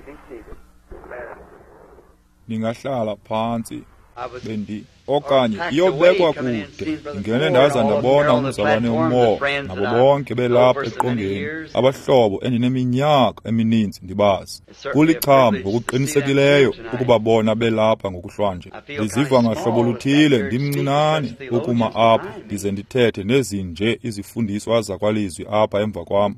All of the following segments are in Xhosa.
Be seated. Ningahlala phantsi bendi okanye iyobekwa kude. Ndingene ndaza ndabona umzalwane uMoore nabo bonke belapha eqongeni, abahlobo endineminyaka emininzi ndibazi. Kulicham ngokuqinisekileyo ukubabona belapha ngokuhlwanje. Ndiziva ngahlobo luthile ndimncinane ukuma apha ndize ndithethe nezinje izifundiswa zakwalizwi apha emva kwam.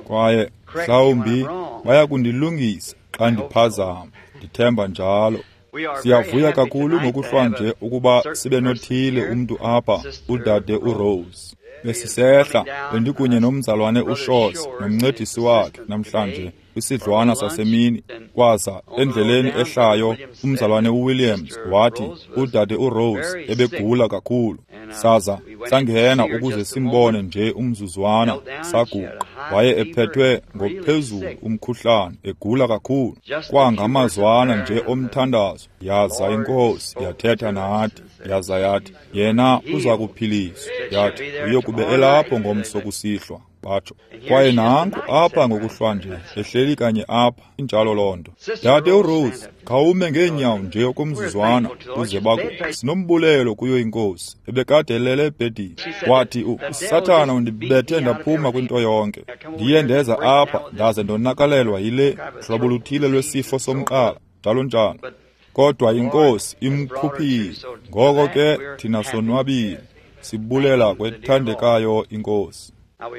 Kwaye mhlawumbi bayakundilungisa xa ndiphazama, ndithemba njalo. Siyavuya kakhulu ngokuhlwanje ukuba sibe nothile umntu apha, udade uRose. Besisehla, bendikunye nomzalwane uShores nomncedisi wakhe namhlanje kwisidlwana sasemini. Kwaza endleleni ehlayo umzalwane uWilliams wathi udade uRose ebegula kakhulu. Saza sangena ukuze simbone nje umzuzwana, saguqa. Waye ephethwe ngophezulu umkhuhlane, egula kakhulu. Kwangamazwana nje omthandazo, yaza iNkosi yathetha nathi, yaza yathi yena uza kuphiliswa. Yathi uyokube elapho ngomso kusihlwa, batsho. Kwaye nanku apha ngokuhlwanje, ehleli kanye apha, injalo loo nto. Dade uRose, khawume ngeenyawo nje okomzuzwana uze baku. Sinombulelo kuyo iNkosi, ebekade elele ebhedini. Wathi uSathana undibethe ndaphuma kwinto yonke. Ndiye ndeza apha ndaze ndonakalelwa yile hlobo luthile lwesifo somqala, njalo njalo. Kodwa iNkosi imkhuphile. Ngoko ke thina sonwabile, sibulela kwethandekayo iNkosi.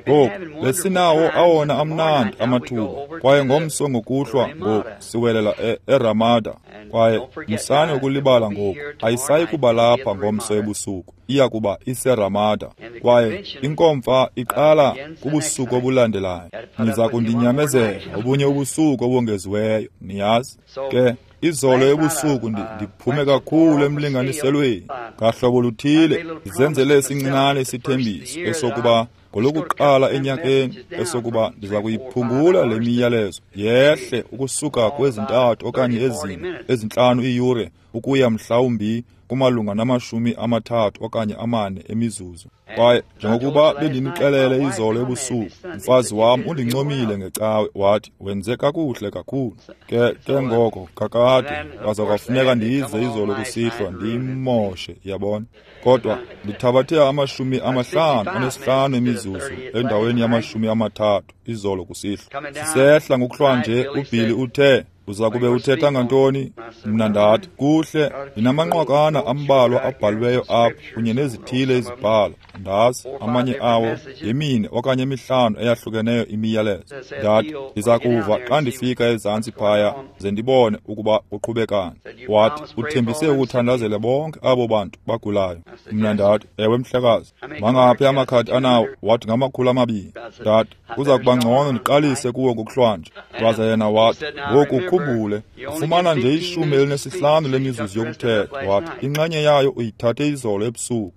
Ngoku besinawo awona amnandi amathuba, kwaye ngomso ngokuhlwa ngoku siwelela eRamada. Kwaye musani ukulibala ngoku, ayisayi kuba lapha ngomso ebusuku, iya kuba iseRamada. Kwaye inkomfa iqala kubusuku obulandelayo. Niza kundinyamezela obunye ubusuku obongeziweyo, niyazi. Ke izolo ebusuku ndiphume kakhulu emlinganiselweni ngahlobo luthile, ndizenzele esincinane isithembiso esokuba ngolokuqala enyakeni esokuba ndiza kuyiphungula le miyalezo yehle ukusuka kwezintathu okanye ezine ezintlanu iiyure ukuya mhlawumbi kumalunga nama-30 okanye 4 emizuzu. Kwaye njengokuba bendinixelele izolo ebusuku, umfazi wam undincomile ngecawe, wathi wenze kakuhle kakhulu. Ke ngoko kakade kwaza kwafuneka ndize izolo kusihlwa ndiyimoshe, yabona. Kodwa ndithabathe 55 emizuzu endaweni yama-30 izolo kusihlwa. Sisehla ngokuhlwanje, uBilly uthe, uza kube uthetha ngantoni? Mna ndathi, kuhle, ndinamanqwakana ambalwa abhaliweyo apha kunye nezithile izibhalo. Ndazi amanye awo yemine okanye emihlanu eyahlukeneyo imiyalezo. Ndathi ndiza kuva xa ndifika ezantsi phaya ze ndibone ukuba kuqhubekani. Wathi uthembise ukuthandazela bonke abo bantu bagulayo. Mna ndathi, ewe mhlekazi. Mangaphi amakhadi anawo? Wathi ngama-200. Ndathi kuza kuba ngcono ndiqalise kuwo ngokuhlwanje. Waza yena wathi, ngoku ukhumbule, ufumana nje 15 lemizuzu yokuthetha. Wathi inxenye yayo uyithathe izolo ebusuku.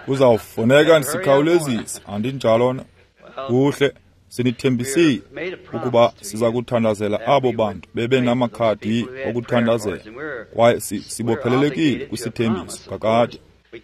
Kuzawufuneka sikhawulezise, andinjalo na? Kuhle, sinithembisile ukuba siza kuthandazela abo bantu bebe namakhadi okuthandazela, kwaye sibophelelekile kwisithembiso kakade.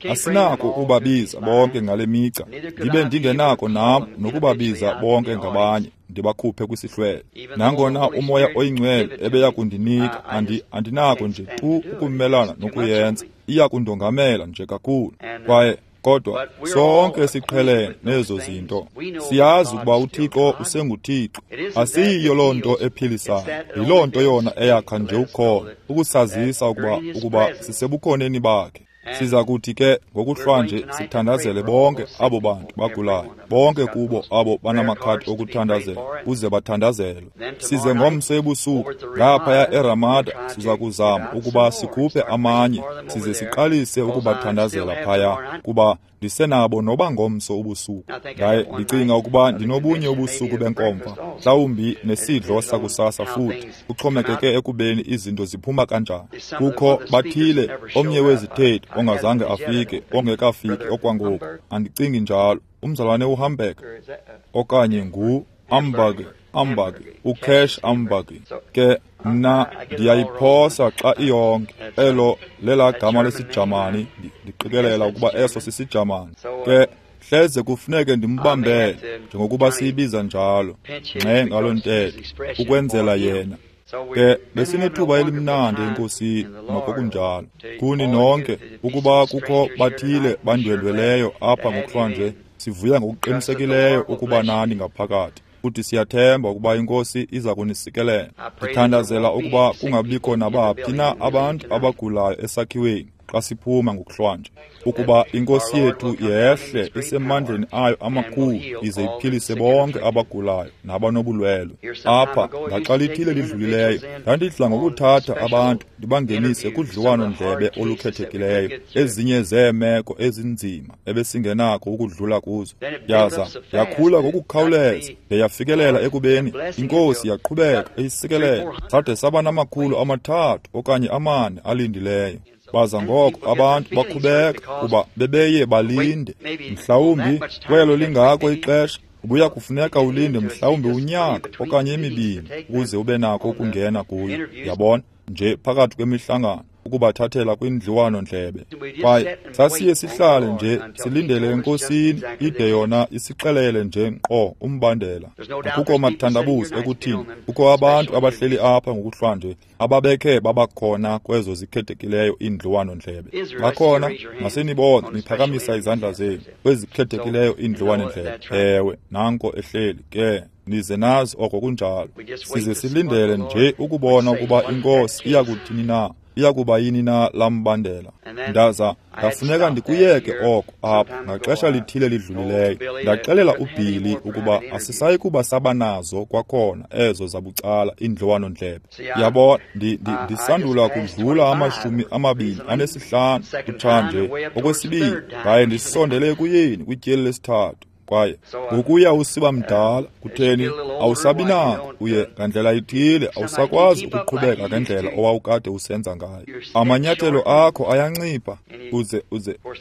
Asinako ukubabiza bonke ngale mica, ndibe ndingenako nam nokubabiza bonke ngabanye, ndibakhuphe kwisihlwele. Nangona uMoya oyiNgcwele ebeya kundinika, andinako nje tu ukumelana nokuyenza, iya kundongamela nje kakhulu. Kwaye kodwa sonke siqhelene nezo zinto, siyazi ukuba uThixo usenguThixo. Asiyiyo loo nto ephilisayo, yiloo nto yona eyakha nje ukholo, ukusazisa ukuba sisebukhoneni bakhe. Siza kuthi ke ngokuhlwanje sithandazele bonke abo bantu bagulayo, bonke kubo abo banamakhadi okuthandazela, uze bathandazelwe. Size ngomso ebusuku ngaphaya eRamada siza kuzama ukuba sikhuphe amanye, size siqalise ukubathandazela phaya, kuba ndisenabo noba ngomso ubusuku. Ndaye ndicinga ukuba ndinobunye ubusuku benkomfa, mhlawumbi nesidlo sakusasa futhi, kuxhomekeke ekubeni izinto ziphuma kanjani. Kukho bathile omnye wezithethi ongazange afike, ongekafiki okwangoku, andicingi njalo. Umzalwane uHamburg okanye ngu-Amburg, uCash Amburg. Ke mna ndiyayiphosa xa iyonke. Elo lela gama lesiJamani, ndiqikelela ukuba eso sisiJamani. Ke Hleze kufuneke ndimbambele, njengokuba siyibiza njalo, ngxe ngaloo ntetho, ukwenzela yena. Ke besinethuba elimnandi eNkosini, noko kunjalo. Kuni nonke, ukuba kukho bathile bandwendweleyo apha ngokuhlwanje, sivuya ngokuqinisekileyo ukuba nani ngaphakathi. Futhi siyathemba ukuba iNkosi iza kunisikelela. Ndithandazela ukuba kungabikho nabaphi na abantu abagulayo esakhiweni xa siphuma ngokuhlwanje, ukuba iNkosi yethu yehle isemandleni ayo amakhulu ize iphilise bonke abagulayo nabanobulwelwe. Apha ngaxa lithile lidlulileyo ndandidla ngokuthatha abantu ndibangenise kudliwano-ndlebe olukhethekileyo, ezinye zeemeko ezinzima ebesingenako ukudlula kuzo. Yaza yakhula ngokukhawuleza de yafikelela ekubeni iNkosi yaqhubeka eyisikelela, sade saba namakhulu 3 okanye 4 alindileyo. Baza ngoko abantu bakhubeka kuba bebeye balinde. Mhlawumbi kwelo lingako ixesha ubuya kufuneka ulinde mhlawumbi unyaka okanye 2 ukuze ube nako ukungena kuyo. Yabona, nje phakathi kwemihlangano ukubathathela kwindliwano-ndlebe. Kwaye sasiye sihlale nje silindele eNkosini ide yona isixelele nje nkqo umbandela. Akukho mathandabuzo ekuthini kukho abantu abahleli apha ngokuhlwanje ababekhe babakhona kwezo zikhethekileyo iindliwano-ndlebe. Bakhona, masenibone niphakamisa izandla zenu kwezikhethekileyo iindliwano-ndlebe. Ewe, nanko ehleli ke. Nize nazi oko kunjalo. Size silindele nje ukubona ukuba iNkosi iya kuthini na, iya kuba yini na lambandela. Ndaza ndafuneka ndikuyeke oko apha ngaxesha lithile lidlulileyo. Ndaxelela uBilly ukuba asisayi kuba sabanazo kwakhona ezo zabucala iindliwano-ndlebe. Yabona, ndisandula kudlula 25 kutshanje okwesibini, ndaye ndisondele ekuyeni kwityeli lesithathu. Kwaye ngokuya usiba mdala, kutheni awusabi nako, uye ngandlela ithile awusakwazi ukuqhubeka ngendlela owawukade usenza ngayo. Amanyathelo akho ayancipha, uze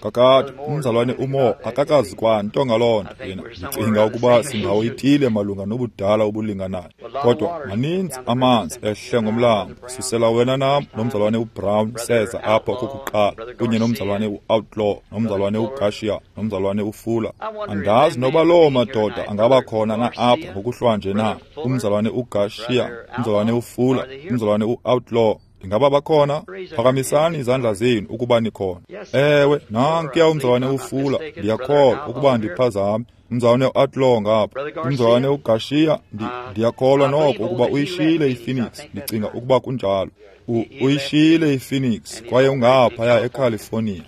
kakade umzalwane uMo akakazi kwanto ngaloo nto yena. Ndicinga ukuba sindawo ithile malunga nobudala obulinganayo, kodwa maninzi amanzi ehle ngomlambo. Susela wena nam nomzalwane uBrown seza apha okokuqala, kunye nomzalwane uOutlaw, nomzalwane uGarcia, nomzalwane uFuller. Andazi noba loo madoda angaba khona na apha ngokuhlwanje na. Umzalwane uGarcia, umzalwane uFuller, umzalwane uOutlaw, ingaba bakhona? Phakamisani izandla zenu ukuba nikhona. Ewe, nankuya umzalwane uFuller, ndiyakholwa ukuba ndiphazame. Umzalwane uOutlaw ngapha, umzalwane uGarcia, ndiyakholwa noko ukuba uyishiyile iPhoenix, ndicinga ukuba kunjalo. Uyishiyile iPhoenix kwaye ungaphaya eCalifornia.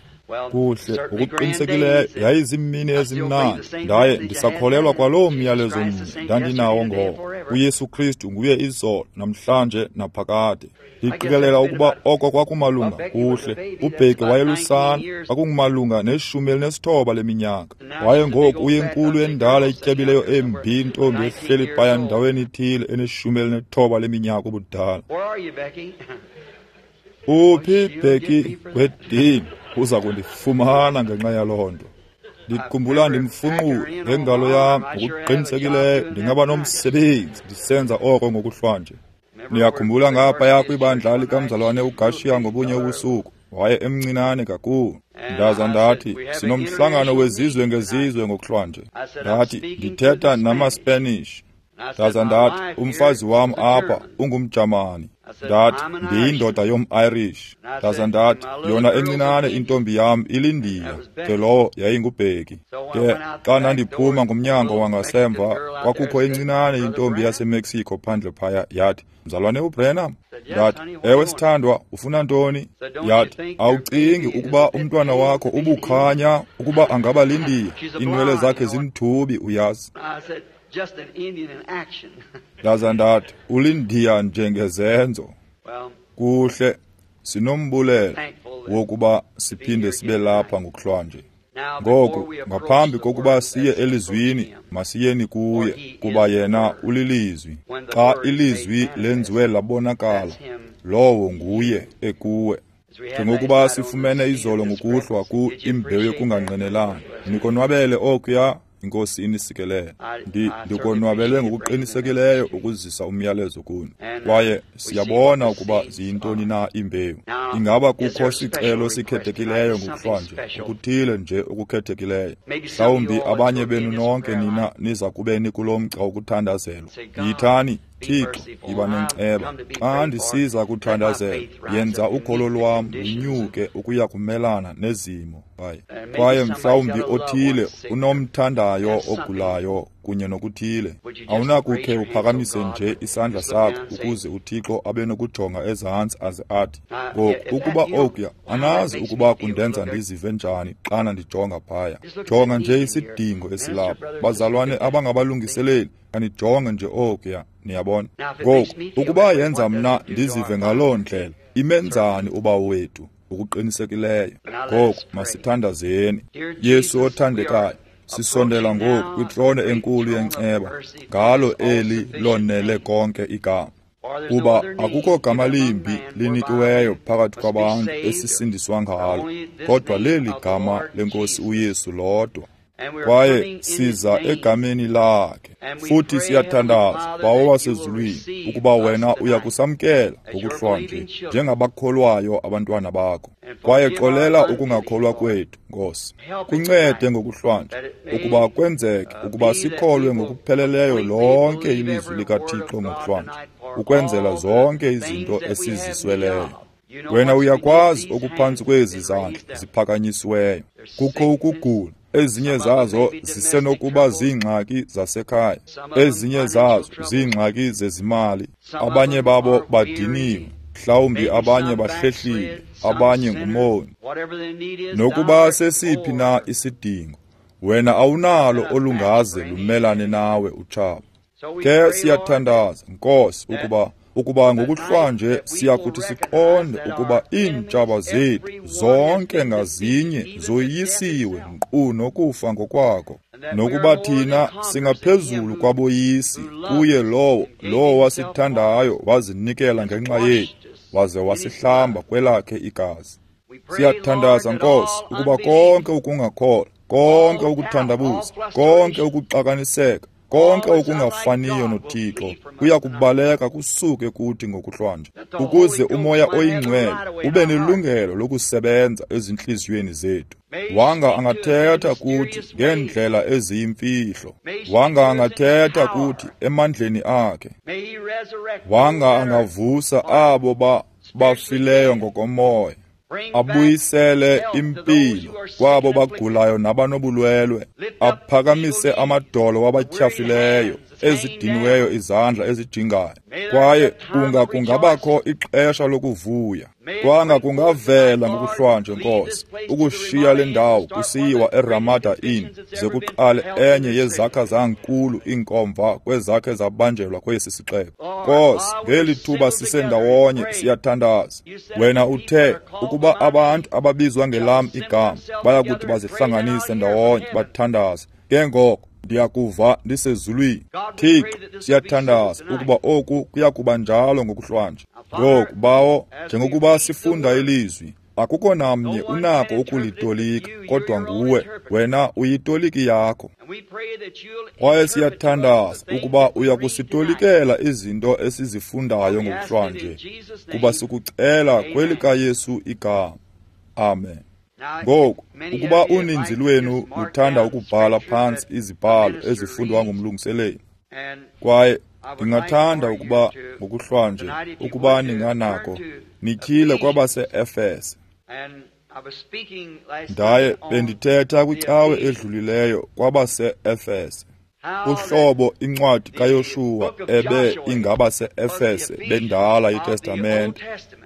Kuhle, ngokuqinisekileyo yayiziimini ezimnandi, ndaye ndisakholelwa kwaloo myalezo mnye ndandinawo ngoko. uYesu Kristu nguye izolo, namhlanje naphakade. Ndiqikelela ukuba oko kwakumalunga kuhle. UBheki wayelusana, kwakungumalunga ne-19 leminyaka. Waye ngoku uyenkulu endala etyebileyo embi intombi ehleli phaya ndaweni ithile ene-19 leminyaka ubudala. Uphi Bheki kwedini? Uza kundifumana ngenxa yaloo nto. Ndikhumbula ndimfunqule ngengalo yam ngokuqinisekileyo ndingaba nomsebenzi ndisenza oko ngokuhlwanje. Niyakhumbula ngaphaya kwibandla likamzalwane uGarcia ngobunye ubusuku, waye emncinane kakhulu. Ndaza ndathi, sinomhlangano wezizwe ngezizwe ngokuhlwanje. Ndathi, ndithetha namaSpanish. Ndaza ndathi, umfazi wam apha ungumJamani. Ndathi, ndiyindoda yom-Irish. Ndaza ndathi, yona encinane intombi yam ilindiya, ke lowo yayingubheki. Ke xa ndandiphuma ngomnyango wangasemva, kwakukho encinane intombi yaseMexico phandle phaya, yathi, mzalwane uBrenham. Ndathi, ewe sithandwa, ufuna ntoni? Yathi, awucingi ukuba umntwana wakho ubukhanya ukuba angaba lindiya? Iinwele zakhe zimthubi, uyazi. Ndaza ndathi, ulindiya njengezenzo. Kuhle, sinombulelo wokuba siphinde sibe lapha ngokuhlwanje. Ngoku, ngaphambi kokuba siye elizwini, masiyeni kuye, kuba yena ulilizwi. Xa ilizwi lenziwe labonakala, lowo nguye ekuwe. Njengokuba sifumene izolo ngokuhlwa ku imbewu yokungangqinelani, nikonwabele okuya. Inkosi inisikelele. Ndikonwabele ngokuqinisekileyo ukuzisa umyalezo kuni. Kwaye siyabona ukuba ziyintoni na iimbewu. Ingaba kukho sicelo sikhethekileyo ngokuhlwanje, okuthile nje okukhethekileyo? Mhlawumbi abanye benu nonke nina niza kube nikulo mgca wokuthandazelwa. Yithani, Thixo, yiba nenceba. Xa ndisiza kuthandazela, yenza ukholo lwam lunyuke ukuya kumelana nezimo. Kwaye mhlawumbi othile unomthandayo ogulayo kunye nokuthile. Awunakukhe uphakamise nje isandla sakho ukuze uThixo abe nokujonga ezantsi aze athi, ngoku ukuba okuya, anazi ukuba kundenza ndizive njani xana ndijonga phaya. Jonga nje isidingo esilapha. Bazalwane abangabalungiseleli, anijonge nje okuya, niyabona. Ngoku, ukuba yenza mna ndizive ngaloo ndlela, imenzani uBawo wethu? Ngokuqinisekileyo. Ngoku masithandazeni. Yesu othandekayo, sisondela ngoku kwitrone enkulu yenceba, ngalo eli lonele konke igama. Kuba akukho gama limbi linikiweyo phakathi kwabantu esisindiswa ngalo, kodwa leli gama lenkosi uYesu lodwa. Kwaye siza egameni lakhe, futhi siyathandaza, Bawo wasezulwini, ukuba wena uya kusamkela ngokuhlwanje njengabakholwayo abantwana bakho. Kwaye xolela ukungakholwa kwethu, Nkosi. Kuncede ngokuhlwanje ukuba kwenzeke ukuba sikholwe ngokupheleleyo lonke ilizwi likaThixo ngokuhlwanje, ukwenzela zonke izinto esizisweleyo. Wena uyakwazi okuphantsi kwezi zandla ziphakanyisiweyo. Kukho ukugula. Ezinye zazo zisenokuba ziingxaki zasekhaya, ezinye zazo ziingxaki zezimali. Abanye babo badiniwe, mhlawumbi abanye bahlehlile, abanye ngumoni. Nokuba sesiphi na isidingo, wena awunalo olungaze lumelane nawe utshaba. Ke siyathandaza, Nkosi, ukuba ngokuhlwanje siyakuthi siqonde ukuba iintshaba zethu zonke ngazinye zoyisiwe nkqu nokufa ngokwako, nokuba thina singaphezulu kwaboyisi kuye lowo wasithandayo wazinikela ngenxa yethu waze wasihlamba kwelakhe igazi. Siyathandaza, Nkosi, ukuba konke ukungakholwa, konke ukuthandabuza, konke ukuxakaniseka, konke okungafaniyo noThixo kuya kubaleka kusuke kuthi ngokuhlwanje, ukuze uMoya oyiNgcwele ube nelungelo lokusebenza ezintliziyweni zethu. Wanga angathetha kuthi ngeendlela eziyimfihlo, wanga angathetha kuthi emandleni akhe, wanga angavusa abo bafileyo ngokomoya, abuyisele impilo kwabo bagulayo nabanobulwelwe, aphakamise amadolo wabatyhafileyo, ezidiniweyo izandla ezijingayo. Kwaye kunga kungabakho ixesha lokuvuya. Kwanga kungavela ngokuhlwanje, Nkosi, ukushiya le ndawo kusiyiwa eRamada Inn, ze kuqale enye yezakha zankulu iinkomfa kwezakhe zabanjelwa kwesi sixeko. Nkosi, ngeli thuba sisendawonye siyathandaza. Wena uthe ukuba abantu ababizwa ngelam igama bayakuthi bazihlanganise ndawonye bathandaze, ke ngoko ndiyakuva ndisezulwini. Thixo, siyathandaza ukuba oku kuya kuba njalo ngokuhlwanje. Ngoku, Bawo, njengokuba sifunda ilizwi, akukho namnye unako ukulitolika kodwa nguwe. Wena uyitoliki yakho. Kwaye siyathandaza ukuba uya kusitolikela izinto esizifundayo ngokuhlwanje, kuba sikucela kwelikaYesu igama. Amen. Ngoku, ukuba uninzi lwenu luthanda ukubhala phantsi izibhalo ezifundwa ngumlungiseleli, kwaye ndingathanda ukuba ngokuhlwanje, ukuba ninganako, nityhile kwabase-Efese. Ndaye bendithetha kwicawe edlulileyo kwabase-Efese. Uhlobo incwadi kaYoshuwa ebe ingabase-Efese bendala iTestamente,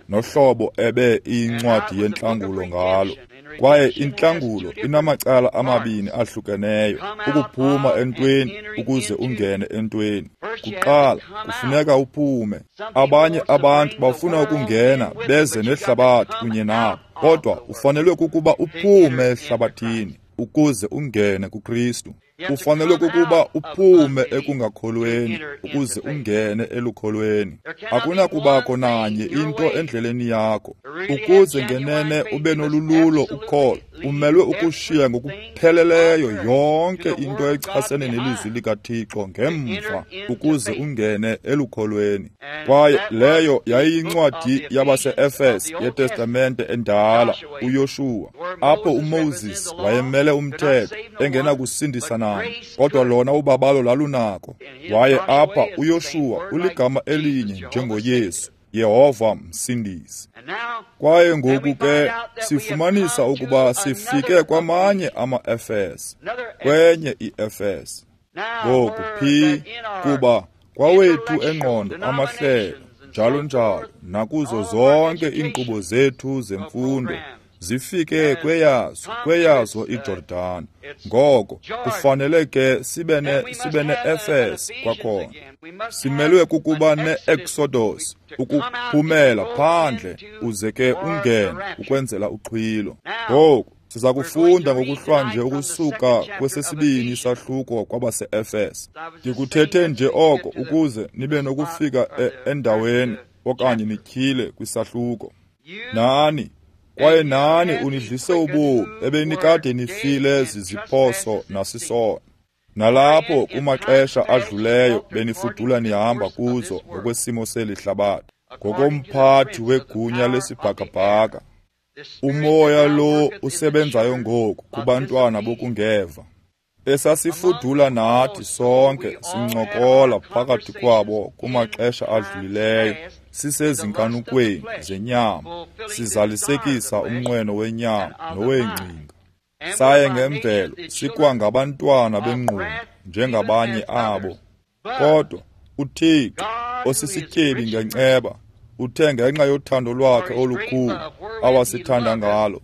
nohlobo ebe iyincwadi yentlangulo ngalo. Kwaye intlangulo inamacala amabini ahlukeneyo, ukuphuma entweni ukuze ungene entweni. Kuqala kufuneka uphume. Abanye abantu bafuna ukungena beze nehlabathi kunye nabo, kodwa ufanelwe kukuba uphume ehlabathini ukuze ungene kuKristu. Ufanelwe kukuba uphume ekungakholweni ukuze ungene elukholweni. Akunakubakho nanye into endleleni yakho. Ukuze ngenene ube nolululo ukholo, umelwe ukushiya ngokupheleleyo yonke into echasene nelizwi likaThixo ngemva ukuze ungene elukholweni. Kwaye leyo yayiyincwadi yabaseEfese yeTestamente endala, uYoshuwa, apho uMoses wayemele umthetho engenakusindisa nani, kodwa lona ubabalo lalunako. Waye apha uYoshuwa uligama elinye njengoYesu, Yehova Msindisi. Kwaye ngoku ke sifumanisa ukuba sifike kwamanye ama-Efese, kwenye iEfese. Ngoku phi kuba kwawethu engqondo amahlelo njalo njalo nakuzo zonke iinkqubo zethu zemfundo zifike kweyazo iJordan. Ngoko kufanele ke sibe ne-Efese kwakhona. Simelwe kukuba ne-Exodus, ukuphumela phandle uze ke ungene ukwenzela uxhwilo. Ngoku siza kufunda ngokuhlwanje ukusuka kwesesibini isahluko kwabase-Efese. Ndikuthethe nje oko ukuze nibe nokufika endaweni okanye nityhile kwisahluko. Nani kwaye nani unidlise ubomi ebenikade nifile ziziphoso nasisono. Nalapho kumaxesha adluleyo benifudula nihamba kuzo ngokwesimo seli hlabathi, ngokomphathi wegunya lesibhakabhaka, umoya lo usebenzayo ngoku kubantwana bokungeva. Esasifudula nathi sonke sincokola phakathi kwabo kumaxesha adlulileyo, sisezinkanukweni zenyama, sizalisekisa umnqweno wenyama noweengcinga. Saye ngemvelo sikwangabantwana bengqumbo njengabanye abo. Kodwa uThixo osisityebi ngenceba uthe ngenxa yothando lwakhe olukhulu awasithanda ngalo,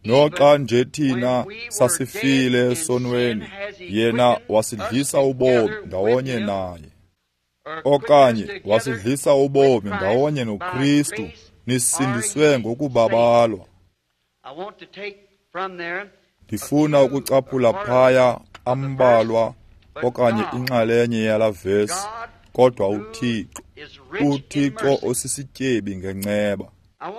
noxa nje thina sasifile esonweni, yena wasidlisa ubomi ndawonye naye, okanye wasidlisa ubomi ndawonye noKristu, nisindiswe ngokubabalwa. Ndifuna ukucaphula phaya ambalwa okanye inxalenye yala vesi, kodwa uThixo, uThixo osisityebi ngenceba.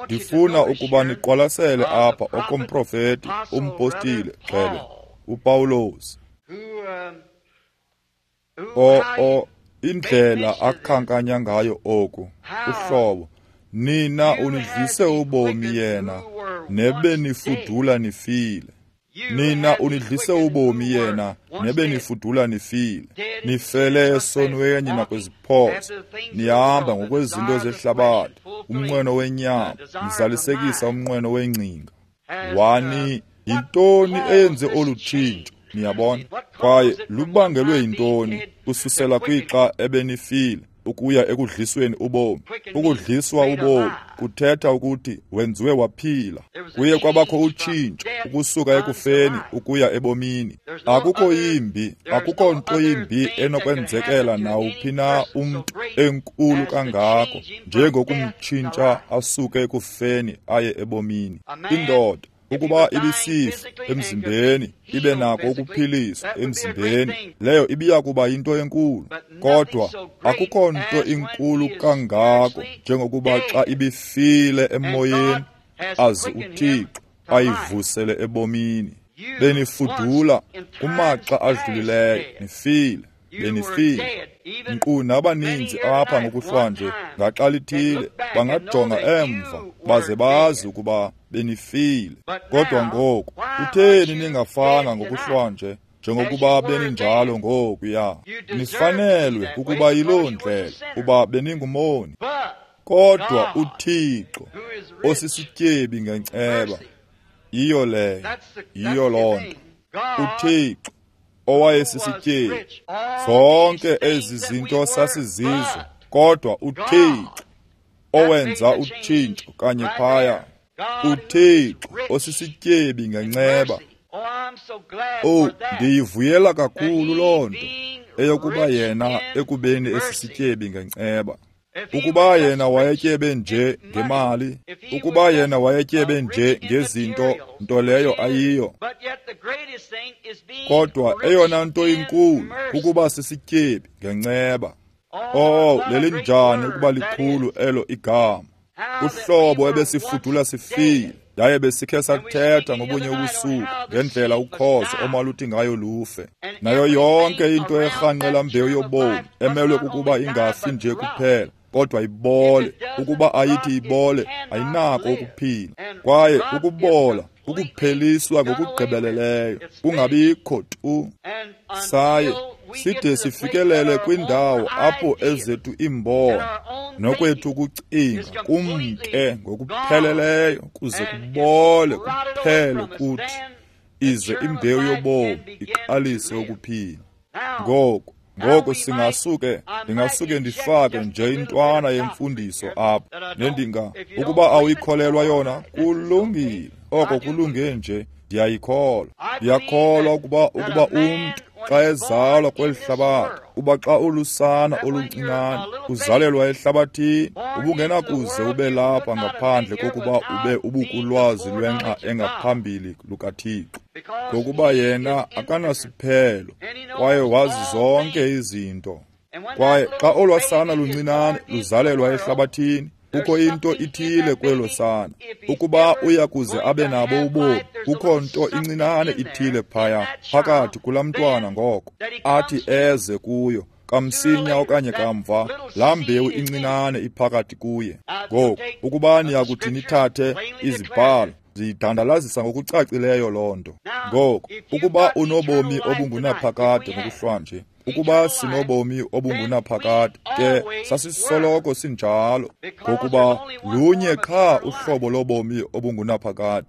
Ndifuna ukuba niqwalasele apha okomprofeti, umpostile gxebe, uPawulos. Indlela akhankanya ngayo oku, uhlobo, nina unidlise ubomi yena, nebenifudula nifile. Nina unidlise ubomi yena, nebenifudula nifile. Nifele esonweni nakwiziphoso, nihamba ngokwezinto zehlabathi, umnqweno wenyama, nizalisekisa umnqweno wengcinga. Wani, yintoni eyenze olu tshintsho? Niyabona? Kwaye lubangelwe yintoni kususela kwixa ebenifile ukuya ekudlisweni ubomi? Ukudliswa ubomi kuthetha ukuthi wenziwe waphila. Kuye kwabakho utshintsho ukusuka ekufeni ukuya ebomini. Akukho yimbi, akukho nto yimbi enokwenzekela nawuphi na umntu enkulu kangako njengokumtshintsha asuke ekufeni aye ebomini. Indoda ukuba ibisifa emzimbeni, ibe nako ukuphiliswa emzimbeni, leyo ibiya kuba yinto enkulu. Kodwa akukho nto inkulu kangako njengokuba xa ibifile emoyeni, aze uThixo ayivusele ebomini. Benifudula kumaxa adlulileyo, nifile, benifile. Nkqu nabaninzi apha ngokuhlwanje ngaxa lithile bangajonga emva baze bazi ukuba benifile. Kodwa ngoku kutheni ningafanga ngokuhlwanje njengokuba beninjalo ngokuya? Nifanelwe kukuba yiloo ndlela, kuba beningumoni. Kodwa uThixo osisityebi ngenceba, yiyo leyo, yiyo loo nto. uThixo owayesisityebi, zonke ezi zinto sasizizo, kodwa uThixo owenza utshintsho kanye phaya, uThixo osisityebi ngenceba. Oh, ndiyivuyela kakhulu loo nto, eyokuba yena ekubeni esisityebi ngenceba. Ukuba yena wayetyebe nje ngemali, ukuba yena wayetyebe nje ngezinto, nto leyo ayiyo. Kodwa eyona nto inkulu kukuba sisityebi ngenceba. Oh, lelinjani ukuba likhulu elo igama. Uhlobo ebesifudula sifile, yaye besikhe sathetha ngobunye ubusuku ngendlela ukhozo omaluthi ngayo lufe. Nayo yonke into erhanqela mbewu yobomi emelwe kukuba ingafi nje kuphela, kodwa ibole. Ukuba ayithi ibole, ayinako ukuphila. Kwaye ukubola ukupheliswa ngokugqibeleleyo, kungabikho tu. Saye side sifikelele kwindawo apho ezethu iimbono nokwethu ukucinga kumke ngokupheleleyo, kuze kubole kuphele kuthi, ize imbewu yobomi iqalise ukuphila. Ngoku ndingasuke ndifake nje intwana yemfundiso apha, nendinga ukuba awuyikholelwa yona, kulungile. Oko kulunge nje, ndiyayikholwa. Ndiyakholwa ukuba umntu xa ezalwa kweli hlabathi, uba xa ulusana oluncinane uzalelwa ehlabathini, ubungenakuze ube lapha ngaphandle kokuba ube ubukulwazi lwenxa engaphambili lukaThixo, ngokuba yena akanasiphelo kwaye wazi zonke izinto. Kwaye xa olwasana luncinane luzalelwa ehlabathini, kukho into ithile kwelo sana. Ukuba uya kuze abe nabo ubomi, kukho nto incinane ithile phaya phakathi kulaa mntwana ngoko athi eze kuyo kamsinya okanye kamva, laa mbewu incinane iphakathi kuye. Ngoku ukuba niyakuthi nithathe izibhalo, ziyidandalazisa ngokucacileyo loo nto. Ngoku ukuba unobomi obungunaphakade ngokuhlwanje, ukuba sinobomi obungunaphakade, ke sasisoloko sinjalo, ngokuba lunye qha uhlobo lobomi obungunaphakade.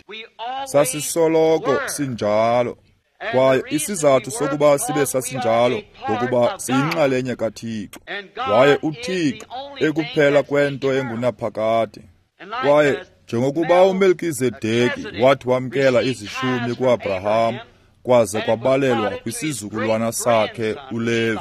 Sasisoloko sinjalo. Kwaye isizathu sokuba sibe sasinjalo ngokuba siyinxalenye kaThixo, waye uThixo ekuphela kwento engunaphakade. Kwaye njengokuba uMelkizedeki wathi wamkela izishumi kuAbraham, kwaze kwabalelwa kwisizukulwana sakhe uLevi,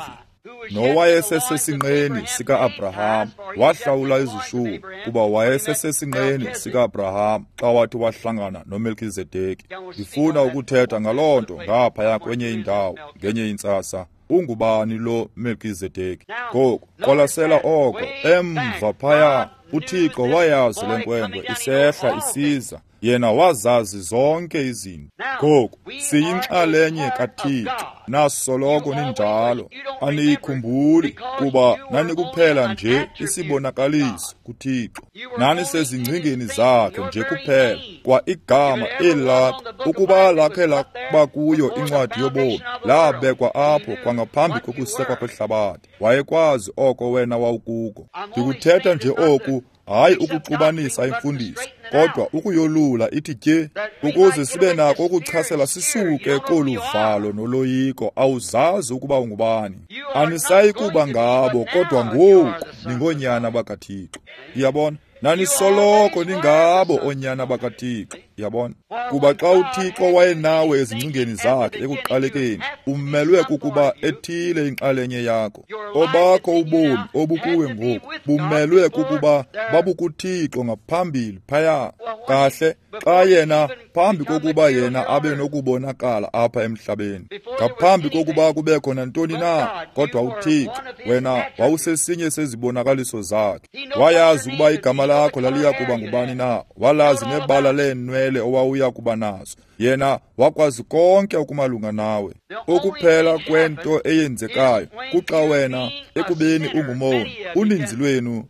nowayesesesinqeni sika-Abraham, wahlawula izishumi kuba wayesesesinqeni sika-Abraham xa wathi wahlangana noMelkizedeki. Ndifuna ukuthetha ngaloo nto ngaphaya kwenye indawo ngenye intsasa. Ungubani lo Melkizedeki? Ngoku qwalasela oko emva phaya, uThixo wayazi le nkwenkwe isehla isiza. Yena wazazi zonke izinto. Ngoku siyinxalenye kaThixo, nasoloko ninjalo. Aniyikhumbuli kuba nanikuphela nje isibonakaliso kuThixo, nanisezingcingeni zakhe nje kuphela. Kwa igama eli lakho, ukuba lakhe lakuba kuyo incwadi yobomi, labekwa apho kwangaphambi kokusekwa kwehlabathi. Wayekwazi oko wena wawukuko. Ndikuthetha nje oku, hayi ukuxubanisa imfundiso, kodwa ukuyolula ithi tye, ukuze sibe nako ukuchasela sisuke kolu valo noloyiko. Awuzazi ukuba ungubani. Anisayi kuba ngabo, kodwa ngoku ningoonyana bakaThixo. Uyabona? Nanisoloko ningabo oonyana bakaThixo. Uyabona? Kuba xa uThixo wayenawe ezingcingeni zakhe ekuqalekeni, umelwe kukuba ethile inxalenye yakho. Obakho ubomi obukuwe ngoku bumelwe kukuba babukuThixo ngaphambili phaya. Kahle, xa yena phambi kokuba yena abe nokubonakala apha emhlabeni, ngaphambi kokuba kubekho nantoni na, kodwa uThixo, wena wawusesinye sezibonakaliso zakhe. Wayazi ukuba igama lakho laliya kuba ngubani na, walazi nebala leenwele owawuya kuba nazo. Yena wakwazi konke okumalunga nawe. Okuphela kwento eyenzekayo kuxa wena ekubeni ungumoni, uninzi lwenu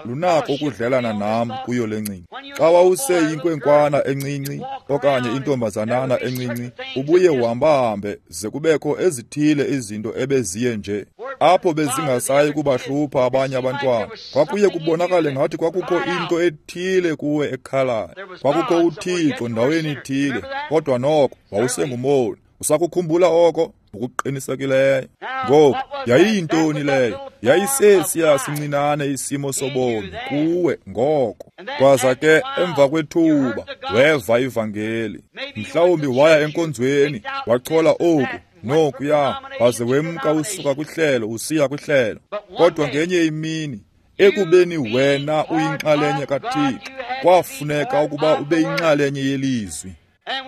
lunako ukudlelana nam kuyo le ncinci. Xa wawuseyinkwenkwana encinci okanye intombazanana encinci, ubuye uhambahambe ze kubekho ezithile izinto ebeziye nje apho bezingasayi kubahlupha abanye abantwana. Kwakuye kubonakale ngathi kwakukho into ethile kuwe ekhalayo. Kwakukho uThixo ndaweni ithile, kodwa noko wawusengumoni. Usakukhumbula oko ngokuqinisekileyo. Ngoku yayiyintoni leyo? Yayisesiya sincinane isimo sobomi kuwe ngoko. Kwaza ke emva kwethuba weva ivangeli. Mhlawumbi waya enkonzweni, wachola oku nokuya, waze wemka usuka kwihlelo usiya kwihlelo. Kodwa ngenye imini, Ekubeni wena uyinxalenye kaThixo, kwafuneka ukuba ube yinxalenye yelizwi.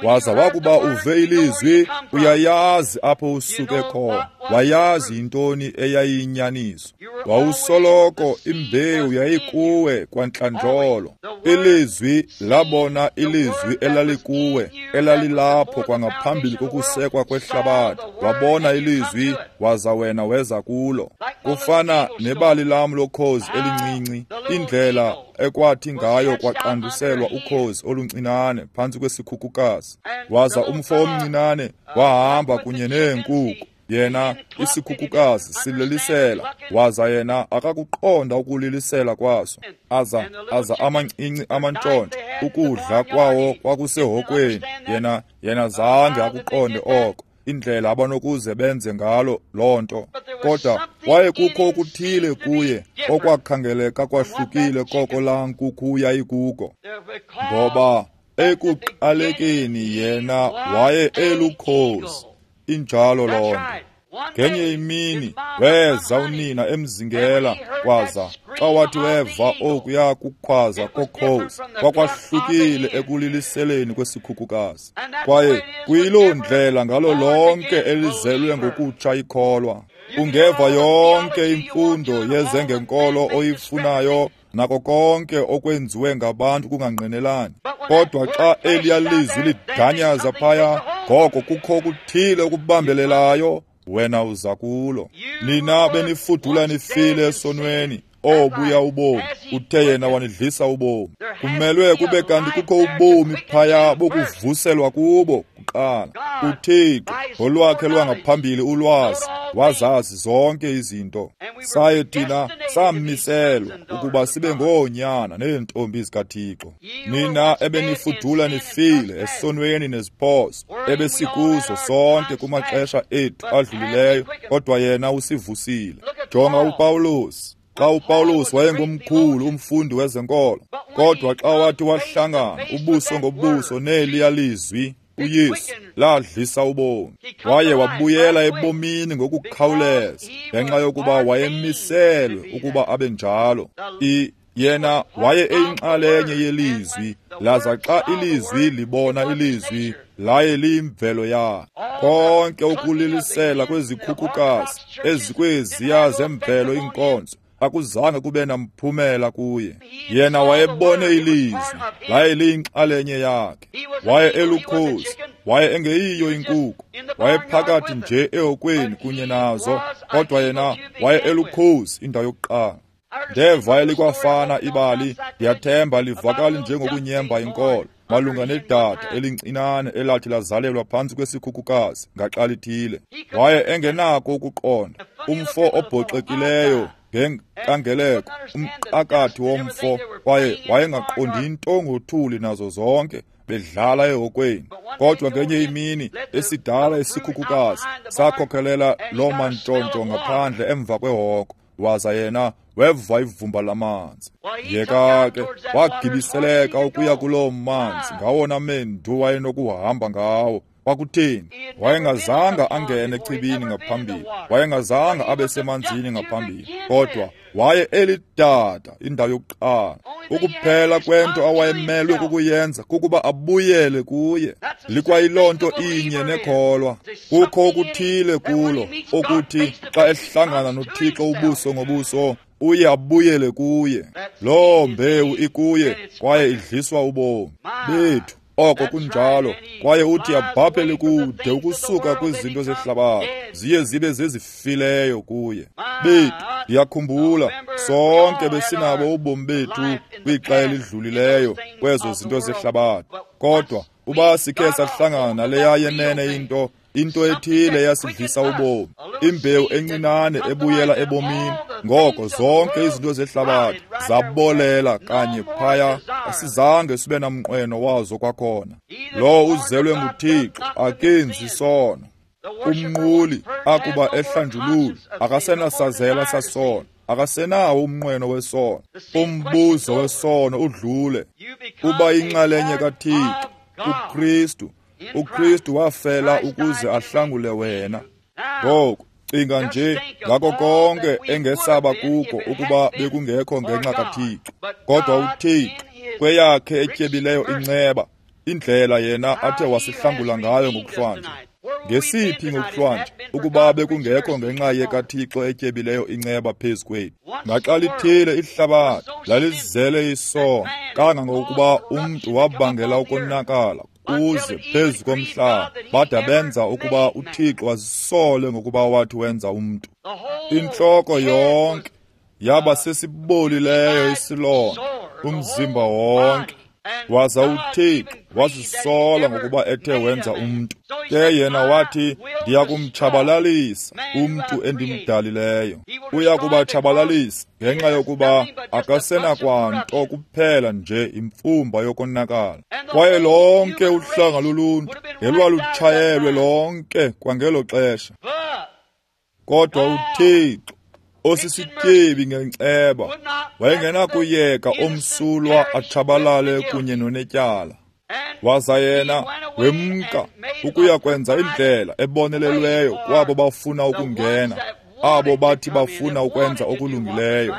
Waza wakuba uve ilizwi, uyayazi apho usuke khona, wayazi intoni eyayiyinyaniso. Wawusoloko imbewu yayikuwe kwantlandlolo. Ilizwi labona ilizwi elalikuwe, elalilapho kwangaphambili kokusekwa kwehlabathi. Wabona ilizwi, waza wena weza kulo. Kufana nebali lam lokhozi elincinci, indlela ekwathi ngayo kwaqanduselwa ukhozi oluncinane phantsi kwesikhukukazi. Waza umfo omncinane wahamba kunye neenkuku. Yena isikhukukazi sililisela, waza yena akakuqonda ukulilisela kwaso. Aza amancinci amantshontsho, ukudla kwawo kwakusehokweni. Yena zange akuqonde oko, indlela abanokuze benze ngalo loo nto. Kodwa kwaye kukho okuthile kuye okwakhangeleka kwahlukile koko laa nkukhu yayikuko, ngoba ekuqalekeni yena waye elukhozi. Injalo loo nto. Ngenye imini weza unina emzingela, kwaza xa wathi weva okuya kukhwaza kokhozi, kwakwahlukile ekuliliseleni kwesikhukukazi. Kwaye kuyiloo ndlela ngalo lonke elizelwe ngokutsha ikholwa. Ungeva yonke imfundo yezengenkolo oyifunayo, nako konke okwenziwe ngabantu kungangqinelani. Kodwa xa eliya lizwi lidanyaza phaya, ngoko kukho okuthile okubambelelayo, wena uza kulo. Nina benifudula nifile esonweni, obuya ubomi, uthe yena wanidlisa ubomi. Kumelwe kube kanti kukho ubomi phaya bokuvuselwa kubo kuqala. UThixo ngolwakhe lwangaphambili ulwazi wazazi zonke izinto. Saye thina samiselwa ukuba sibe ngoonyana neentombi zikaThixo. Nina ebenifudula nifile esonweni neziphoso ebesikuzo sonke kumaxesha ethu adlulileyo, kodwa yena usivusile. Jonga uPawulos. Xa uPawulos wayengumkhulu umfundi wezenkolo, kodwa xa wathi wahlangana ubuso ngobuso neliya lizwi, uYesu ladlisa ubomi. Waye wabuyela ebomini ngokukhawuleza ngenxa yokuba wayemiselwe ukuba abe njalo. Yena waye eyinxalenye yelizwi, laza xa ilizwi libona ilizwi, laye liyimvelo yakhe. Konke ukulilisela kwezikhukukazi ezikweziya zemvelo iinkonzo akuzange kube namphumela kuye. Yena wayebone ilizwi, laye liyinxalenye yakhe. Waye elukhozi, waye engeyiyo inkukhu, wayephakathi nje ehokweni kunye nazo, kodwa yena waye elukhozi indawo yokuqala. Ndeva elikwafana ibali, ndiyathemba livakali njengokunyemba inkolo, malunga nedada elincinane elathi lazalelwa phantsi kwesikhukukazi ngaxa lithile. Waye engenako ukuqonda, umfo obhoxekileyo ngenkangeleko, umqakathi womfo, kwaye wayengaqondi into ngothuli nazo zonke, bedlala ehokweni. Kodwa ngenye imini esidala isikhukukazi sakhokhelela loo mantshontsho ngaphandle emva kwehoko, waza yena weva ivumba lamanzi. Yeka ke wagibiseleka ukuya kuloo manzi ngawona mendu wayenokuhamba ngawo. Kwakutheni? Wayengazanga angene echibini ngaphambili, wayengazanga abe semanzini ngaphambili, kodwa waye elidada indawo yokuqala. Ukuphela kwento awayemelwe kukuyenza kukuba abuyele kuye. Likwayiloo nto inye nekholwa. Kukho okuthile kulo okuthi xa ehlangana noThixo ubuso ngobuso, uye abuyele kuye. Loo mbewu ikuye kwaye idliswa ubomi bethu. Oko kunjalo, kwaye uthi abhabhele kude ukusuka kwizinto zehlabathi, ziye zibe zezifileyo kuye. Bethu, ndiyakhumbula sonke besinabo ubomi bethu kwixa elidlulileyo kwezo zinto zehlabathi, kodwa uba sikhe sahlangana naleya yenene into ethile eyasidlisa ubomi, imbewu encinane ebuyela ebomini, ngoko zonke izinto zehlabathi zabolela kanye phaya, asizange sibe namnqweno wazo kwakhona. Lowo uzelwe nguThixo akenzi sono. Umnquli akuba ehlanjululwe akasenasazela sasono, akasenawo umnqweno wesono. Umbuzo wesono udlule. Uba inxalenye kaThixo, uKristu. uKristu wafela ukuze ahlangule wena. Ngoku Cinga nje ngako konke engesaba kuko ukuba bekungekho ngenxa kaThixo. Kodwa uThixo kweyakhe etyebileyo inceba, indlela yena athe wasihlangula ngayo ngokuhlwanje. Ngesiphi ngokuhlwanje ukuba bekungekho ngenxa yekaThixo etyebileyo inceba phezu kwethu? Ngaxa lithile ihlabathi lalizele isono, kangangokuba umntu wabangela ukonakala kuze phezu komhlaba, bada benza ukuba uThixo azisole ngokuba wathi wenza umntu. Intloko yonke yaba sesibolileyo isilonda, umzimba wonke. Waza uThixo wazisola ngokuba ethe wenza umntu. Ke yena wathi, ndiya kumtshabalalisa umntu endimdalileyo. Uya kubatshabalalisa ngenxa yokuba akasenakwanto kuphela nje imfumba yokonakala. Kwaye lonke uhlanga loluntu ngelwalutshayelwe lonke kwangelo xesha. Kodwa uThixo osisityebi ngenceba wayengenakuyeka omsulwa atshabalale kunye nonetyala. Waza yena wemka ukuya kwenza indlela ebonelelweyo kwabo bafuna ukungena, abo bathi bafuna ukwenza okulungileyo.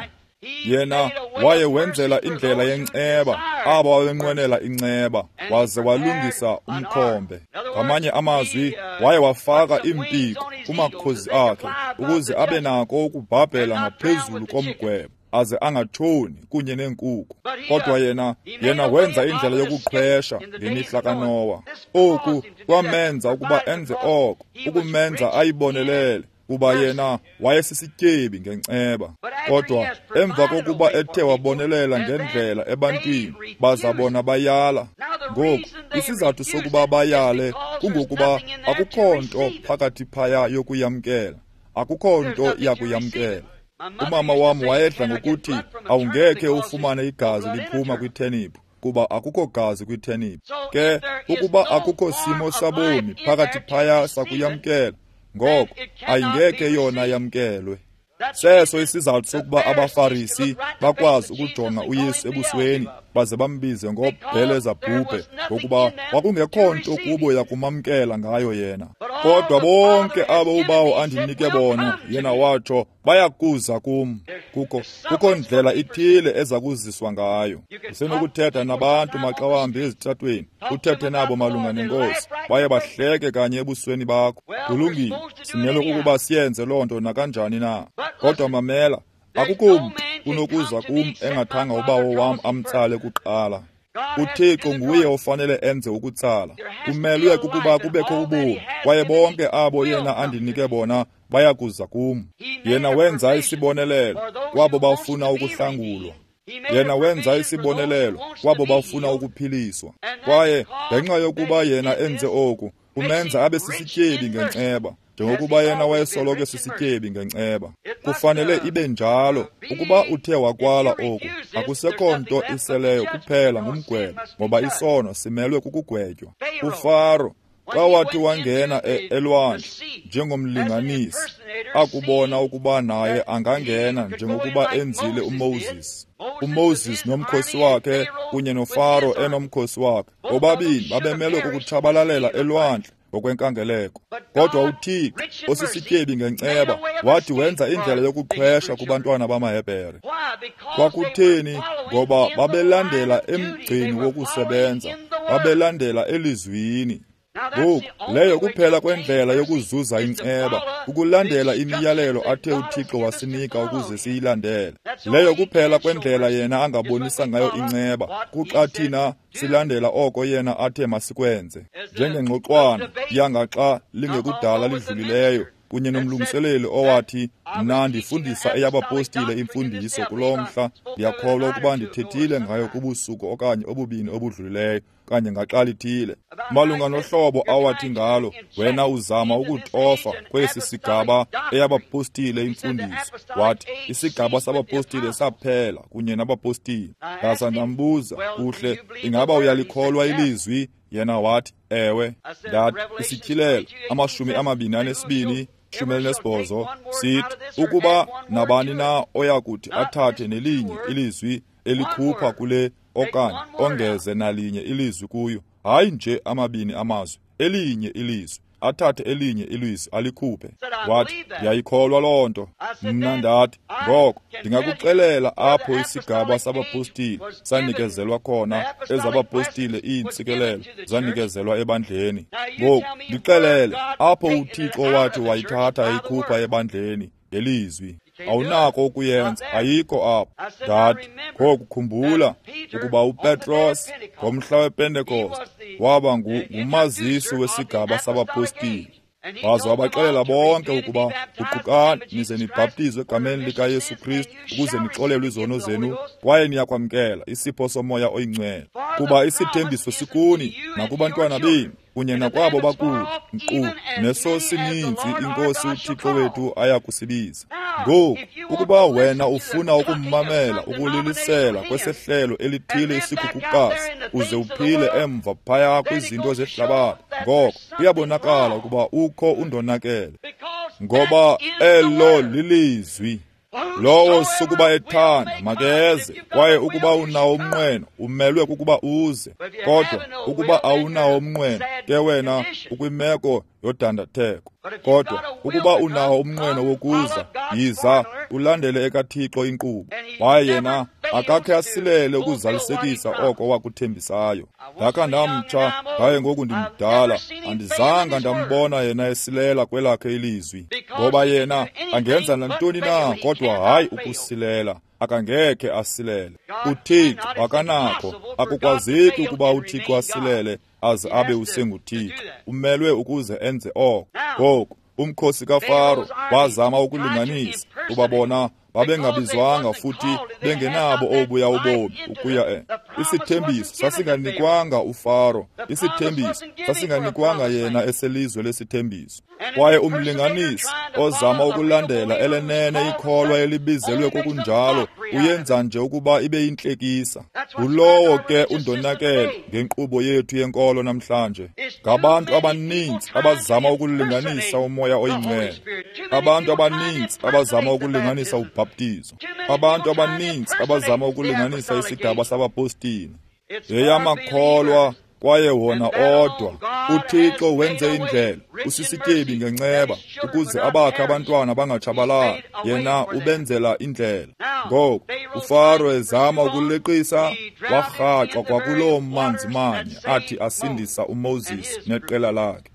Yena waye wenzela indlela yenceba abo babenqwenela inceba, waze walungisa umkhombe. Ngamanye amazwi, waye wafaka iimpiko kumakhozi akhe ukuze abe nako ukubhabhela ngaphezulu komgwebo, aze angatshoni kunye neenkuku. Kodwa yena wenza indlela yokuqhwesha ngemihla kaNowa. Oku kwamenza ukuba enze oko, ukumenza ayibonelele, kuba yena wayesisityebi ngenceba. Kodwa emva kokuba ethe wabonelela ngendlela ebantwini, baza bona bayala. Ngoku isizathu sokuba bayale kungokuba akukho nto phakathi phaya yokuyamkela, akukho nto yakuyamkela. Umama wam wayedla ngokuthi awungekhe ufumane igazi liphuma kwitheniphu, kuba akukho gazi kwitheniphu. Ke ukuba akukho simo sabomi phakathi phaya sakuyamkela, ngoko ayingekhe yona yamkelwe. Seso isizathu sokuba abaFarisi bakwazi ukujonga uYesu ebusweni baze bambize ngoBhelezabhubhe, ngokuba kwakungekho nto kubo yakumamkela ngayo yena. Kodwa bonke abo uBawo andinike bona, yena watsho, bayakuza kum. Kukho ndlela ithile eza kuziswa ngayo. Usenokuthetha nabantu maxa wambi ezitratweni, uthethe nabo malunga nenkosi, baye bahleke kanye ebusweni bakho. Kulungile, simele ukuba siyenze loo nto nakanjani na. Kodwa mamela, akukho mntu unokuza kum engathanga uBawo wam amtsale kuqala. UThixo nguye ofanele enze ukutsala. Kumelwe kukuba kubekho ubomi, kwaye bonke abo yena andinike bona bayakuza kum. Yena wenza isibonelelo kwabo bafuna ukuhlangulwa. Yena wenza isibonelelo kwabo bafuna ukuphiliswa. Kwaye ngenxa yokuba yena enze oku, umenza abe sisityebi ngenceba, njengokuba yena wayesoloko sisityebi ngenceba. Kufanele ibe njalo. Ukuba uthe wakwala oku, akusekho nto iseleyo kuphela ngumgwebo, ngoba isono simelwe kukugwetywa. UFaro xa wathi wangena elwandle njengomlinganisi, akubona ukuba naye angangena njengokuba enzile uMoses. uMoses nomkhosi wakhe kunye noFaro enomkhosi wakhe, bobabini babemelwe kukutshabalalela elwandle ngokwenkangeleko. Kodwa uThixo osisityebi ngenceba wathi wenza indlela yokuqhwesha kubantwana bamaHebhere. Kwakutheni? Ngoba babelandela emgceni wokusebenza, babelandela elizwini. Ngoku leyo kuphela kwendlela yokuzuza inceba, ukulandela imiyalelo athe uThixo wasinika ukuze siyilandele. Leyo kuphela kwendlela yena angabonisa ngayo inceba, kuxa thina silandela oko yena athe masikwenze. Njengengxoxwana yangaxa lingekudala lidlulileyo kunye nomlungiseleli owathi, mna ndifundisa eyabapostile imfundiso kulo mhla, ndiyakholwa ukuba ndithethile ngayo kubusuku okanye obubini obudlulileyo, kanye ngaxa lithile, malunga nohlobo awathi ngalo wena uzama ukutofa kwesi sigaba eyabapostile imfundiso. Wathi isigaba sabapostile saphela kunye nabapostile. Ndaza ndambuza, kuhle, ingaba uyalikholwa ilizwi? Yena wathi ewe. Ndathi isityhilelo 22 18 sithi ukuba nabani na oyakuthi athathe nelinye ilizwi elikhupha kule okanye ongeze nalinye ilizwi kuyo, hayi nje amabini amazwi, elinye ilizwi, athathe elinye ilizwi alikhuphe. Wathi, ndiyayikholwa loo nto. Mna ndathi, ngoko ndingakuxelela apho isigaba sabapostile sanikezelwa khona, ezabapostile iintsikelelo zanikezelwa ebandleni. Ngoku ndixelele apho uThixo wathi wayithatha eyikhupha ebandleni ngelizwi. Awunako ukuyenza, ayikho apho. Ndathi, ngoku khumbula ukuba uPetros ngomhla wePentekoste waba ngumazisi wesigaba sabapostile. Waza wabaxelela bonke ukuba guqukani nize nibhaptizwe egameni likaYesu Kristu ukuze nixolelwe izono zenu, kwaye niyakwamkela isipho soMoya oyiNgcwele, kuba isithembiso sikuni nakubantwana benu kunye nakwabo bakude, nkqu neso sininzi iNkosi uThixo wethu aya kusibiza. Ngoku, ukuba wena ufuna ukummamela ukulilisela kwesehlelo elithile isikhukukazi uze uphile emva phaya kwizinto zehlabathi, ngoko kuyabonakala ukuba ukho undonakele, ngoba elo lilizwi. Lowo sukuba ethanda makeze, kwaye ukuba unawo umnqweno umelwe kukuba uze, kodwa ukuba awunawo umnqweno ke wena ukwimeko yodandatheko. Kodwa ukuba unawo umnqweno wokuza, yiza ulandele ekaThixo inkqubo. Waye yena akakhe asilele ukuzalisekisa oko wakuthembisayo. Ndakha ndamtsha, ndaye ngoku ndimdala, andizanga ndambona yena esilela kwelakhe ilizwi, ngoba yena angenza nantoni na kodwa hayi ukusilela. Akangekhe asilele. uThixo akanakho, akukwazeki ukuba uThixo asilele aze abe usenguThixo. Umelwe ukuze enze oko. Ngoku umkhosi kaFaro wazama ukulinganisa, kuba bona babengabizwanga futhi bengenabo obuya ubomi ukuya isithembiso sasinganikwanga uFaro, isithembiso sasinganikwanga yena eselizwe lesithembiso. Kwaye umlinganisi ozama ukulandela elenene ikholwa elibizelwe kokunjalo uyenza nje ukuba ibe yintlekisa. Ngulowo ke undonakele ngenkqubo yethu yenkolo namhlanje. Ngabantu abaninzi abazama ukulinganisa uMoya oyiNgcwele, abantu abaninzi abazama ukulinganisa ubhaptizo, abantu abaninzi abazama ukulinganisa isigaba sabapostile. Yeyamakholwa kwaye wona odwa. uThixo wenze indlela, usisityebi ngenceba, ukuze abakhe abantwana bangatshabalali. Yena ubenzela indlela. Ngoku uFaro ezama ukuleqisa, warhaxwa kwakuloo manzi manye athi asindisa uMoses neqela lakhe.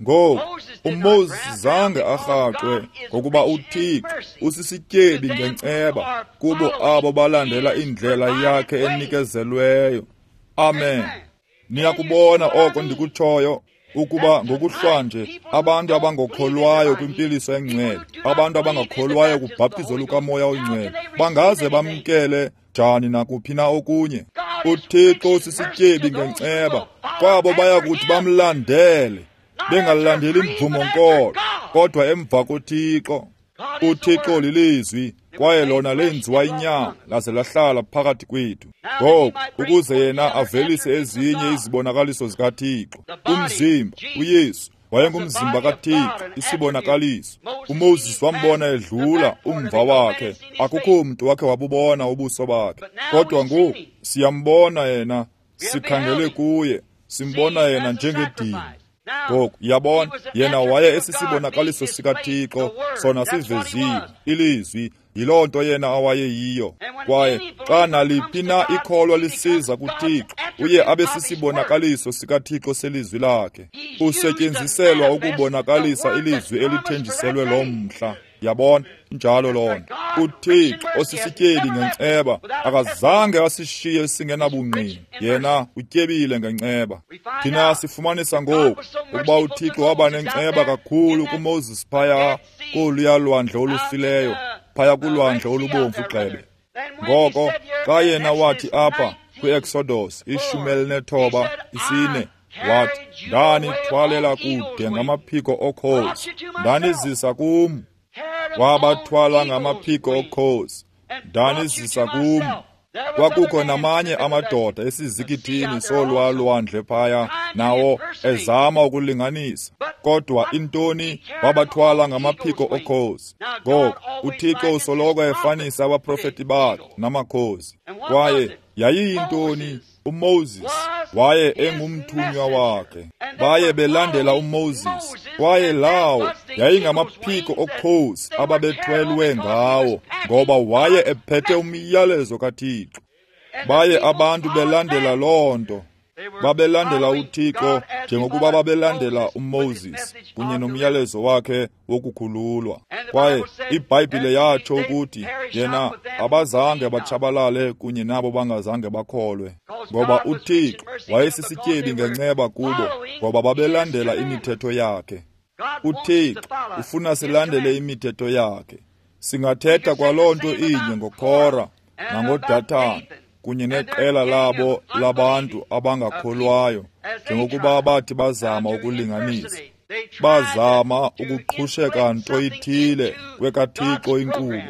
Ngoku uMoses zange arhaxwe, ngokuba uThixo usisityebi ngenceba kubo abo balandela indlela yakhe enikezelweyo. Amen. Niyakubona oko ndikutshoyo, ukuba ngokuhlwanje abantu abangokholwayo kwimpiliso engcwele, abantu abangakholwayo kubhaptizo lukaMoya oyiNgcwele, bangaze bamkele njani nakuphi na okunye? uThixo usisityebi ngenceba kwabo bayakuthi bamlandele, bengalandeli mvumo-nkolo, kodwa emva koThixo. uThixo lilizwi, kwaye lona lenziwa inyama laze lahlala phakathi kwethu. Ngoku ukuze yena avelise ezinye izibonakaliso zikaThixo. Umzimba uYesu wayengumzimba kaThixo, isibonakaliso. uMoses wambona edlula umva wakhe, akukho mntu wakhe wabubona ubuso bakhe, kodwa ngoku siyambona yena, sikhangele kuye, simbona yena njengedini. Ngoku yabona, yena waye esisibonakaliso sikaThixo, sona siveziwe, ilizwi. Yiloo nto yena awayeyiyo. Kwaye xa naliphi na ikholwa lisiza kuThixo, uye abe sisibonakaliso sikaThixo selizwi lakhe. Usetyenziselwa ukubonakalisa ilizwi elithenjiselwe loo mhla. Yabona, njalo loo nto. uThixo osisityebi ngenceba akazange asishiye singenabungqina. Yena utyebile ngenceba. Thina sifumanisa ngoku ukuba uThixo waba nenceba kakhulu kuMoses phaya koluya lwandle olufileyo, phaya kulwandle olubomvu gxebe. Ngoko xa yena wathi apha kwi-Exodus 19 4, wathi, ndanithwalela kude ngamaphiko okhozi, ndanizisa kum. Wabathwala ngamaphiko okhozi, ndanizisa kum. Kwakukho namanye amadoda esizikithini solwalwandle phaya, nawo ezama ukulinganisa, kodwa intoni, wabathwala ngamaphiko okhozi. Ngoku uThixo usoloko efanisa abaprofeti bakhe namakhozi. Kwaye Yayiyintoni? UMoses waye engumthunywa wakhe. Baye belandela uMoses, kwaye lawo yayingamaphiko okhozi ababethwelwe ngawo, ngoba waye ephethe umyalezo kaThixo. Baye abantu belandela loo nto. Babelandela uThixo njengokuba babelandela uMoses kunye nomyalezo wakhe wokukhululwa. Kwaye iBhayibhile yatsho ukuthi yena abazange batshabalale kunye nabo bangazange bakholwe, ngoba uThixo wayesisityebi ngenceba kubo, ngoba babelandela imithetho yakhe. uThixo ufuna silandele imithetho yakhe. Singathetha kwaloo nto inye ngoKora nangoDatan kunye neqela labo labantu abangakholwayo, njengokuba bathi bazama ukulinganisa, bazama ukuqhusheka nto ithile kwekaThixo inkqubo.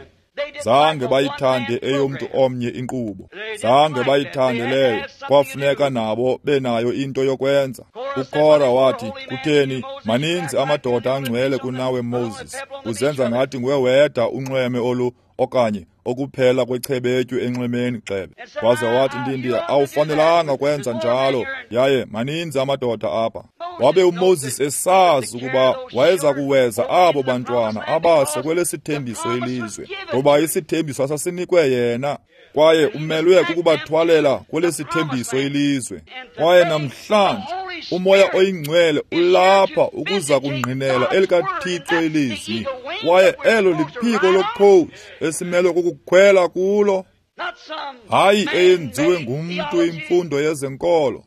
Zange bayithande eyomntu omnye inkqubo, zange bayithande leyo. Kwafuneka nabo benayo into yokwenza. UKora wathi, kutheni, maninzi amadoda angcwele kunawe Moses, uzenza ngathi nguwe wedwa unxweme olu okanye okuphela kwechebetyu enxwemeni gxebe. Waze wathi, ndindi, awufanelanga kwenza njalo, yaye maninzi amadoda apha. Wabe uMoses esazi ukuba wayeza kuweza abo bantwana abase kwelesithembiso ilizwe, ngoba isithembiso asasinikwe yena, kwaye umelwe kukubathwalela kwelesithembiso ilizwe. Kwaye namhlanje uMoya oyiNgcwele ulapha ukuza kungqinela elikaThixo ilizwi, kwaye elo liphiko lokhozi esimelwe kukukhwela kulo, hayi eyenziwe ngumntu imfundo yezenkolo,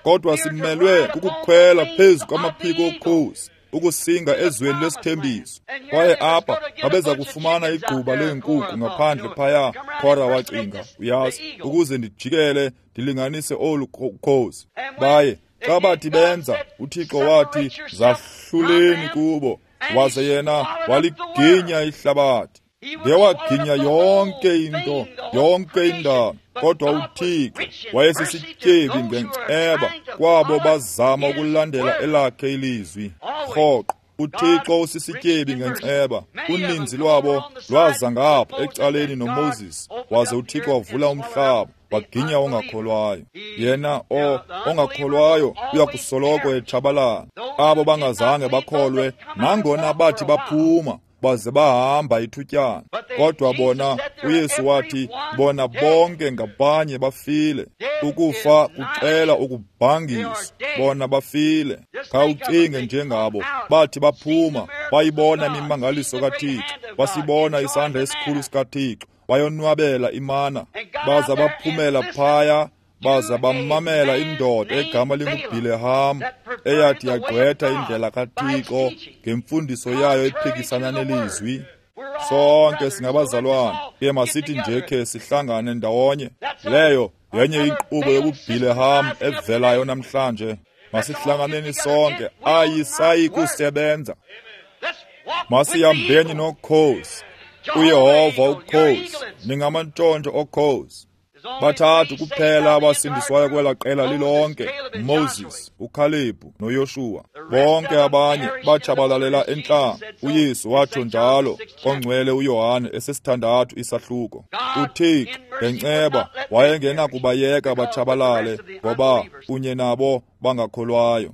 kodwa simelwe kukukhwela phezu kwamaphiko okhozi ukusinga ezweni lesithembiso. Kwaye apha babeza kufumana igquba leenkukhu ngaphandle phaya. Kora wacinga, uyazi, ukuze ndijikele ndilinganise olu khozi. Baye xa bathi benza, uThixo wathi, zahluleni kubo. Waze yena waliginya ihlabathi. Ngewaginya yonke into, yonke indalo. Kodwa uThixo wayesisityebi ngenceba kwabo bazama ukulandela elakhe ilizwi. Rhoqo uThixo usisityebi ngenceba. Uninzi lwabo lwaza ngapha ecaleni noMoses, waze uThixo wavula umhlaba waginya ongakholwayo. Yena ongakholwayo uyakusoloko etshabalala. Abo bangazange bakholwe, nangona bathi baphuma baze bahamba ithutyana, kodwa bona, uYesu wathi, bona bonke ngabanye bafile. Ukufa kuxela ukubhangisa, bona bafile. Khawucinge njengabo bathi baphuma, bayibona imimangaliso kaThixo, basibona isandla esikhulu sikaThixo, bayonwabela imana, baza baphumela phaya, baza bamamela indoda egama linguBhileham eyathi yagqwetha indlela kaThixo ngemfundiso yayo ephikisana nelizwi. Sonke singabazalwana, ke masithi nje khe sihlangane ndawonye. Leyo yenye inkqubo yobuBhileham evelayo namhlanje. Masihlanganeni sonke, ayisayi kusebenza. Masihambeni nokhozi, uYehova ukhozi, ningamantshontsho okhozi. Bathathu kuphela abasindiswayo kwela qela lilonke, Moses, uKalebhu noYoshuwa. Bonke abanye batshabalalela entlango. uYesu watsho njalo kongcwele uYohane esesithandathu isahluko. uThixo ngenceba wayengenakubayeka batshabalale, ngoba kunye nabo bangakholwayo.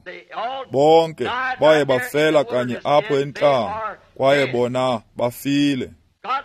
Bonke baye bafela kanye apho entlango, kwaye bona bafile.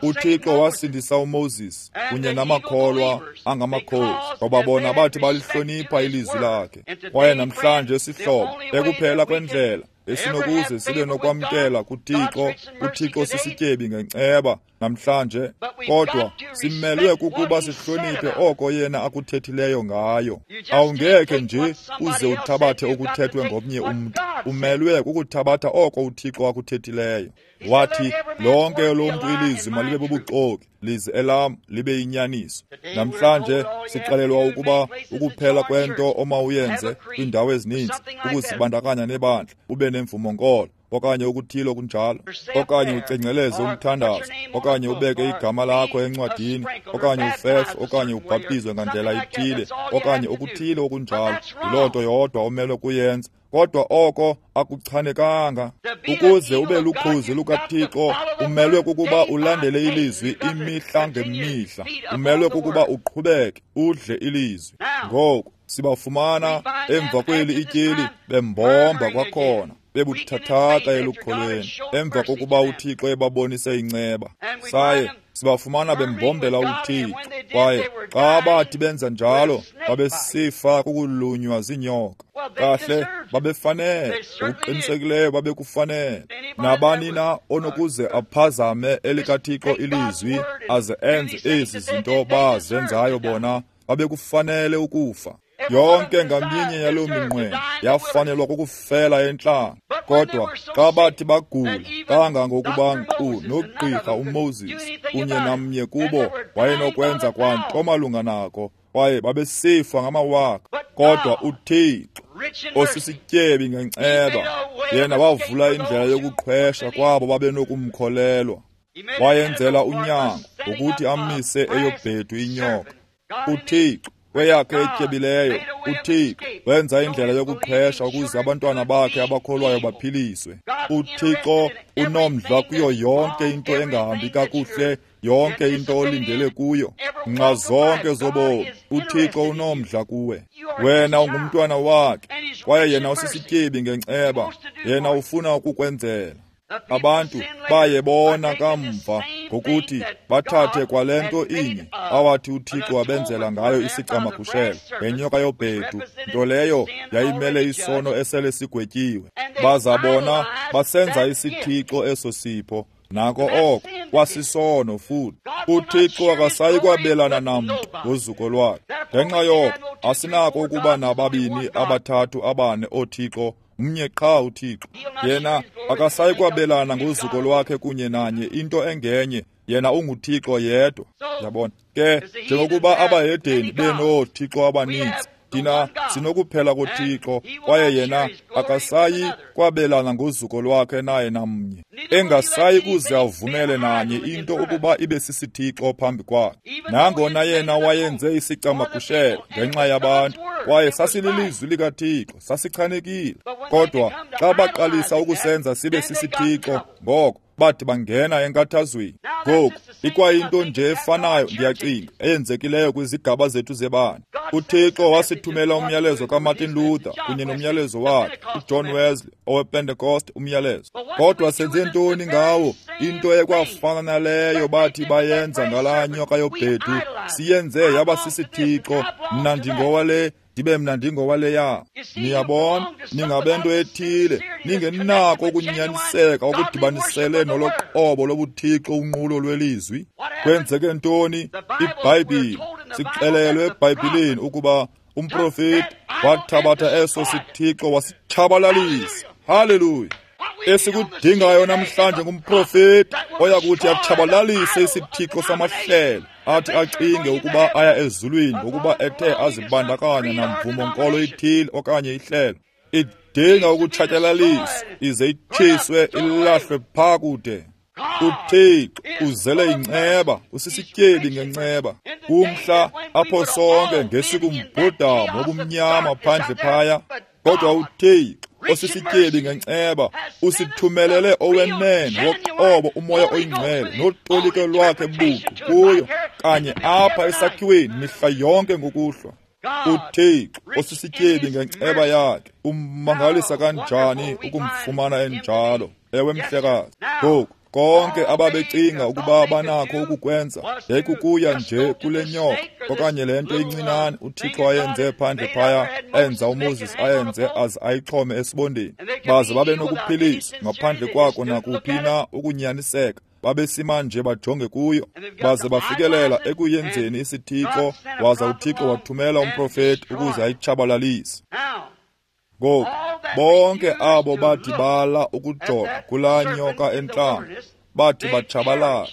uThixo wasindisa uMoses kunye namakholwa angamakhozi, ngoba bona bathi balihlonipha ilizwi lakhe. Kwaye namhlanje sihlobo, ekuphela kwendlela esinokuze sibe nokwamkela kuThixo, uThixo sisityebi ngenceba namhlanje, kodwa simelwe kukuba sihloniphe oko yena akuthethileyo ngayo. Awungekhe nje uze uthabathe okuthethwe ngomnye umntu, umelwe kukuthabatha oko uThixo akuthethileyo. Wathi, lonke lomntu ilizwi malibe bubuxoki, lize elam libe yinyaniso. Namhlanje sixelelwa ukuba ukuphela kwento omawuyenze kwiindawo ezininzi ukuzibandakanya nebandla, ube nemvumo nkolo okanye okuthile okunjalo, okanye ucengceleze umthandazo, okanye ubeke igama lakho encwadini, okanye ufefe, okanye ubhaptizwe ngandlela ithile, okanye okuthile okunjalo. Yiloo nto yodwa omelwe kuyenza. Kodwa oko akuchanekanga. Ukuze ube lukhozi lukaThixo, umelwe kukuba ulandele ilizwi imihla ngemihla. Umelwe kukuba uqhubeke udle ilizwi. Ngoku sibafumana emva kweli ityeli bembomba kwakhona, bebuthathaka elukholweni, emva kokuba uThixo ebabonise inceba. Saye sibafumana bembombela uThixo, kwaye xa bathi benza njalo babesifa kukulunywa ziinyoka. Kahle, babefanele, ngokuqinisekileyo babekufanele. Nabani na onokuze aphazame elikaThixo ilizwi aze enze ezi zinto bazenzayo bona, babekufanele ukufa. Yonke ngaminye yaloo minqweno yafanelwa kukufela entlango. Kodwa xa bathi bagula kangangokuba nkqu nogqirha uMoses kunye namnye kubo wayenokwenza kwanto malunga nako, kwaye babesifa ngamawaka. Kodwa uThixo osisityebi ngenceba, yena wavula indlela yokuqhwesha kwabo babenokumkholelwa. Wayenzela unyango ngokuthi amise eyobhedu inyoka. uThixo kweyakhe etyebileyo, uThixo wenza indlela yokuqhwesha ukuze abantwana bakhe abakholwayo baphiliswe. uThixo unomdla kuyo yonke into engahambi kakuhle, yonke into olindele kuyo, nxa zonke zobomi. uThixo unomdla kuwe. Wena ungumntwana wakhe, kwaye yena usisityebi ngenceba. Yena ufuna ukukwenzela. Abantu baye bona kamva ngokuthi bathathe kwale nto inye awathi uThixo wabenzela ngayo isicamagushelo ngenyoka yobhedu, nto leyo yayimele isono esele sigwetyiwe. Baza bona basenza isithixo eso sipho. Nako oko kwasisono futhi. uThixo akasayi kwabelana namntu ngozuko lwakhe. Ngenxa yoko asinako ukuba nababini, abathathu, abane ooThixo, mnye qha uThixo. Yena akasayi kwabelana ngozuko lwakhe kunye nanye into engenye. Yena unguThixo yedwa. Yabona ke, njengokuba abahedeni benoothixo abaninzi, thina sinokuphela koThixo, kwaye yena akasayi kwabelana ngozuko lwakhe naye namnye, engasayi kuze avumele nanye into ukuba ibe sisithixo phambi kwakhe. Nangona yena wayenze isicamagushelo ngenxa yabantu, kwaye sasililizwi likaThixo, sasichanekile. Kodwa xa baqalisa ukusenza sibe sisithixo, ngoko bathi bangena enkathazweni. Ngoku ikwayinto nje efanayo, ndiyacinga, eyenzekileyo kwizigaba zethu zebandla. uThixo wasithumela umyalezo kaMartin Luther kunye nomyalezo wakhe uJohn Wesley owePentecost umyalezo. Kodwa senze ntoni ngawo? Into ekwafana naleyo bathi bayenza ngalaa nyoka yobhedu, siyenze yaba sisithixo. Mna ndingowale, ndibe mna ndingowaleya. Niyabona, ningabento ethile, ningenako ukunyaniseka okudibanisele noloqobo lobuthixo unqulo lwelizwi. Kwenzeke ntoni? IBhayibhile, sixelelwe eBhayibhileni ukuba umprofeti wathabatha eso sithixo wasitshabalalisa. Haleluya! Esikudingayo namhlanje ngumprofeti oya kuthi atshabalalise isithixo samahlelo, athi acinge ukuba aya ezulwini ngokuba ethe azibandakanya namvumo nkolo ithile okanye ihlelo. Idinga ukutshatyalaliswa ize itshiswe ilahlwe phaa kude. uThixo uzele inceba, usisityebi ngenceba. Kumhla apho sonke ngesikumbhudamo obumnyama phandle phaya, kodwa uThixo osisityebi ngenceba usithumelele owenene woqobo uMoya oyiNgcwele notolike lwakhe buqu kuyo kanye apha esakhiweni mihla yonke ngokuhlwa. uThixo osisityebi ngenceba yakhe ummangalisa kanjani ukumfumana enjalo. Ewe mhlekazi. Ngoku konke ababecinga ukuba banakho ukukwenza yayikukuya nje kule nyoka okanye le nto incinane uThixo ayenze phandle phaya, enza uMoses ayenze aze ayixhome esibondeni, baze babe nokuphiliswa ngaphandle kwako nakuphi na ukunyaniseka. Babesima nje bajonge kuyo, baze bafikelela ekuyenzeni isithixo, waza uThixo wathumela umprofeti ukuze ayitshabalalise. Ngoku bonke abo bathi bala ukujonga kulaa nyoka entlango bathi batshabalala.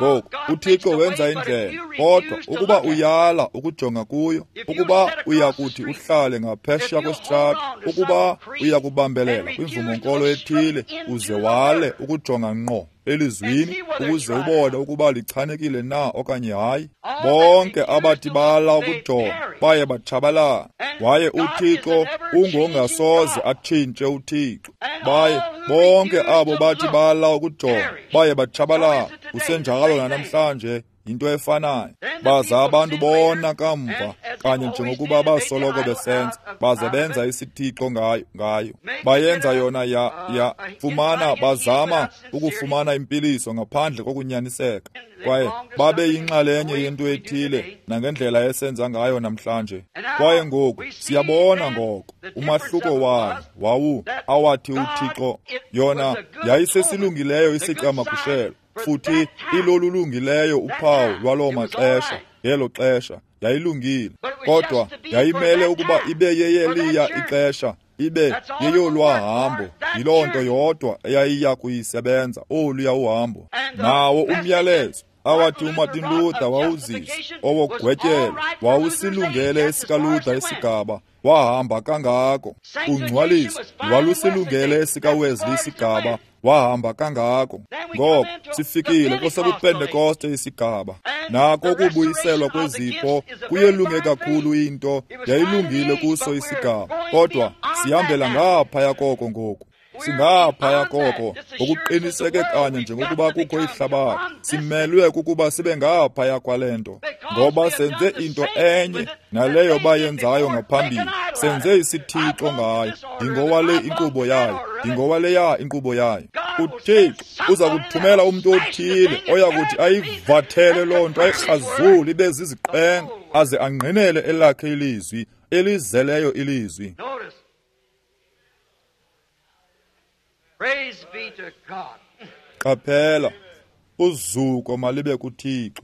Ngoku uThixo wenza indlela, kodwa ukuba uyala ukujonga kuyo, ukuba uyakuthi uhlale ngaphesheya kwesitrato, ukuba uyakubambelela kwimvumo-nkolo ethile uze wale ukujonga ngqo elizwini ukuze ubone ukuba lichanekile na okanye hayi, bonke abathi bala ukujonga baye batshabalala. Waye uThixo ungongasoze atshintshe uThixo. Baye bonke abo bathi bala ukujonga baye batshabalala. Usenjalo nanamhlanje, yinto efanayo. Baza abantu bona kamva, kanye njengokuba basoloko besenza, baze benza isithixo ngayo. Bayenza yona ya fumana, bazama ukufumana impiliso ngaphandle kokunyaniseka. Kwaye babe yinxalenye yento ethile nangendlela esenza ngayo namhlanje. Kwaye ngoku siyabona ngoko umahluko wayo wawu awathi uThixo yona yayisesilungileyo isicamagushelo, futhi ilolulungileyo uphawu lwaloo maxesha. Ngelo xesha yayilungile, kodwa yayimele ukuba ibe yeyeliya ixesha, ibe yeyolwahambo. Yiloo nto yodwa eyayiya kuyisebenza, oluya uhambo. Nawo umyalezo awathi uMartin Luther wawuzisa owogwetyelo wawusilungele esikaLuther isigaba, wahamba kangako. Ungcwaliso walusilungele esikaWesley isigaba, wahamba kangako. Ngoko sifikile kwesobuPentekoste isigaba. Nako ukubuyiselwa kwezipho kuyelunge kakhulu into, yayilungile kuso isigaba, kodwa sihambela ngaphaya koko ngoku. Singaphaya koko ngokuqiniseke kanye njengokuba kukho ihlabathi. Simelwe kukuba sibe ngaphaya kwale nto, ngoba senze into enye naleyo bayenzayo ngaphambili. Senze isithixo ngayo. Ndingowale inkqubo yayo, ndingowaleya inkqubo yayo. UThixo uza kuthumela umntu othile oya kuthi ayivathele loo nto, ayikrazule ibe ziziqenga, aze angqinele elakhe ilizwi, elizeleyo ilizwi. Praise be to God. Qaphela, uzuko malibe kuThixo.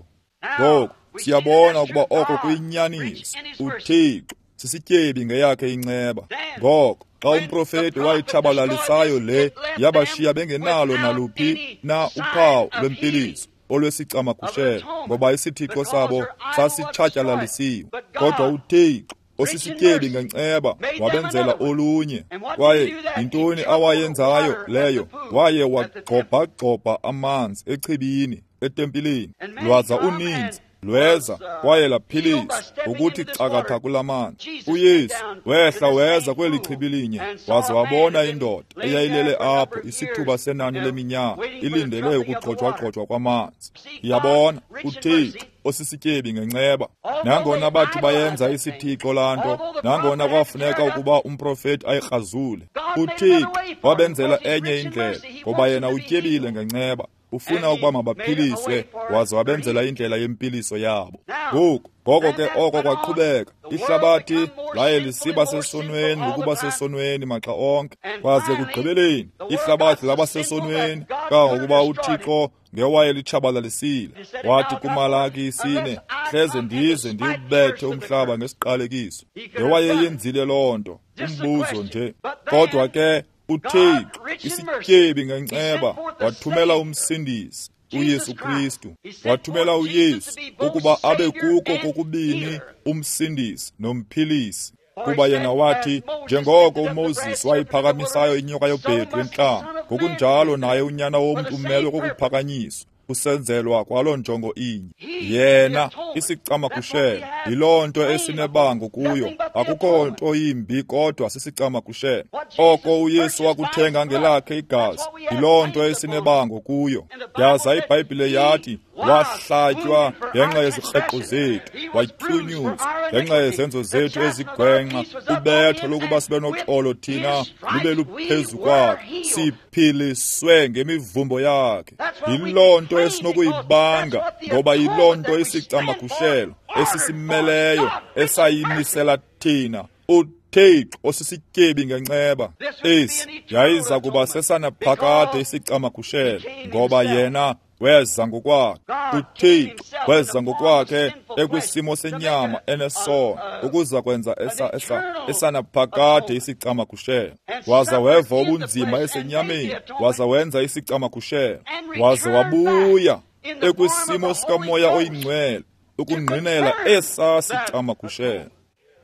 Ngoku siyabona ukuba oko kuyinyaniso. uThixo sisityebi ngeyakhe inceba. Ngoko xa umprofeti wayitshabalalisayo le, yabashiya bengenalo naluphi na uphawu lwempiliso olwesicamagushelo, ngoba isithixo sabo sasitshatyalalisisiwe. Kodwa uThixo osisityebi ngenceba wabenzela olunye. Kwaye yintoni awayenzayo leyo? Waye wagxobhagxobha amanzi echibini etempileni, lwaza uninzi lweza kwaye laphiliswa ngokuthi cakatha kula manzi. uYesu wehla weza kweli chibi linye, waze wabona indoda eyayilele apho isithuba senani leminyaka ilindele ukugxojwagxojwa kwamanzi. Yabona, uThixo osisityebi ngenceba. Nangona bathi bayenza isithixo laa nto, nangona kwafuneka ukuba umprofeti ayikrazule, uThixo wabenzela enye indlela, ngoba yena utyebile ngenceba. Ufuna ukuba mabaphiliswe, waze wabenzela indlela yempiliso yabo. Ngoku ngoko ke oko kwaqhubeka. Ihlabathi laye lisiba sesonweni ngokuba sesonweni maxa onke, kwaze kugqibeleni ihlabathi laba sesonweni kangangokuba uThixo ngewaye litshabalalisile. Wathi kuMalaki 4, hleze ndize ndiwubethe umhlaba ngesiqalekiso. Ngewayeyenzile loo nto, umbuzo nje. Kodwa ke uThixo isityebi ngenceba wathumela umsindisi uYesu Kristu. Wathumela uYesu ukuba abe kuko kokubini umsindisi nomphilisi. Kuba yena wathi, njengoko uMoses wayiphakamisayo inyoka yobhedu entlango, ngokunjalo naye uNyana womntu umelwe kokuphakanyiswa, kusenzelwa kwaloo njongo inye. Yena isicamagushelo, yiloo nto esinebango kuyo. Akukho nto yimbi kodwa sisicamagushelo. Oko uYesu wakuthenga ngelakhe igazi, yiloo nto esinebango kuyo. Yaza iBhayibhile yathi, wahlatywa ngenxa yezikreqo zethu, watyunyuzwa ngenxa yezenzo zethu ezigwenxa. Ubetho lokuba sibe noxolo thina lube luphezu kwakhe, siphiliswe ngemivumbo yakhe. Yiloo nto esinokuyibanga, ngoba yiloo nto isicamagushelo esisimeleyo esayimisela thina. uThixo osisityebi ngenceba. Esi yayiza kuba sesanaphakade isicamagushelo, ngoba yena weza ngokwakhe. uThixo weza ngokwakhe ekwisimo senyama enesono, ukuza kwenza esanaphakade isicamagushelo. Waza weva ubunzima esenyameni, waza wenza isicamagushelo, waza wabuya ekwisimo sikaMoya oyiNgcwele, ukungqinela esaa sicamagushelo.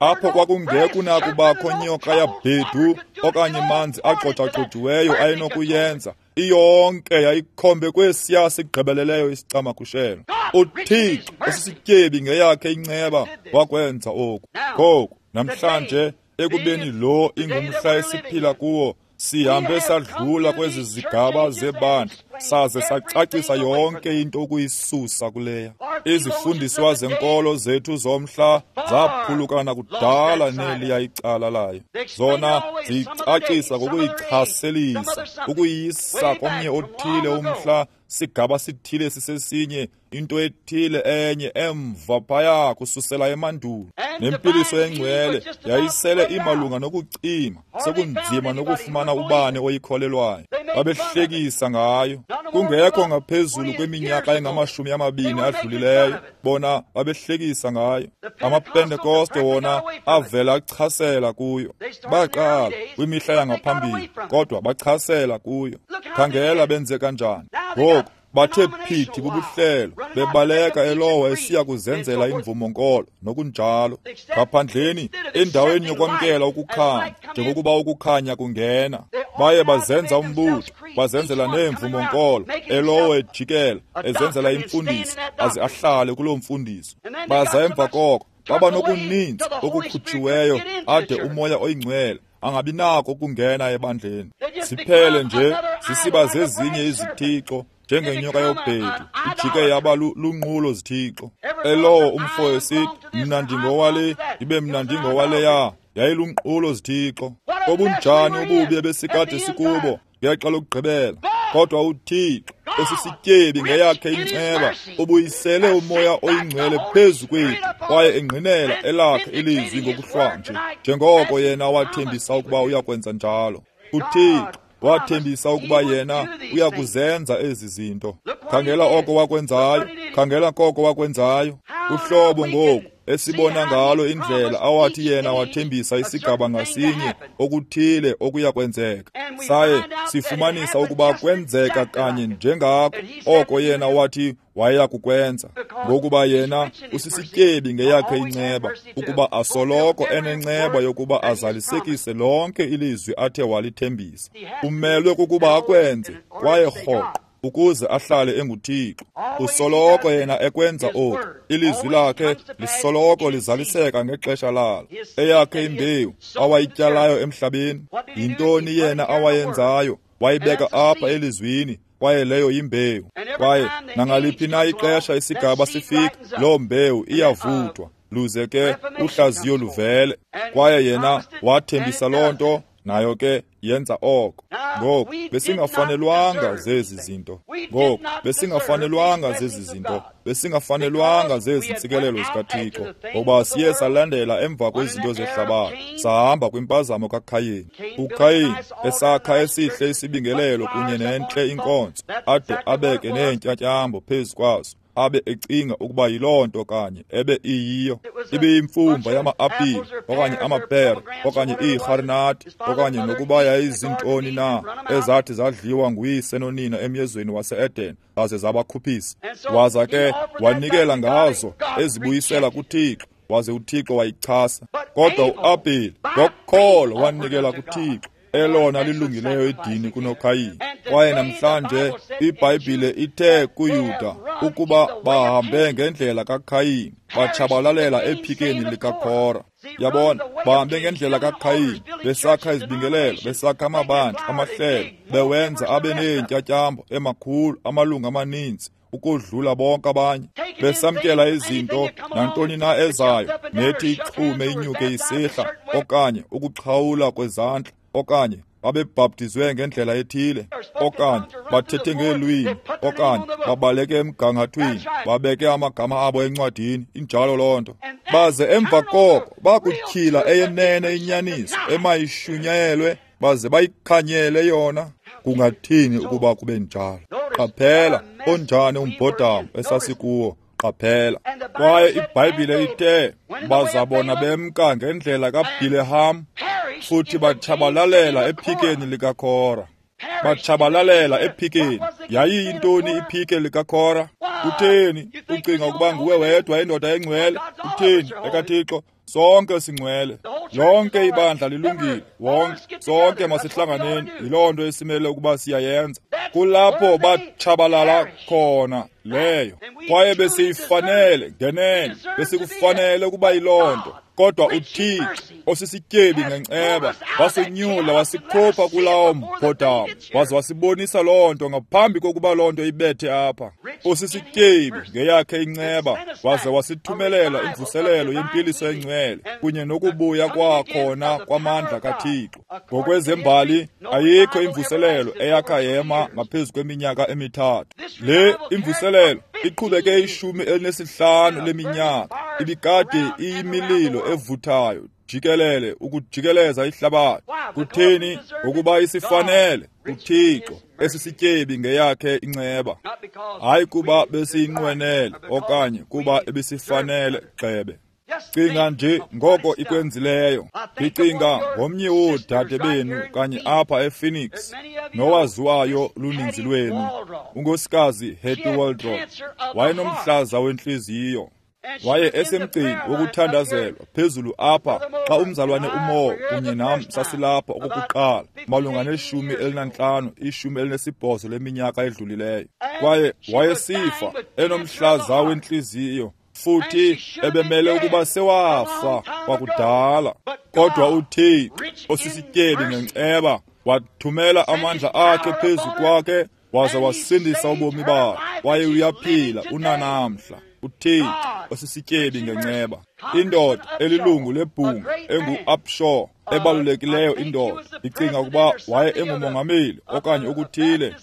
Apho kwakungekho nakubakho nyoka yabhedu okanye manzi agxojaxojiweyo ayenokuyenza, iyonke yayikhombe kwesiya sigqibeleleyo isicamagushelo. UThixo osisityebi ngeyakhe inceba wakwenza oku. Ngoku namhlanje, ekubeni lo ingumhla esiphila kuwo, sihambe sadlula kwezi zigaba zebandla, saze sacacisa yonke into ukuyisusa kuleya. Izifundiswa zenkolo zethu zomhla zaphulukana kudala neliya icala layo. Zona ziyicacisa ngokuyichaselisa, ukuyisa komnye othile umhla, sigaba sithile sisesinye, into ethile enye emva phaya kususela emandulo. Nempiliso engcwele yayisele imalunga nokucima, sekunzima nokufumana ubani oyikholelwayo. Babehlekisa ngayo. Kungekho ngaphezulu kweminyaka engama-20 adlulileyo, bona babehlekisa ngayo. AmaPentekoste wona avela achasela kuyo. Baqala kwimihla yangaphambili, kodwa bachasela kuyo. Khangela benze kanjani. Ngoku bathe phithi bubuhlelo, bebaleka elowo esiya kuzenzela imvumo-nkolo nokunjalo. Ngaphandleni, endaweni yokwamkela ukukhanya, njengokuba ukukhanya kungena, baye bazenza umbutho, bazenzela neemvumo-nkolo, elowo ejikela, ezenzela imfundiso, aze ahlale kuloo mfundiso. Baza emva koko baba nokuninzi okukhutshiweyo ade uMoya oyiNgcwele angabi nako ukungena ebandleni. Siphele nje zisiba zezinye izithixo, njengenyoka yobhedu ijike yaba lunqulo zithixo. Elowo umfo esithi, mna ndingowale, ibe mna ndingowaleya, yayilunqulo zithixo. Obunjani ububi ebesikade sikubo ngexa lokugqibela. Kodwa uThixo osisityebi ngeyakhe inceba ubuyisele uMoya oyiNgcwele phezu kwethu, kwaye engqinela elakhe ilizwi ngokuhlwanje, njengoko yena wathembisa ukuba uyakwenza njalo. uThixo wathembisa ukuba yena uyakuzenza ezi zinto. Khangela oko wakwenzayo, khangela koko wakwenzayo. Uhlobo ngoku esibona ngalo indlela awathi yena wathembisa isigaba ngasinye okuthile okuya kwenzeka, saye sifumanisa ukuba kwenzeka kanye njengako oko yena wathi wayeya kukwenza, ngokuba yena usisityebi ngeyakhe inceba, ukuba asoloko enenceba yokuba azalisekise lonke ilizwi athe walithembisa. Umelwe kukuba akwenze kwaye rhoqo ukuze ahlale enguThixo. Usoloko yena ekwenza oku. Ilizwi lakhe lisoloko lizaliseka ngexesha lalo. Eyakhe imbewu awayityalayo emhlabeni, yintoni yena awayenzayo? Wayibeka apha elizwini, kwaye leyo yimbewu. Kwaye nangaliphi na ixesha isigaba sifika, loo mbewu iyavuthwa, luze ke uhlaziyo luvele. Kwaye yena wathembisa loo nto, nayo ke yenza oko. Ngoku besingafanelwanga zezi zinto. Ngoku besingafanelwanga zezi zinto. Besingafanelwanga zezi ntsikelelo zikaThixo, ngoba siye salandela emva kwezinto zehlabathi, sahamba kwimpazamo kaKhayini. uKhayini esakha esihle isibingelelo kunye nentle inkonzo, ade abeke neentyatyambo phezu kwaso, abe ecinga ukuba yiloo nto kanye ebe iyiyo. Ibiyimfumba yama-apile okanye amapere okanye iirharinati okanye nokuba yayizintoni na ezathi zadliwa nguyise nonina emyezweni wase-Eden zaze zabakhuphisa. Waza ke wanikela ngazo ezibuyisela kuThixo, waze uThixo wayichasa. Kodwa uAbheli ngokholo wanikela kuThixo elona lilungileyo idini kunoKhayini. Kwaye namhlanje iBhayibhile ithe kuYuda ukuba bahambe ngendlela kaKhayini, batshabalalela ephikeni likaKhora. Yabona, bahambe ngendlela kaKhayini, besakha izibingelelo, besakha amabandla, amahlelo, bewenza abe neentyatyambo emakhulu, amalungu amaninzi ukodlula bonke abanye, besamkela izinto nantoni na ezayo, nethi ixhume inyuke isihla, okanye ukuxhawula kwezandla, okanye babebhaptizwe ngendlela ethile, okanye bathethe ngeelwimi, okanye babaleke emgangathweni, babeke amagama abo encwadini. Injalo loo nto. Baze emva koko bakutyhila eyenene inyaniso emayishunyayelwe, baze bayikhanyele yona. Kungathini ukuba kube njalo? Qaphela onjani umbhodamo esasikuwo. Qaphela. Kwaye iBhayibhile ithe bazabona bemka ngendlela kaBhileham, futhi batshabalalela ephikeni likaKhora. Batshabalalela ephikeni. Yayiyintoni iphike likaKora? Kutheni ucinga ukuba nguwe wedwa indoda engcwele? Kutheni, ekaThixo, sonke singcwele. Lonke ibandla lilungile. Wonke, sonke masihlanganeni. Yiloo nto esimele ukuba siyayenza. Kulapho batshabalala khona leyo. Kwaye besiyifanele ngenene, besikufanele ukuba yiloo nto. Kodwa uThixo osisityebi ngenceba wasinyula wasikhupha kulawo mbhodamo, waze wasibonisa loo nto ngaphambi kokuba loo nto ibethe apha. Osisityebi ngeyakhe inceba waze wasithumelela imvuselelo yempiliso engcwele kunye nokubuya kwakhona kwamandla kaThixo. Ngokwezembali ayikho imvuselelo eyakha yema ngaphezu kweminyaka 3. Le imvuselelo iqhubeke 15 leminyaka, ibikade iyimililo evuthayo jikelele ukujikeleza ihlabathi. Kutheni? Ngokuba isifanele uThixo esisityebi ngeyakhe inceba, hayi kuba besiyinqwenele okanye kuba ebisifanele gxebe. Cinga nje ngoko ikwenzileyo. Ndicinga ngomnye woodade benu kanye apha ePhoenix, nowaziwayo luninzi lwenu, unkosikazi Hattie Waldrop. Wayenomhlaza wentliziyo. Waye esemgcini wokuthandazelwa phezulu apha xa umzalwane uMoore kunye nam sasilapha okokuqala malunga ne-15, 18 leminyaka edlulileyo. Kwaye wayesifa enomhlaza wentliziyo, futhi ebemele ukuba sewafa kwakudala. Kodwa uThixo osisityebi ngenceba wathumela amandla akhe phezu kwakhe waze wasindisa ubomi bakhe, kwaye uyaphila unanamhla. uThixo osisityebi ngenceba. Indoda elilungu lebhunga engu-Upshaw, ebalulekileyo indoda, ndicinga ukuba waye engumongameli okanye okuthile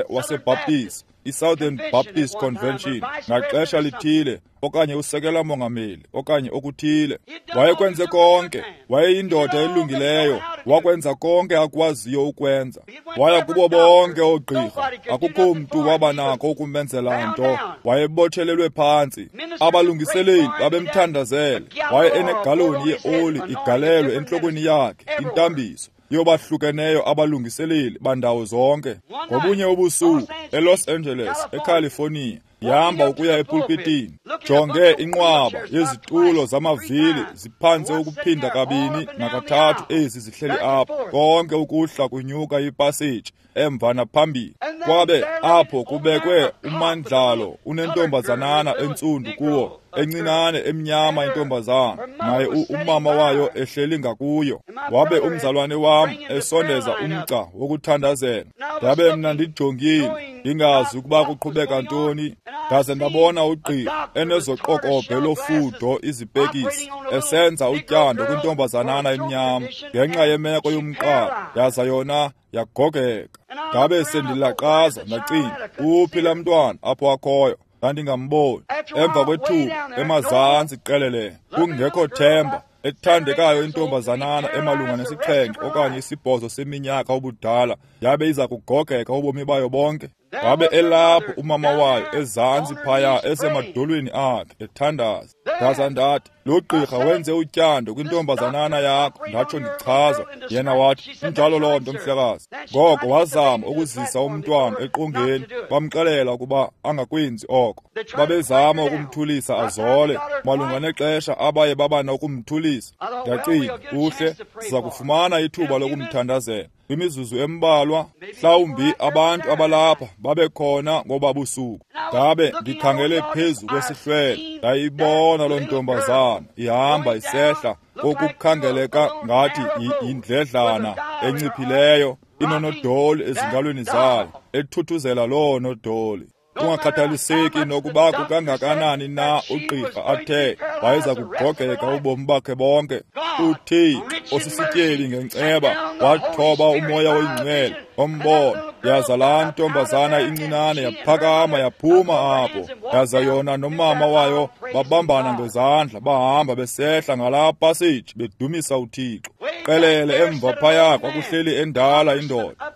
waseBaptist, iSouthern Baptist Convention ngaxesha lithile, okanye usekela mongameli okanye okuthile. Wayekwenze konke, wayeyindoda elungileyo, wakwenza konke akwaziyo ukwenza. Waya kubo bonke oogqirha, akukho mntu wabanako ukumenzela nto. Wayebotshelelwe phantsi. Abalungiseleli babemthandazele. Waye enegaloni yeoli igalelwe entlokweni yakhe, intambiso yobahlukeneyo abalungiseleli bandawo zonke. Ngobunye ubusuku eLos Angeles, eCalifornia, yihamba ukuya epulpitini, jonge inqwaba yezitulo zamavili ziphantse ukuphinda 2 na3 ezi zihleli apha, konke ukuhla kunyuka ipaseji emva naphambili. Kwabe apho kubekwe umandlalo unentombazanana entsundu kuwo, encinane emnyama intombazana, naye umama wayo ehleli ngakuyo. Wabe umzalwane wam esondeza umgca wokuthandazela. Ndabe mna ndijongile, ndingazi ukuba kuqhubeka ntoni. Ndaze ndabona ugqirha enezoqokobhe lofudo izipekisi esenza utyando kwintombazanana emnyama ngenxa yemeko yomqala, yaza yona yagogeka. Ndabe sendilaqaza ndacinga, uphi laa mntwana apho akhoyo? Ndandingamboni. Emva kwethuba emazantsi qelele, kungekho themba, ethandekayo intombazanana emalunga ne7 okanye 8 seminyaka ubudala yabe iza kugogeka ubomi bayo bonke. Wabe elapho umama wayo ezantsi phaya esemadolweni akhe ethandaza. Ndaza ndathi, lo gqirha wenze utyando kwintombazanana yakho, ndatsho ndichaza. Yena wathi, injalo loo nto mhlekazi. Ngoko wazama ukuzisa umntwana eqongeni, bamxelela ukuba angakwenzi oko. Babezama ukumthulisa azole, malunga nexesha abaye baba nokumthulisa. Ndacinga, kuhle, siza kufumana ithuba lokumthandazela. Kwimizuzu embalwa, mhlawumbi abantu abalapha babekhona ngoba busuku. Ndabe ndikhangele phezu kwesihlwele, ndayibona loo ntombazana ihamba isehla kokukhangeleka ngathi yindledlana enciphileyo, inonodoli ezingalweni zayo, ethuthuzela loo nodoli. Kungakhathaliseki nokuba kukangakanani na ugqirha athe wayeza kugogeka ubomi bakhe bonke, uThixo osisityebi ngenceba wathoba umoya oyingcwele ombono. Yaza laa ntombazana incinane yaphakama yaphuma apho, yaza yona nomama wayo babambana ngezandla, bahamba besehla ngalaa paseji bedumisa uThixo. Qelele emva phaya kwakuhleli endala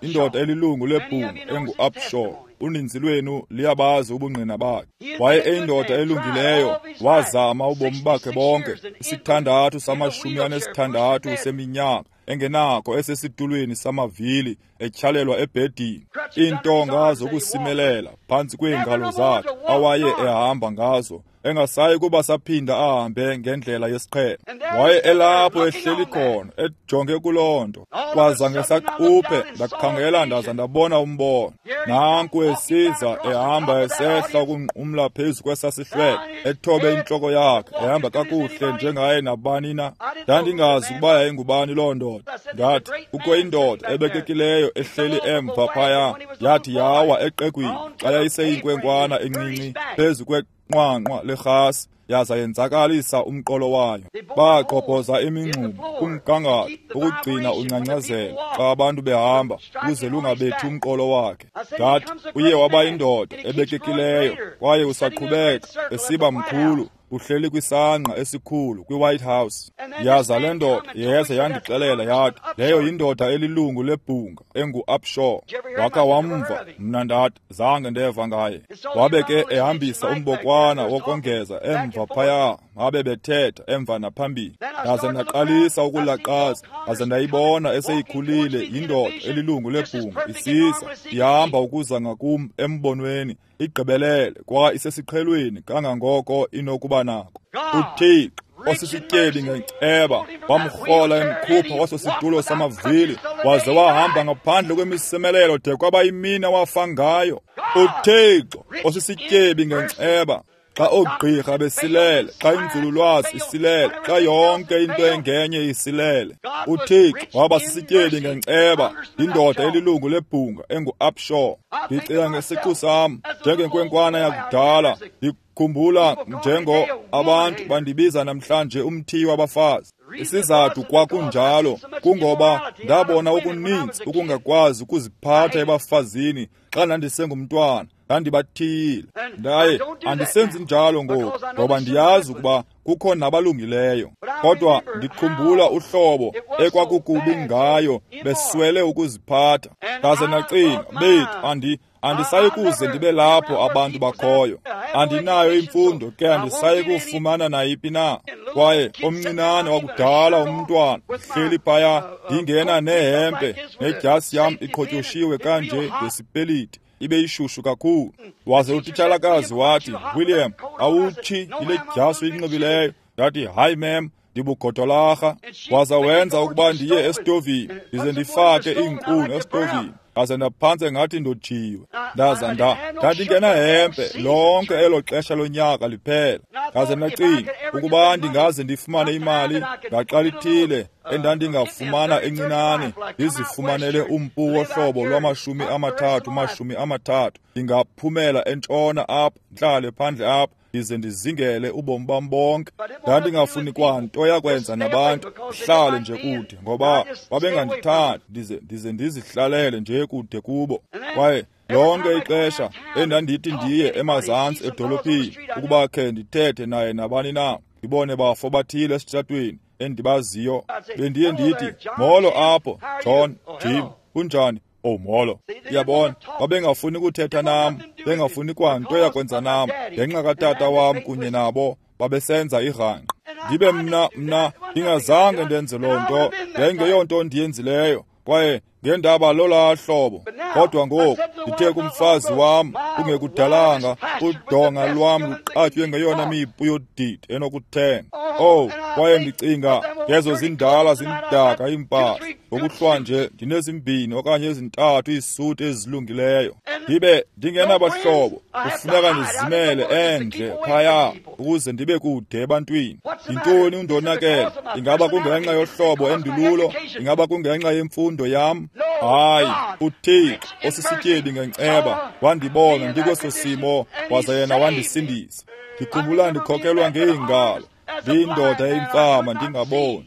indoda elilungu lebhunga engu-Upshaw. Uninzi lwenu liyabazi ubungqina bakhe. Waye eyindoda elungileyo, wazama ubomi bakhe bonke, 6 66 seminyaka, engenakho esesitulweni samavili, etyhalelwa ebhedini, iintonga zokusimelela phantsi kweengalo zakhe awaye ehamba ngazo, engasayi kuba saphinda ahambe ngendlela yesiqhelo. Waye elapho ehleli khona ejonge kuloo nto. Kwaza ngesaquphe ndakhangela ndaza ndabona umbono. Nanku esiza ehamba esehla ukunqumla phezu kwesasihlwele, ethobe intloko yakhe, ehamba kakuhle njengaye nabani na. Ndandingazi ukuba yayingubani loo ndoda. Ndathi, kukho indoda ebekekileyo ehleli emva phaya, yathi yawa eqegwini xa yayiseyinkwenkwana encinci phezu kwenqwanqwa lerhasi, yaza yenzakalisa umqolo wayo. Bagqobhoza imingxuma kumgangatho ukugcina ungcangcazela xa abantu behamba ukuze lungabethi umqolo wakhe. Ndathi, uye waba yindoda ebekekileyo kwaye usaqhubeka esiba mkhulu, uhleli kwisangqa esikhulu kwiWhite House. Yaza le ndoda yeza yandixelela yathi leyo yindoda elilungu lebhunga engu-Upshaw. Wakha wamva, mna ndathi zange ndeva ngaye. Wabe ke ehambisa umbokwana wokongeza emva phaya, babe bethetha emva naphambili. Ndaze ndaqalisa ukulaqaza, ndaze ndayibona eseyikhulile yindoda elilungu lebhunga isiza ihamba ukuza ngakum embonweni, igqibelele kwa isesiqhelweni kangangoko inokuba nako. UThixo osisityebi ngenceba wamrhola emkhupha waso situlo samavili, waze wahamba ngaphandle kwemisemelelo de kwaba yimini awafa ngayo. UThixo osisityebi ngenceba, xa oogqirha besilele, xa inzululwazi isilele, xa yonke into engenye isilele, uThixo waba sisityebi ngenceba, indoda elilungu lebhunga engu-Upshaw. Ndicinga ngesiqu sam njengenkwenkwana yakudala, ndikhumbula njengo abantu bandibiza namhlanje umthiyi wabafazi. Isizathu kwakunjalo kungoba ndabona okuninzi ukungakwazi ukuziphatha ebafazini xa ndandisengumntwana. Ndandibathiyile, ndaye andisenzi njalo ngoku ngoba ndiyazi ukuba kukho nabalungileyo. Kodwa ndikhumbula uhlobo ekwakukubi ngayo beswele ukuziphatha. Ndaze ndacinga, bethu, andisayi kuze ndibe lapho abantu bakhoyo. Andinayo imfundo ke andisayi kufumana nayiphi na. Kwaye omncinane wakudala umntwana hleli phaya, ndingena nehempe nedyasi yam iqhotyoshiwe kanje ngesipeliti, ibe ishushu kakhulu. Waze utitshalakazi wathi, William, awutshi yile dyasi uyinxibileyo? Ndathi, hayi mem, ndibugodolarha. Waza wenza ukuba ndiye esitovini, ndize ndifake iinkuni esitovini. Ndaze ndaphantse ngathi ndojiwe. Ndaza ndandingena hempe lonke elo xesha lonyaka liphela. Ndaze ndacinga ukuba ndingaze ndifumane imali ngaxa lithile endandingafumana encinane, ndizifumanele umpu wohlobo lwama-30 30, ndingaphumela entshona apha, ndihlale phandle apha, ndize ndizingele ubomi bam bonke. Ndandingafuni kwanto yakwenza nabantu, ndihlale nje kude ngoba babengandithandi, ndize ndizihlalele nje kude kubo. Kwaye lonke ixesha endandithi ndiye emazantsi edolophini ukuba khe ndithethe naye nabani na, ndibone bafo bathile esitratweni endibaziyo, bendiye ndithi, molo apho John, Jim, kunjani? Oh, molo. Uyabona, babengafuni kuthetha nam, bengafuni kwanto yakwenza nam ngenxa katata wam kunye nabo babesenza irhanqa. Ndibe mna ndingazange ndenze loo nto, yayingeyonto ndiyenzileyo, kwaye ngendaba lolaa hlobo. Kodwa ngoku ndithe kumfazi wam kungekudalanga, udonga lwam luqatywe ngeyona mipu yodidi enokuthenga. Oh, kwaye ndicinga ngezo zindala zimdaka iimpahla. Ngokuhlwa nje ndinezimbini okanye ezintathu iisuti ezilungileyo. Ndibe ndingenabahlobo, kufuneka ndizimele endle phaya ukuze ndibe kude ebantwini. Yintoni undonakele? Ingaba kungenxa yohlobo endilulo? Ingaba kungenxa yemfundo yam? Hayi, uThixo osisityebi ngenceba wandibona ndikweso simo, waza yena wandisindisa. Ndikhumbula ndikhokelwa ngeengalo, ndiyindoda eyimfama ndingaboni.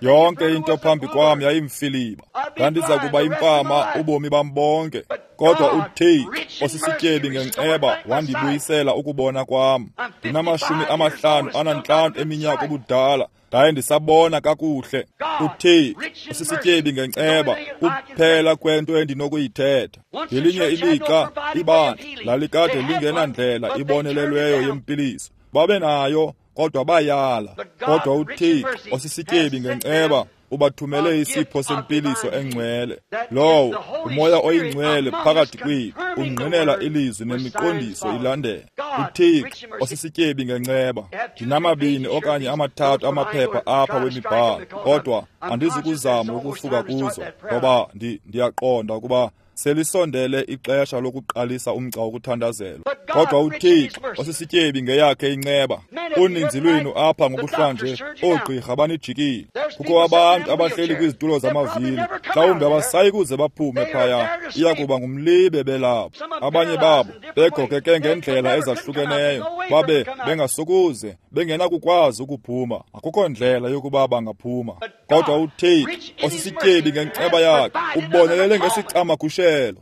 Yonke into phambi kwam yayimfiliba. Ndandiza kuba imfama ubomi bam bonke. Kodwa uThixo osisityebi ngenceba wandibuyisela ukubona kwam. Ndinama-55 eminyaka ubudala, ndaye ndisabona kakuhle. UThixo osisityebi ngenceba kuphela kwento endinokuyithetha. Ngelinye ilixa ibandla lalikade lingenandlela ibonelelweyo yempiliso. Babe nayo, kodwa bayala. Kodwa uThixo osisityebi ngenceba ubathumele isipho sempiliso engcwele. Lowo uMoya oyiNgcwele phakathi kwethu ungqinela ilizwi nemiqondiso ilandela. UThixo osisityebi ngenceba. Ndinamabini okanye amathathu amaphepha apha wemibhalo, kodwa andizukuzama ukusuka kuzo, ngoba ndiyaqonda ukuba selisondele ixesha lokuqalisa umgca wokuthandazelwa. Kodwa uThixo osisityebi ngeyakhe inceba. Uninzi lwenu apha ngokuhlwanje oogqirha banijikile. Kukho abantu abahleli kwizitulo zamavili, mhlawumbi abasayi kuze baphume phaya, iya kuba ngumlibe belapho. Abanye babo begokeke ngendlela ezahlukeneyo, babe bengasokuze, bengenakukwazi ukuphuma. Akukho ndlela yokuba bangaphuma. Kodwa uThixo osisityebi ngenceba yakhe ubonelele ngesicamagushelo.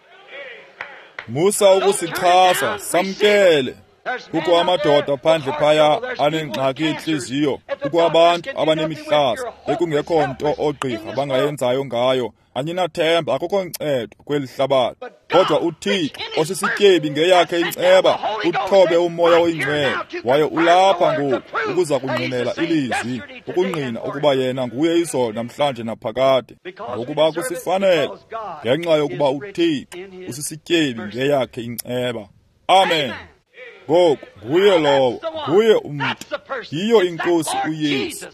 Musa ukusichasa, samkele. Kukho amadoda phandle phaya anengxaki yentliziyo, kukho abantu abanemihlaza ekungekho nto oogqirha bangayenzayo ngayo. Aninathemba, akukho ncedo kweli hlabathi. Kodwa uThixo osisityebi ngeyakhe inceba uthobe uMoya oyiNgcwele, waye ulapha ngoku ukuza kungqinela ilizwi, ukungqina ukuba yena nguye izolo, namhlanje naphakade. Ngokuba kusifanele, ngenxa yokuba uThixo usisityebi ngeyakhe inceba. Amen. Ngoku nguye lowo, nguye umntu, yiyo iNkosi uYesu.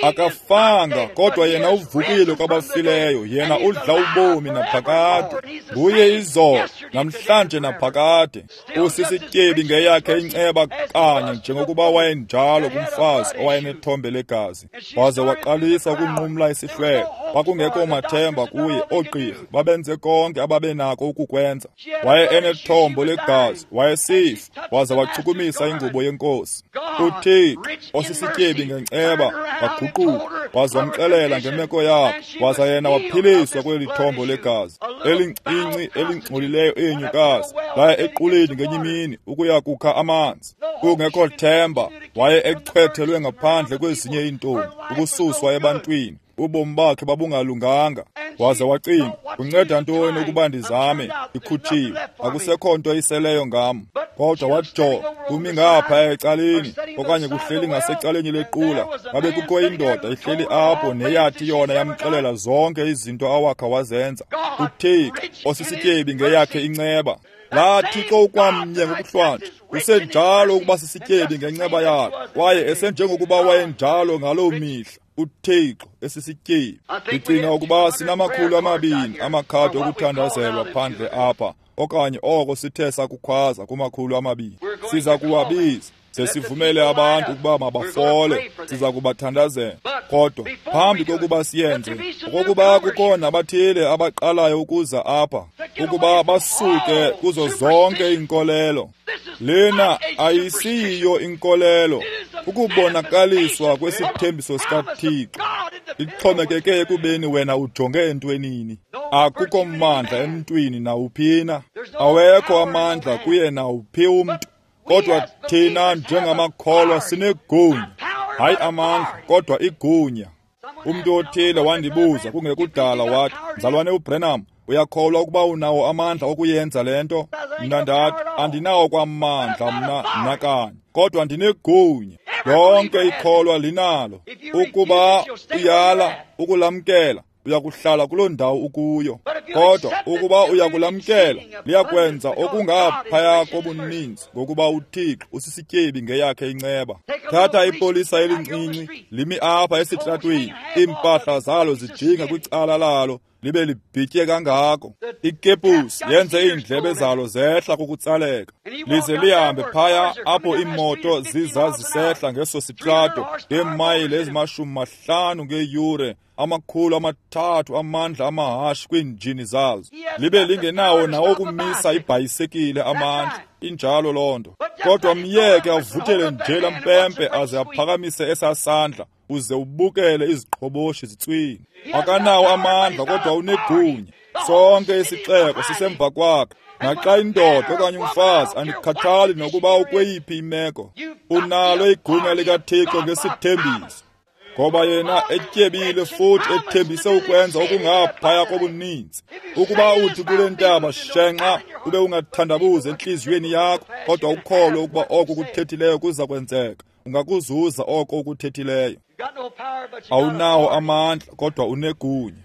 Akafanga, kodwa yena uvukile kwabafileyo, yena udla ubomi naphakade. Nguye izolo, namhlanje naphakade. Usisityebi ngeyakhe inceba kanye njengokuba wayenjalo kumfazi owayenethombe legazi, waze waqalisa ukunqumla isihlwele. Kwakungekho mathemba kuye, oogqirha babenze konke ababenako ukukwenza. Waye enethombo legazi, wayesifa, waze wachukumisa ingubo yeNkosi. UThixo osisityebi ngenceba waguquka, waze wamxelela ngemeko yakhe, waza yena waphiliswa kweli thombo legazi elincinci elingcolileyo enyukazi. Laya equleni ngenye imini ukuya kukha amanzi. Kungekho themba, waye echwethelwe ngaphandle kwezinye iintombi, ukususwa ebantwini. Ubomi bakhe babungalunganga. Waze wacinga, kunceda ntoni ukuba ndizame, ndikhutshiwe, akusekho nto iseleyo ngam. Kodwa wajonga, kumi ngapha ecaleni, okanye kuhleli ngasecaleni lequla, babe kukho indoda ihleli apho neyathi yona yamxelela zonke izinto awakha wazenza. UThixo osisityebi ngeyakhe inceba. Laa Thixo ukwamnye ngokuhlwanje usenjalo ukuba sisityebi ngenceba yakhe, kwaye esenjengokuba wayenjalo ngaloo mihla. UThixo esisityebi. Ndicinga ukuba sinama-200 amakhadi okuthandazelwa phandle apha, okanye oko sithe sakukhwaza kuma-200. Siza kuwabiza ze sivumele abantu ukuba mabafole, siza kubathandazela. Kodwa phambi kokuba siyenze, okokuba kukho nabathile abaqalayo ukuza apha, ukuba basuke kuzo zonke iinkolelo. Lena ayisiyiyo inkolelo, ukubonakaliswa kwesithembiso sikaThixo. Ixhomekeke ekubeni wena ujonge entwenini. Akukho mandla emntwini nawuphina, awekho amandla kuye nawuphi umntu. Kodwa thina njengamakholwa sinegunya, hayi amandla, kodwa igunya. Umntu othile wandibuza kungekudala wathi, Mzalwane uBrenham, uyakholwa ukuba unawo amandla okuyenza le nto? Mna ndathi, andinawo kwamandla mna nakanye, kodwa ndinegunya. Lonke ikholwa linalo. Ukuba uyala ukulamkela, uyakuhlala kuloo ndawo ukuyo. Kodwa ukuba uyakulamkela, liyakwenza okungaphaya kobuninzi, ngokuba uThixo usisityebi ngeyakhe inceba. Thatha ipolisa elincinci limi apha esitratweni, iimpahla zalo zijinga kwicala lalo, libe libhitye kangako. Ikepusi yenze iindlebe zalo zehla kukutsaleka, lize lihambe phaya apho iimoto ziza zisehla ngeso sitrato ngeemayile ezima-50 ngeyure, 300 amandla amahashi kwiinjini zazo. Libe lingenawo nawokumisa ibhayisekile amandla. Injalo loo nto. Kodwa myeke avuthele nje lampempe aze aphakamise esasandla, uze ubukele iziqhoboshi zitswini. Akanawo amandla, kodwa unegunya. Sonke isixeko sisemva kwakhe. Naxa indoda okanye umfazi, andikhathali nokuba ukweyiphi imeko, unalo igunya likaThixo ngesithembiso. Ngoba yena etyebile futhi ethembise ukwenza okungaphaya kobuninzi. Ukuba uthi kule ntaba, shenxa, ube ungathandabuzi entliziyweni yakho, kodwa ukholwe ukuba oko kuthethileyo kuza kwenzeka, Ungakuzuza oko ukuthethileyo. Awunawo amandla, kodwa unegunya.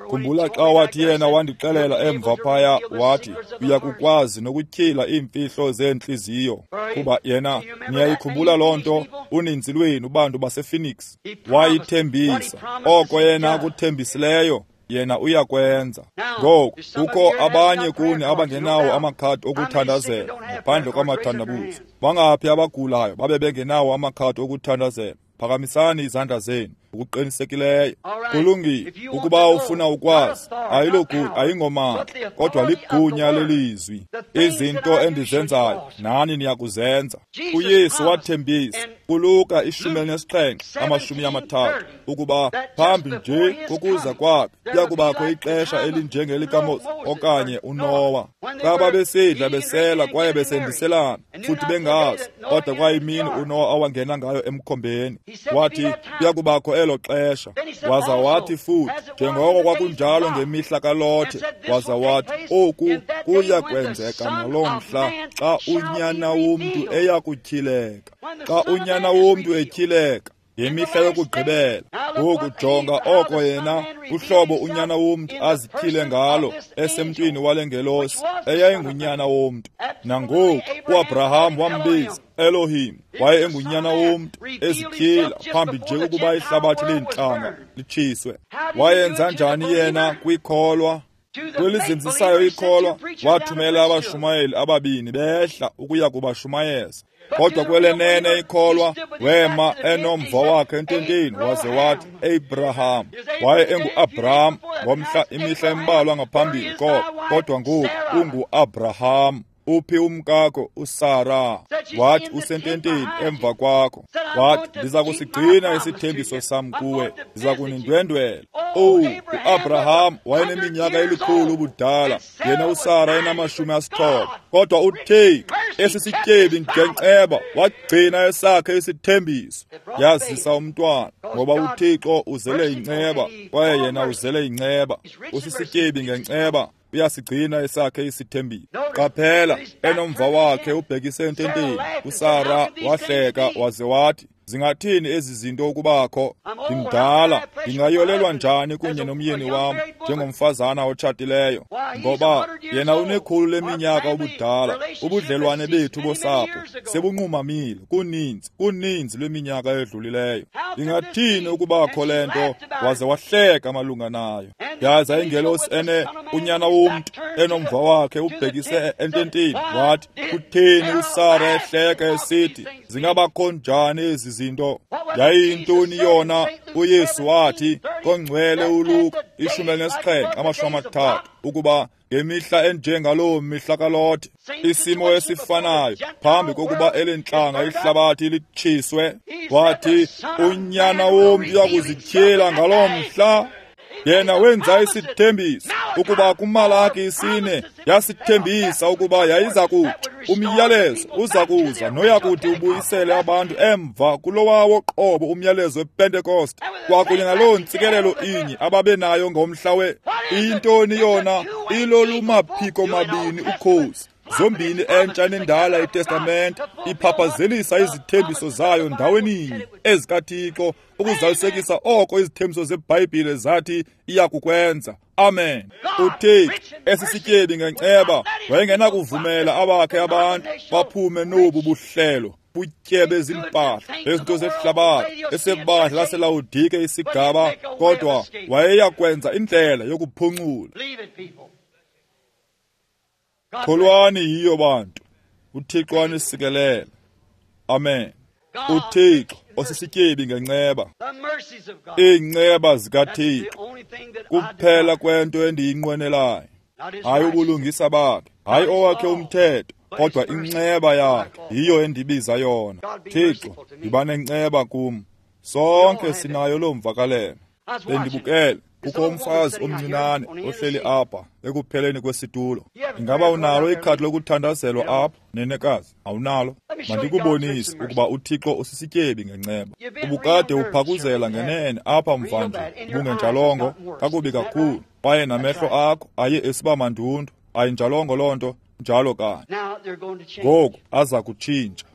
Khumbula xa wathi yena wandixelela emva phaya, wathi uyakukwazi nokutyhila iimfihlo zeentliziyo. Kuba yena, niyayikhumbula loo nto, uninzi lwenu bantu basePhoenix. Wayithembisa oko yena akuthembisileyo, yena uyakwenza. Ngoku kukho abanye kuni abangenawo amakhadi okuthandazela, ngaphandle kwamathandabuzo. Bangaphi abagulayo babe bengenawo amakhadi okuthandazela? Phakamisani izandla zenu ngokuqinisekileyo. Kulungile. Ukuba ufuna ukwazi, ayilogunya, ayingomandla, kodwa ligunya lelizwi. Izinto endizenzayo nani niyakuzenza. UYesu wathembisa kuLuka 17:30 ukuba phambi nje kokuza kwakhe kuyakubakho ixesha elinjengelikaMoses okanye uNowa, xa babesidla besela kwaye besendiselana futhi bengazi, kodwa kwayimini uNowa awangena ngayo emkhombeni. Wathi kuyakubakho elo xesha. Waza wathi futhi, njengoko kwakunjalo ngemihla kaLothe, waza wathi oku kuya kwenzeka ngaloo mhla xa uNyana womntu eya kutyhileka. Xa uNyana womntu etyhileka ngemihla yokugqibela. Ngoku jonga oko yena uhlobo uNyana womntu azityhile ngalo esemntwini wale ngelosi eyayinguNyana womntu. Nangoku uAbraham wambiza Elohim, waye engunyana womntu ezityhila phambi nje kokuba ihlabathi leentlanga litshiswe. Wayenza njani yena kwikholwa? Kwelizinzisayo ikholwa, wathumela abashumayeli ababini behla ukuya kubashumayeza. Kodwa kwelenene ikholwa, wema enomva wakhe ententeni, waze wathi Abraham. Waye engu-Abraham ngomhla imihla embalwa ngaphambili koko, kodwa ngoku ungu-Abraham. Uphi umkakho uSara? Wathi usententeni emva kwakho. Wathi ndiza kusigcina isithembiso sam kuwe, ndiza kunindwendwela. Owu, uAbraham wayeneminyaka elikhulu ubudala, yena uSara enama-90. Kodwa uThixo esisityebi ngenceba wagcina esakhe isithembiso, yazisa umntwana, ngoba uThixo uzele inceba kwaye yena uzele inceba. Usisityebi ngenceba, uyasigcina esakhe isithembiso. Qaphela, enomva wakhe ubhekise ententeni, uSara wahleka waze wathi, zingathini ezi zinto ukubakho? Ndimdala, ndingayolelwa njani kunye nomyeni wam njengomfazana otshatileyo? Ngoba yena unekhulu leminyaka ubudala, ubudlelwane bethu bosapho sebunqumamile kuninzi lweminyaka edlulileyo. Ingathini ukubakho le nto? Waze wahleka malunga nayo. Yaza ingelosi ene unyana womntu enomva wakhe ubhekise ententeni, wathi, kutheni uSara ehleka esithi zingabakho njani ezi zinto? Yayiyintoni yona? uYesu wathi kongcwele uLuka 17:30 ukuba ngemihla enjengaloo mihla kaLothe, isimo esifanayo phambi kokuba elentlanga ihlabathi litshiswe, wathi unyana womntu uyakuzityhila ngaloo mhla. Yena wenza isithembiso ukuba kuMalaki 4 yasithembisa ukuba yayiza kuthi umyalezo uza kuza noyakuthi ubuyisele abantu emva kulowawo qobo umyalezo wePentecost, kwakunye naloo ntsikelelo inye ababenayo ngomhla we. Iyintoni yona? Ilolumaphiko mabini ukhosi, zombini entsha nendala iTestamente, iphaphazelisa izithembiso zayo ndaweninye ezikaThixo ukuzalisekisa oko izithembiso zeBhayibhile zathi iyakukwenza. Amen. uThixo esisityebi ngenceba wayengenakuvumela abakhe abantu baphume nobu buhlelo butyebe zimpahla ezinto zehlabathi esebandla laseLawodike isigaba, kodwa wayeyakwenza indlela yokuphuncula. Kholwani yiyo bantu. uThixo anisikelele. Amen. uThixo osisityebi ngenceba, iinceba zikaThixo kuphela kwento endiyinqwenelayo. Hayi ubulungisa bakhe, hayi owakhe umthetho, kodwa inceba yakhe yiyo endibiza yona. Thixo, yiba nenceba kum. Sonke sinayo loo mvakalelo. Bendibukele kukho umfazi omncinane ohleli apha ekupheleni kwesitulo. Ingaba unalo ikhadi lokuthandazelwa apha, nenekazi? Awunalo? Mandikubonise ukuba uThixo usisityebi ngenceba. Ubukade uphakuzela ngenene apha mvanje, ubungenjalongo kakubi kakhulu, kwaye namehlo akho aye esiba mandundu. Ayinjalongo loo nto, njalo kanye. Ngoku aza kutshintsha.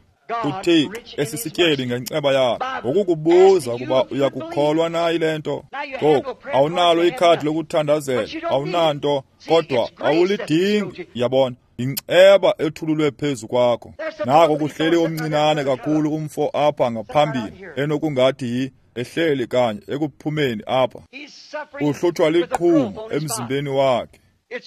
uThixo esisityebi ngenceba yakhe ngokukubuza ukuba uyakukholwa na yile nto. Ngoku awunalo ikhadi lokuthandazela, awunanto, kodwa awulidingi. Yabona, inceba ethululwe phezu kwakho. Nako kuhleli omncinane kakhulu umfo apha ngaphambili, enokungathi ehleli kanye ekuphumeni apha. Uhlutshwa liqhumo emzimbeni wakhe.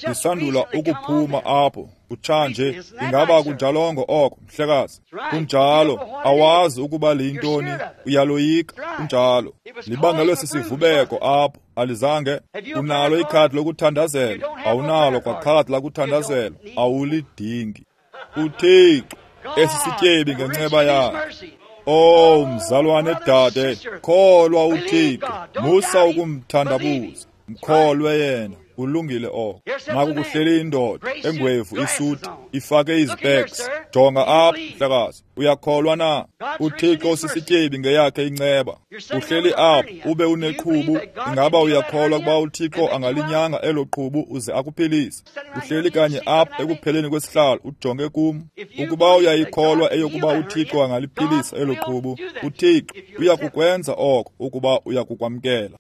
Lisandula ukuphuma apho kutshanje. Ingaba kunjalongo oko, mhlekazi? Kunjalo. Awazi ukuba liyintoni, uyaloyika. Kunjalo. Libangelwe sisivubeko apho, alizange. Unalo ikhadi lokuthandazela? Awunalo kwakhadi lakuthandazela, awulidingi. uThixo esisityebi ngenceba yakhe. Oh, mzalwane dade, kholwa uThixo, musa ukumthandabuza, mkholwe yena. Ulungile oko. Naku kuhleli indoda engwevu isuti, ifake izipeks. Jonga apha, mhlekazi, uyakholwa na? uThixo sisityebi ngeyakhe inceba. Uhleli apha ube uneqhubu. Ingaba uyakholwa ukuba uThixo angalinyanga elo qhubu uze akuphilise? Uhleli kanye apha ekupheleni kwesihlalo, ujonge kum. Ukuba uyayikholwa eyokuba uThixo angaliphilisa elo qhubu, uThixo uyakukwenza oko ukuba uyakukwamkela.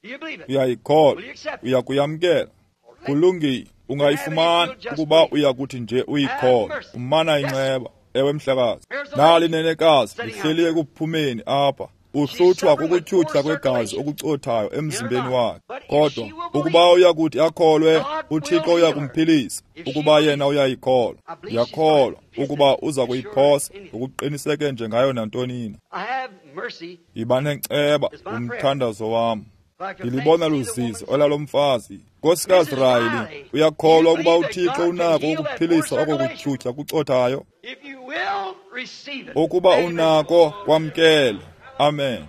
Uyayikholwa, uyakuyamkela. Kulungile, ungayifumana ukuba uyakuthi nje uyikholwa, umana inceba. Ewe mhlekazi. Nali nenekazi lihleli ekuphumeni apha, uhlutshwa kukutyhutyha kwegazi okucothayo emzimbeni wakhe. Kodwa ukuba uyakuthi akholwe, uThixo uyakumphilisa ukuba yena uyayikholwa. Ndiyakholwa ukuba uza kuyiphosa ngokuqiniseke nje ngayo nantonina. Yiba nenceba, umthandazo wam. Ndilibona luzizi olalomfazi. Nkosikazi Riley, uyakholwa ukuba uThixo unako ukuphilisa oko kutyhutyha kucothayo? Ukuba unako, kwamkele. Amen.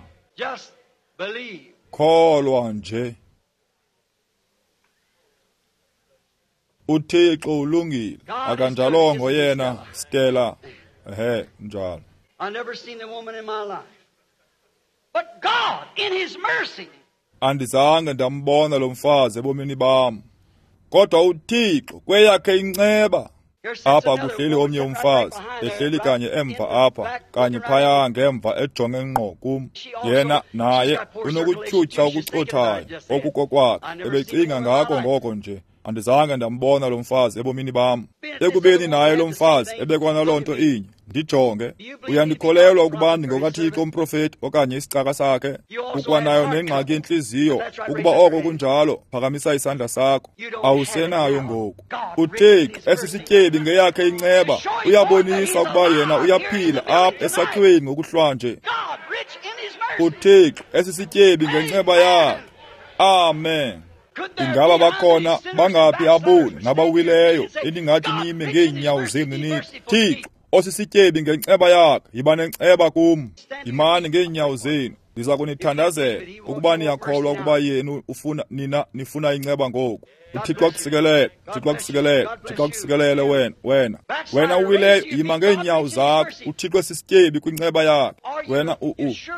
Kholwa nje. uThixo ulungile, akanjalongo yena, Stella? Ehe, njalo. Andizange ndambona lo mfazi ebomini bam, kodwa uThixo kweyakhe inceba. Apha kuhleli omnye umfazi, ehleli kanye emva apha, kanye phaya ngemva, ejonge ngqo kum. Yena naye unokutyhutyha okucothayo okukokwakhe, ebecinga ngako ngoko nje. Andizange ndambona lo mfazi ebomini bam. Ekubeni naye lo mfazi ebekwanaloo nto inye, ndijonge. Uyandikholelwa ukuba ndingokaThixo umprofeti okanye isicaka sakhe? Ukwanayo nengxaki yentliziyo. Ukuba oko kunjalo, phakamisa isandla sakho. Awusenayo ngoku. uThixo esisityebi ngeyakhe inceba uyabonisa ukuba yena uyaphila apha esakhiweni ngokuhlwanje. uThixo esisityebi ngenceba yakhe. Amen. Ingaba bakhona bangaphi aboni nabawileyo eningathi nime ngeenyawo zenu nithi, Thixo osisityebi ngenceba yakhe, yiba nenceba kum. Yimani ngeenyawo zenu, ndiza kunithandazela ukuba niyakholwa ukuba yenu ufuna nina nifuna inceba ngoku. uThixo akusikelele, uThixo akusikelele, uThixo akusikelele wena, wena. Wena uwileyo, yima ngeenyawo zakho. uThixo esisityebi kwinceba yakhe. Wena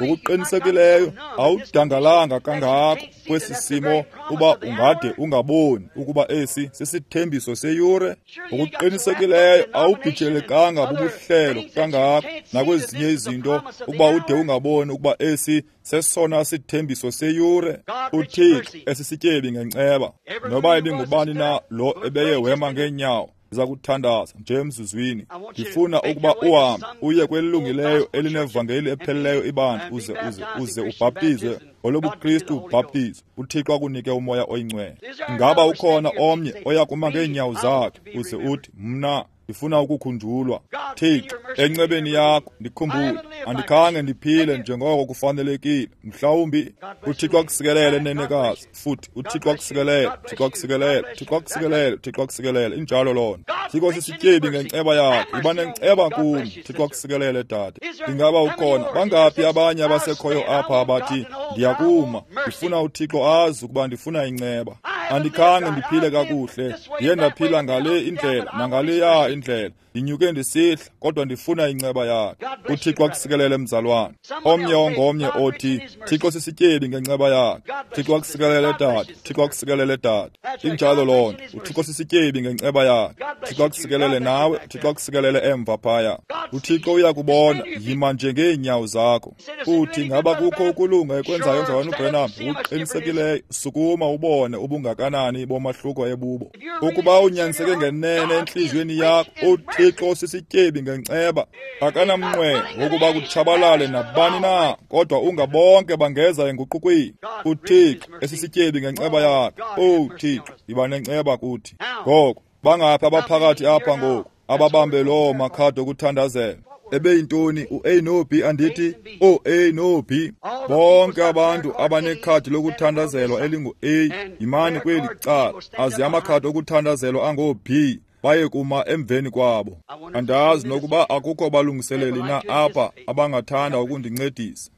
ngokuqinisekileyo awudangalanga kangako kwesi simo uba ungade ungaboni ukuba esi sisithembiso seyure. Ngokuqinisekileyo awubhijelekanga bubuhlelo kangako nakwezinye izinto ukuba ude ungaboni ukuba esi sesona sithembiso seyure. uThixo esisityebi ngenceba. Noba ebengubani na lo ebeye wema ngeenyawo, ndiza kuthandaza nje emzuzwini. Ndifuna ukuba uhambe uye kwelilungileyo elinevangeli epheleleyo ibandla, uze uze uze ubhaptizwe ngolobuKristu ubhaptizo, uThixo akunike uMoya oyiNgcwele. Ingaba ukhona omnye oya kuma ngeenyawo zakhe uze uthi, mna ndifuna ukukhunjulwa. Thixo, encebeni yakho ndikhumbule. Andikhange ndiphile njengoko kufanelekile. Mhlawumbi uThixo akusikelele, nenekazi. Futhi uThixo akusikelele, uThixo akusikelele, uThixo akusikelele, uThixo akusikelele. Injalo loo nto. Thixo sisityebi ngenceba yakhe. Yiba nenceba kum. Thixo akusikelele, dade. Ingaba ukhona? Bangaphi abanye abasekhoyo apha abathi, ndiyakuma, ndifuna uThixo azi ukuba ndifuna inceba. Andikhange ndiphile kakuhle, ndiye ndaphila ngale indlela nangaleya indlela, ndinyuke ndisihla, kodwa ndifuna inceba yakhe. UThixo akusikelele, mzalwane. Omnye ongomnye othi, Thixo sisityebi ngenceba yakhe. Thixo akusikelele, dade. Thixo akusikelele, dade. Injalo loo nto. UThixo sisityebi ngenceba yakhe. Thixo akusikelele nawe. Thixo akusikelele emva phaya. UThixo uyakubona. Yima nje ngeenyawo zakho. Uthi, ngaba kukho ukulunga ekwenzayo, mzalwane uBranham? Uqinisekileyo. Sukuma ubone ubungakanani bomahluko ebubo. Ukuba unyaniseke ngenene entliziyweni yakho, uThixo sisityebi ngenceba. Akanamnqweno wokuba kutshabalale nabani na, kodwa ungabonke bangeza enguqukweni. UThixo esisityebi ngenceba yakhe. Oh Thixo, yiba nenceba kuthi. Ngoku bangaphi abaphakathi apha ngoku ababambe loo makhadi okuthandazela? Ebeyintoni u-A no-B? Andithi o-A no-B. Bonke abantu abanekhadi lokuthandazelwa elingu-A yimani kweli cala, aze amakhadi okuthandazelwa angoo-B baye kuma emveni kwabo. Andazi nokuba akukho balungiseleli na apha abangathanda ukundincedisa.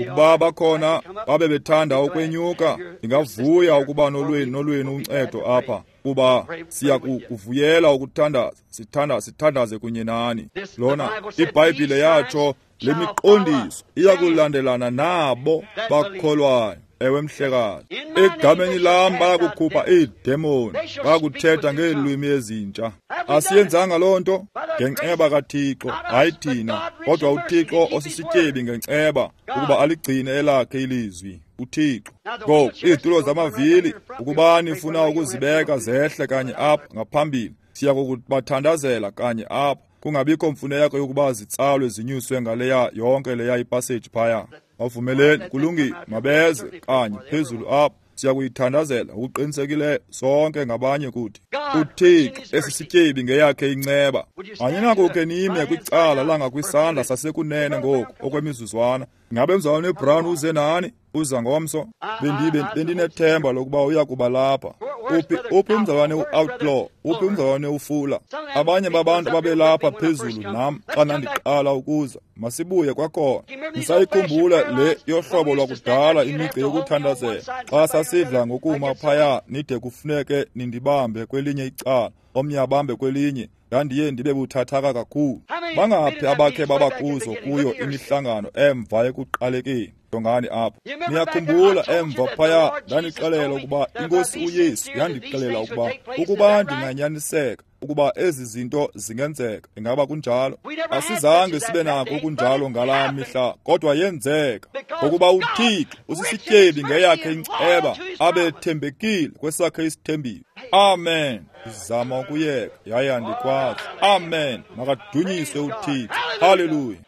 Ukuba bakhona babe bethanda ukwenyuka, ndingavuya ukuba nolwenu uncedo apha, kuba siya kuvuyela ukuthandaza, sithandaze kunye nani. Lona iBhayibhile yatsho, le miqondiso iyakulandelana nabo bakholwayo. Ewe mhlekazi, egameni lam bayakukhupha iidemoni, bayakuthetha ngeelwimi ezintsha. Asiyenzanga loo nto ngenceba kaThixo, hayi thina, kodwa uThixo osisityebi ngenceba ukuba aligcine elakhe ilizwi. uThixo. Ngoku izitulo zamavili, ukuba nifuna ukuzibeka zehle kanye apha ngaphambili, siya kukubathandazela kanye apha, kungabikho mfuneko yokuba zitsalwe zinyuswe ngaleya yonke leya ipaseji phaya. Bavumeleni, kulungile, mabeze kanye phezulu apha. Siya kuyithandazela ngokuqinisekileyo sonke ngabanye kuthi. UThixo esisityebi ngeyakhe inceba. Aninakukhe nime kwicala langakwisandla sasekunene ngoku okwemizuzwana. Ngabe mzalwane uBrown uze nani? Uza ngomso? Bendinethemba lokuba uya kuba lapha. Uphi umzalwane u-Outlaw? Uphi umzalwane uFula? Abanye babantu ababelapha phezulu nam xa ndandiqala ukuza. Masibuye kwakhona. Nisayikhumbula le yohlobo lwakudala imigca yokuthandazela, xa sasidla ngokuma phaya nide kufuneke nindibambe kwelinye icala, omnye abambe kwelinye. Ndandiye ndibe buthathaka kakhulu. Bangaphi abakhe babakuzo kuyo imihlangano emva ekuqalekeni? Jongani apha. Niyakhumbula emva phaya ndandixelela ukuba iNkosi uYesu yandixelela ukuba ndinganyaniseka ukuba ezi zinto zingenzeka. Ingaba kunjalo? Asizange sibe nako okunjalo ngalaa mihla, kodwa yenzeka. Ngokuba uThixo usisityebi ngeyakhe inceba, abethembekile kwesakhe isithembiso. Amen. Ndizama ukuyeka yaye andikwazi. Amen. Makadunyiswe uThixo. Haleluya.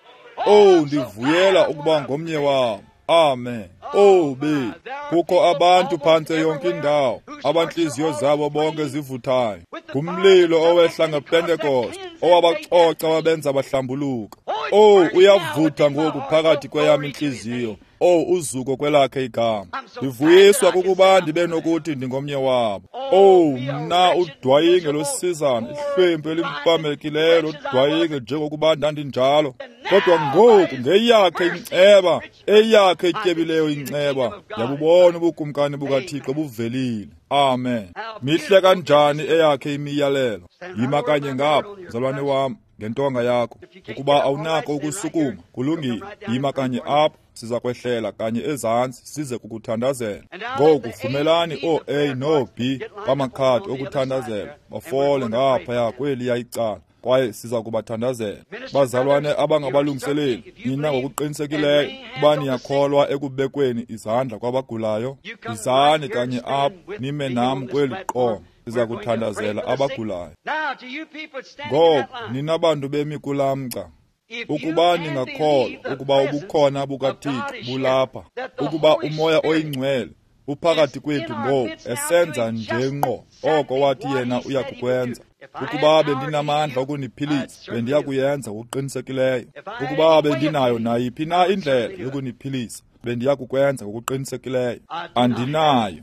Oh, ndivuyela ukuba ngomnye wabo. Amen. Oh be, kukho abantu phantse yonke indawo abantliziyo zabo bonke zivuthayo ngumlilo owehla ngePentekoste owabacoca wabenza bahlambuluka. Oh, uyavutha ngoku phakathi kweyam intliziyo. Oh, uzuko kwelakhe igama. Ndivuyiswa kukuba ndibe nokuthi ndingomnye wabo. Oh, mna udwayinge losizana, ihlwempu elimpamekileyo lodwayinge njengokuba ndandinjalo. Kodwa ngoku ngeyakhe inceba, eyakhe ityebileyo inceba, ndiyabubona ubukumkani bukaThixo buvelile. Amen. Mihle kanjani eyakhe imiyalelo. Yima kanye ngapha, mzalwane wam, ngentonga yakho. Ukuba awunako ukusukuma, kulungile, yima kanye apha. Siza kwehlela kanye ezantsi size kukuthandazela. Ngoku vumelani o-A no-B bamakhadi okuthandazela bafole ngaphaya kweliya icala, kwaye siza kubathandazela. Bazalwane abangabalungiseleli, nina ngokuqinisekileyo ukuba niyakholwa ekubekweni izandla kwabagulayo, yizani kanye apha nime nam kweli qonga. Siza kuthandazela abagulayo. Ngoku nina bantu bemi kulaa mgca, ukuba ningakholwa ukuba ubukhona bukaThixo bulapha, ukuba uMoya oyiNgcwele uphakathi kwethu ngoku esenza nje ngqo oko wathi yena uya kukwenza. Ukuba bendinamandla okuniphilisa, bendiya kuyenza ngokuqinisekileyo. Ukuba bendinayo nayiphi na indlela yokuniphilisa, bendiya kukwenza ngokuqinisekileyo. Andinayo.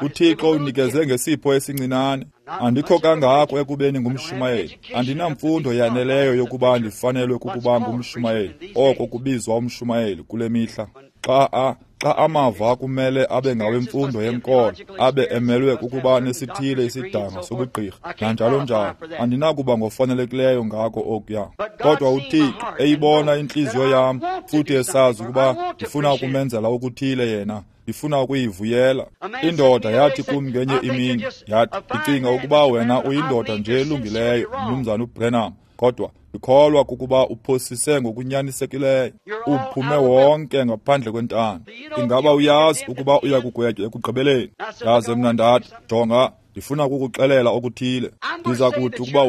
UThixo unikeze ngesipho esincinane. Andikho kangako ekubeni ngumshumayeli. Andinamfundo yaneleyo yokuba ndifanelwe kukuba ngumshumayeli, oko kubizwa umshumayeli kule mihla. Xa amava kumele abe ngawemfundo yenkolo, abe emelwe kukuba nesithile isidanga sobugqirha, nanjalo njalo, andinakuba ngofanelekileyo ngako okuya. Kodwa uThixo eyibona intliziyo yam, futhi esazi ukuba ndifuna ukumenzela okuthile yena, ndifuna ukuyivuyela. Indoda yathi kum ngenye imini, yathi, ndicinga ukuba wena uyindoda nje elungileyo, Mnumzana uBrenham, kodwa ndikholwa kukuba uphosise ngokunyanisekileyo, uphume wonke ngaphandle kwentando. Ingaba uyazi ukuba uya kugwetywa ekugqibeleni? Ndaze mna ndathi, jonga, ndifuna ukukuxelela okuthile. Ndiza kuthi ukuba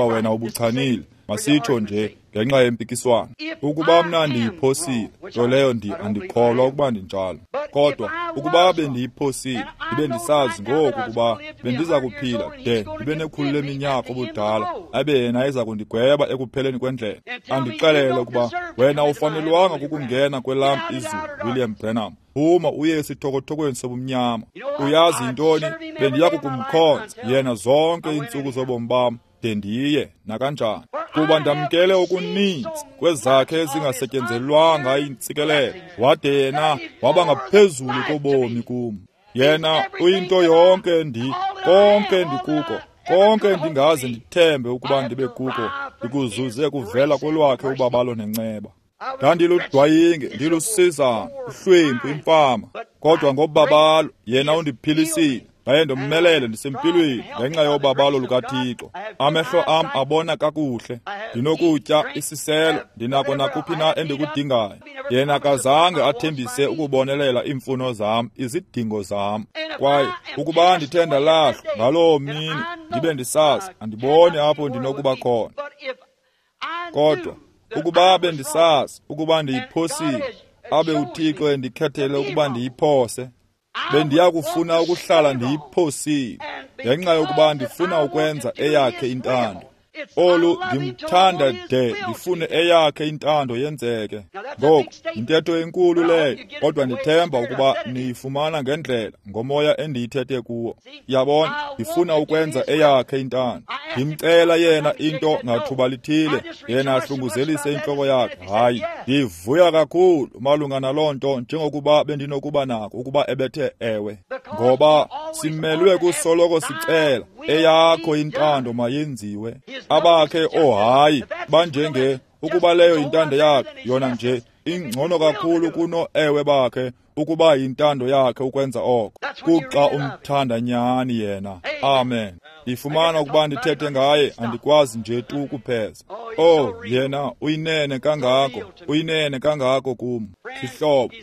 wena ubuchanile, masitsho nje ngenxa yempikiswano. Ukuba mna ndiyiphosile, nto leyo andikholwa ukuba ndinjalo. Kodwa ukuba bendiyiphosile, ndibe ndisazi ngoku ukuba bendiza kuphila de ndibe nekhulu leminyaka obudala, abe yena eza kundigweba ekupheleni kwendlela, andixelele ukuba wena ufanelwanga kukungena kwelam izulu, William Branham. Phuma uye esithokothokweni sobumnyama. Uyazi yintoni? Bendiya kukumkhonza yena zonke iintsuku zobomi bam, de ndiye nakanjani, kuba ndamkele okuninzi kwezakhe ezingasetyenzelwanga iintsikelelo, wade yena waba ngaphezulu kobomi kum. Yena uyinto yonke konke ndikuko, konke ndingaze ndithembe ukuba ndibe kuko, ndikuzuze kuvela kolwakhe ubabalo nenceba. Ndandiludwayinge, ndilusizana, uhlwempu, imfama, kodwa ngobabalo yena undiphilisile. Ndaye ndomelele ndisempilweni ngenxa yobabalo lukaThixo. Amehlo am abona kakuhle, ndinokutya isiselo, ndinako nakuphi na endikudingayo. Yena akazange athembise ukubonelela iimfuno zam, izidingo zam. Kwaye ukuba ndithe ndalahlwa ngaloo mini, ndibe ndisazi, andiboni apho ndinokuba khona. Kodwa ukuba bendisazi ukuba ndiyiphosile, abe uThixo endikhethele ukuba ndiyiphose, bendiya kufuna ukuhlala ndiyiphosile, ngenxa yokuba ndifuna ukwenza eyakhe intando. Olu ndimthanda de ndifune eyakhe intando yenzeke. Ngoku yintetho enkulu leyo, kodwa ndithemba ukuba niyifumana ngendlela ngomoya endiyithethe kuwo. Yabona, ndifuna ukwenza eyakhe intando. Ndimcela yena into ngathuba lithile, yena ahlunguzelise intloko yakhe. Hayi, ndivuya kakhulu malunga naloo nto njengokuba bendinokuba nako ukuba ebethe ewe. Ngoba simelwe kusoloko sicela eyakho intando mayenziwe. Abakhe ohayi banjenge ukuba leyo intando yakhe, yona nje ingcono kakhulu kuno ewe bakhe ukuba yintando yakhe ukwenza oko. Kuxa umthanda nyani yena. Amen. Ndifumana ukuba ndithethe ngaye, andikwazi nje tu kupheza. Oh, yena uyinene kangako, uyinene kangako kum. Sihlobo,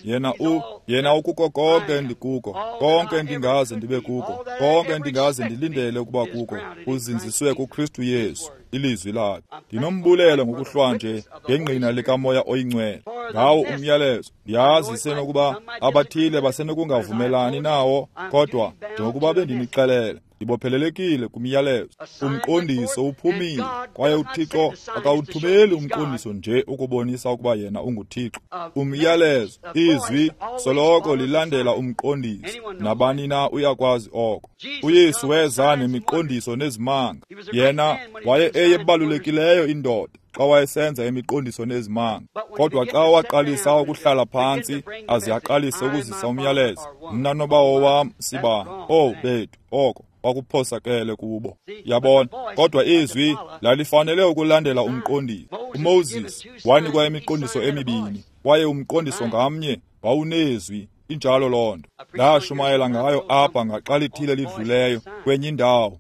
yena ukuko konke ndikuko, konke ndingaze ndibe kuko, konke ndingaze ndilindele ukuba kuko, uzinziswe kuKristu Yesu, ilizwi lakhe. Ndinombulelo ngokuhlwanje ngengqina likaMoya oyiNgcwele ngawo umyalezo. Ndiyazi isenokuba abathile basenokungavumelani nawo, kodwa njengokuba bendinixelele, ndibophelelekile kumyalezo. Umqondiso uphumile, kwaye uThixo akawuthumeli umqondiso nje ukubonisa ukuba yena unguThixo. Umyalezo, izwi, soloko lilandela umqondiso. Nabani na uyakwazi oko. uYesu weza nemiqondiso nezimanga. Yena waye eyebalulekileyo indoda xa wayesenza imiqondiso nezimanga. Kodwa xa waqalisa ukuhlala phantsi aze aqalise ukuzisa umyalezo, mna nobawo wam sibani, oh bethu, oko kwakuphosakele kubo. Yabona, kodwa izwi lalifanele ukulandela umqondiso. uMoses wanikwa imiqondiso emibini, kwaye umqondiso ngamnye wawunezwi. Injalo loo nto. Ndashumayela ngayo apha ngaxa lithile lidluleyo kwenye indawo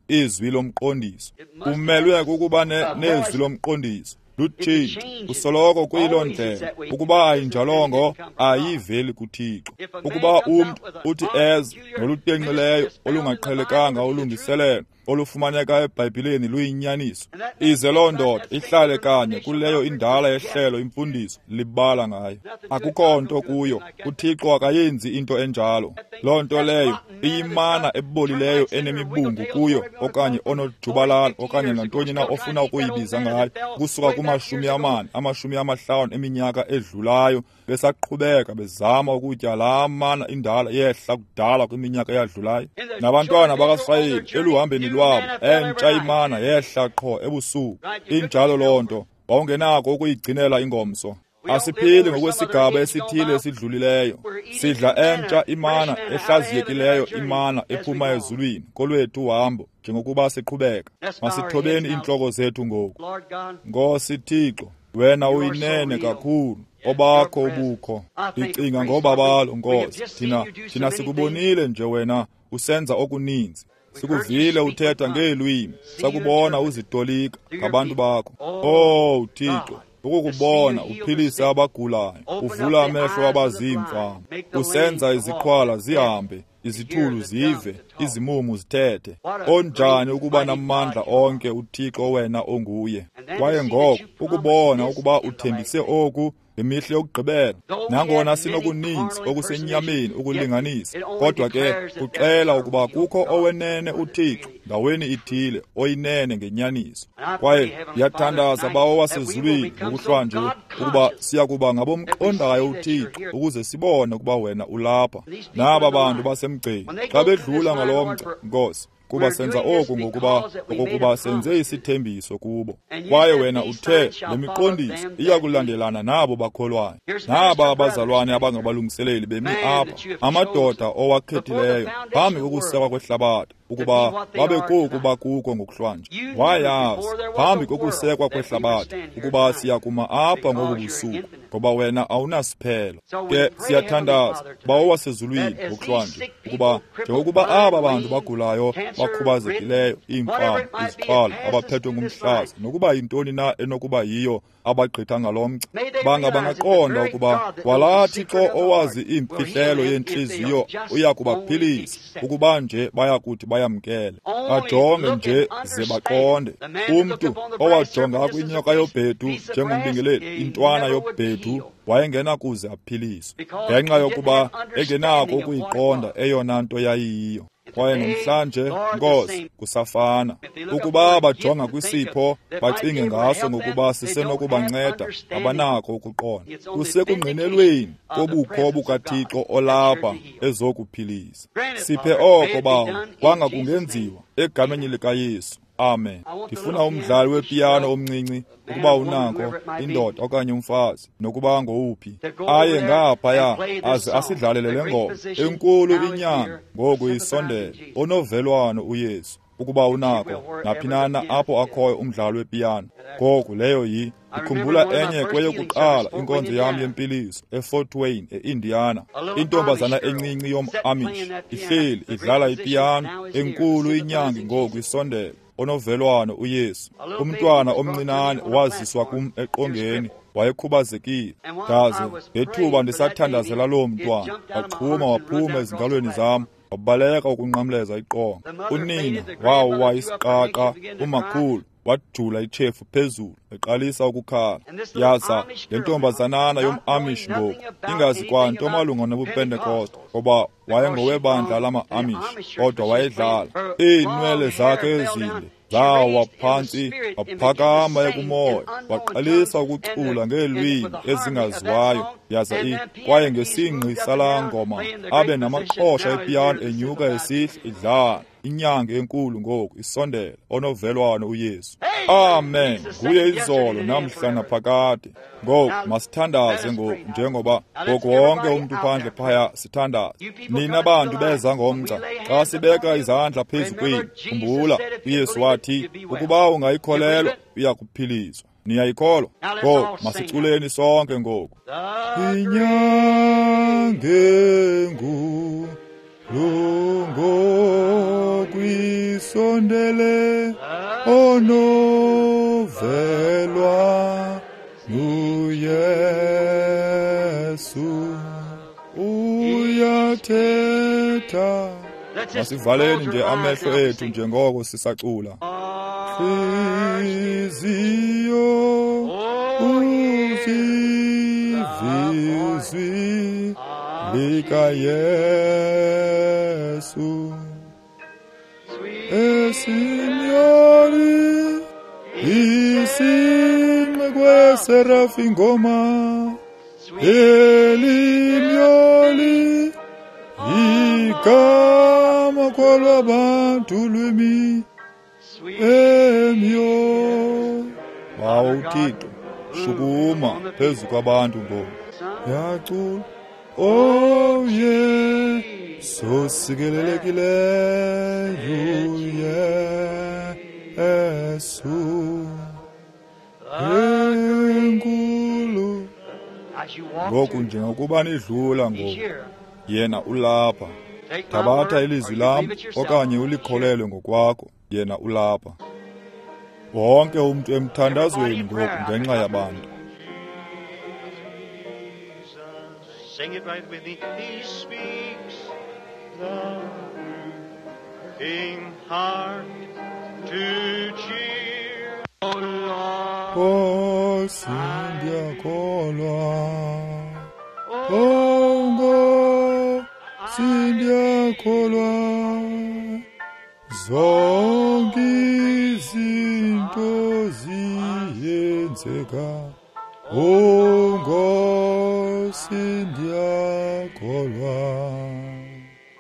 izwi lomqondiso. Kumelwe kukuba nezwi lomqondiso. Lutshintsho usoloko kuyiloo ndlela. Ukuba ayinjalongo, ayiveli kuThixo. Ukuba umntu uthi eze nolutenxileyo olungaqhelekanga ulungiselelo olufumaneka eBhayibhileni luyinyaniso, ize loo ndoda ihlale kanye kuleyo indala yehlelo imfundiso libala ngayo. Akukho nto kuyo. uThixo akayenzi into enjalo. Loo nto leyo iyimana ebolileyo enemibungu kuyo, okanye onojubalala, okanye nantoni na ofuna ukuyibiza ngayo, kusuka kuma-40, 50 eminyaka edlulayo, besaqhubeka bezama ukutya laa mana indala yehla kudala kwiminyaka eyadlulayo. Nabantwana bakaSirayeli eluhambeni lwabo, entsha imana yehla qho ebusuku. Injalo loo nto, wawungenako ukuyigcinela ingomso. Asiphili ngokwesigaba esithile esidlulileyo. Sidla entsha imana ehlaziyekileyo, imana ephuma ezulwini kolwethu uhambo njengokuba siqhubeka. Masithobeni iintloko zethu ngoku. Nkosi Thixo, wena uyinene kakhulu, obakho ubukho. Ndicinga ngobabalo, Nkosi. Thina sikubonile nje wena usenza okuninzi. Sikuvile uthetha ngeelwimi, sakubona uzitolika ngabantu bakho. Oh Thixo, ukukubona uphilise abagulayo, uvula amehlo abaziimfama, usenza iziqhwala zihambe, izithulu zive, izimumu zithethe. Onjani ukuba namandla onke uThixo wena onguye. Kwaye ngoko ukubona ukuba uthembise oku ngemihla yokugqibela, nangona sinokuninzi okusenyameni ukulinganisa, kodwa ke kuxela ukuba kukho owenene uThixo ndaweni ithile oyinene ngenyaniso. Kwaye ndiyathandaza, Bawo wasezulwini, ngokuhlwanje ukuba siya kuba ngabomqondayo uThixo ukuze sibone ukuba wena ulapha. Naba bantu basemgceni xa bedlula ngalo mgca, Nkosi, kuba senza oku ngokuba okokuba senze isithembiso kubo. Kwaye wena uthe le miqondiso iya kulandelana nabo bakholwayo. Naba abazalwane abangabalungiseleli bemi apha, amadoda owakhethileyo phambi kokusekwa kwehlabathi, ukuba babe koku bakuko ngokuhlwanje. Wayazi phambi kokusekwa kwehlabathi ukuba siya kuma apha ngobu busuku, ngoba wena awunasiphelo. Ke siyathandaza, Bawo wasezulwini, ngokuhlwanje ukuba njengokuba aba bantu bagulayo, bakhubazekileyo, iimfama, iziqhwala, abaphethwe ngumhlaza, nokuba yintoni na enokuba yiyo abagqitha ngalo mgca, banga bangaqonda ukuba kwalaa Thixo owazi iimfihlelo yentliziyo uya kubaphilisa ukuba nje baya kuthi bayamkele. Bajonge nje ze baqonde. Umntu owajonga kwinyoka yobhedu njengombingeleli, intwana yobhedu, wayengenakuze aphiliswe ngenxa yokuba engenako ukuyiqonda eyona nto yayiyiyo. Kwaye namhlanje, Nkosi, kusafana. Ukuba bajonga kwisipho bacinge ngaso ngokuba sisenokubanceda, abanako ukuqonda. Kusekungqinelweni kobukho bukaThixo olapha ezokuphilisa. Siphe oko, Bawo, kwanga kungenziwa egameni likaYesu. Amen. Ndifuna umdlali wepiyano omncinci, ukuba unako, indoda okanye umfazi, nokuba ngowuphi, aye ngaphaya aze asidlalele le ngoma enkulu inyanga ngoku isondele, onovelwano uYesu. Ukuba unako, naphi na apho akhoyo umdlali wepiyano. Ngoku leyo yi ndikhumbula enye kweyokuqala inkonzo yam yempiliso eFort Wayne, e-Indiana. Intombazana encinci yom-Amish ihleli idlala ipiyano enkulu inyangi ngoku isondele, onovelwano uYesu. Umntwana omncinane waziswa kum eqongeni, wayekhubazekile. Ndaze ngethuba ndisathandazela loo mntwana, waxhuma waphuma ezingalweni zam, wabaleka ukunqamleza iqonga. Unina wawa isiqaqa, umakhulu wajula itshefu phezulu, eqalisa ukukhala. Yaza le ntombazanana yom-Amish ngoku ingazi kwanto malunga nobuPentekoste, ngoba wayengowebandla lama-Amish, kodwa wayedlala. Iinwele zakhe ezinde zawa phantsi, waphakama ekumoya, waqalisa ukucula ngeelwimi ezingaziwayo. Yaza kwaye ngesingqi salaa ngoma abe namaqhosha epiyano enyuka esihla idlala. Inyanga enkulu ngoku isondele, onovelwano uYesu. Amen. Nguye izolo, namhla, naphakade. Ngoku masithandaze ngoku, njengoba ngoku wonke umntu phandle phaya sithandaze. Nina bantu beza ngomgca, xa sibeka izandla phezu kwenu, khumbula uYesu wathi ukuba ungayikholelwa uya kuphiliswa. Niyayikholwa? Ngoku masiculeni sonke ngoku. Inyanga engu lungokwisondele, onovelwa nguYesu uyathetha. Masivaleni nje amehlo ethu njengoko sisacula. Hliziyo uzivizwi likaYesu, esimyoli isinqe kweserafi ngoma, elimyoli igama kwalwabantu lwimi emyo. Bawo uThixo, Shukuma phezu kwabantu ngoku. Yacula. Oh yeah, so sikelelekileyo Yesu enkulu. Ngoku njengokuba nidlula ngoku, yena ulapha. Thabatha ilizwi lam okanye ulikholelwe ngokwakho, yena ulapha. Wonke umntu emthandazweni ngoku ngenxa yabantu. Sing it right with me. He speaks the broken heart to cheer. Oh Lord, Nkosi ndiyakholwa. Oh Nkosi ndiyakholwa. Zonke izinto ziyenzeka. Oh Nkosi ndiyakholwa.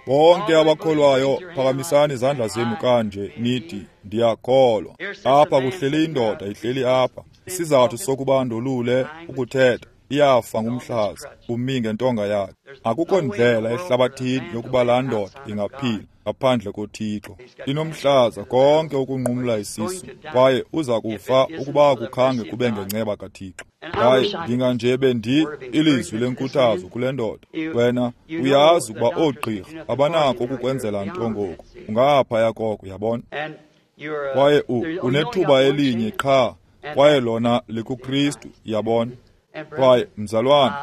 Bonke abakholwayo phakamisani izandla zenu kanje nithi ndiyakholwa. Apha kuhleli indoda ihleli apha. Isizathu sokuba ndolule ukuthetha, iyafa ngumhlaza, umi ngentonga yakhe. Akukho ndlela ehlabathini yokuba laa ndoda ingaphila ngaphandle koThixo. Inomhlaza konke ukunqumla isisu, kwaye uza kufa ukuba akukhange kube ngenceba kaThixo. Kwaye ndinga nje bendi ilizwi lenkuthazo kule ndoda. Wena uyazi ukuba oogqirha abanako ukukwenzela nto ngoku, ungaphaya koko, uyabona. Kwaye unethuba elinye qha, kwaye lona likuKristu, uyabona. Kwaye mzalwane,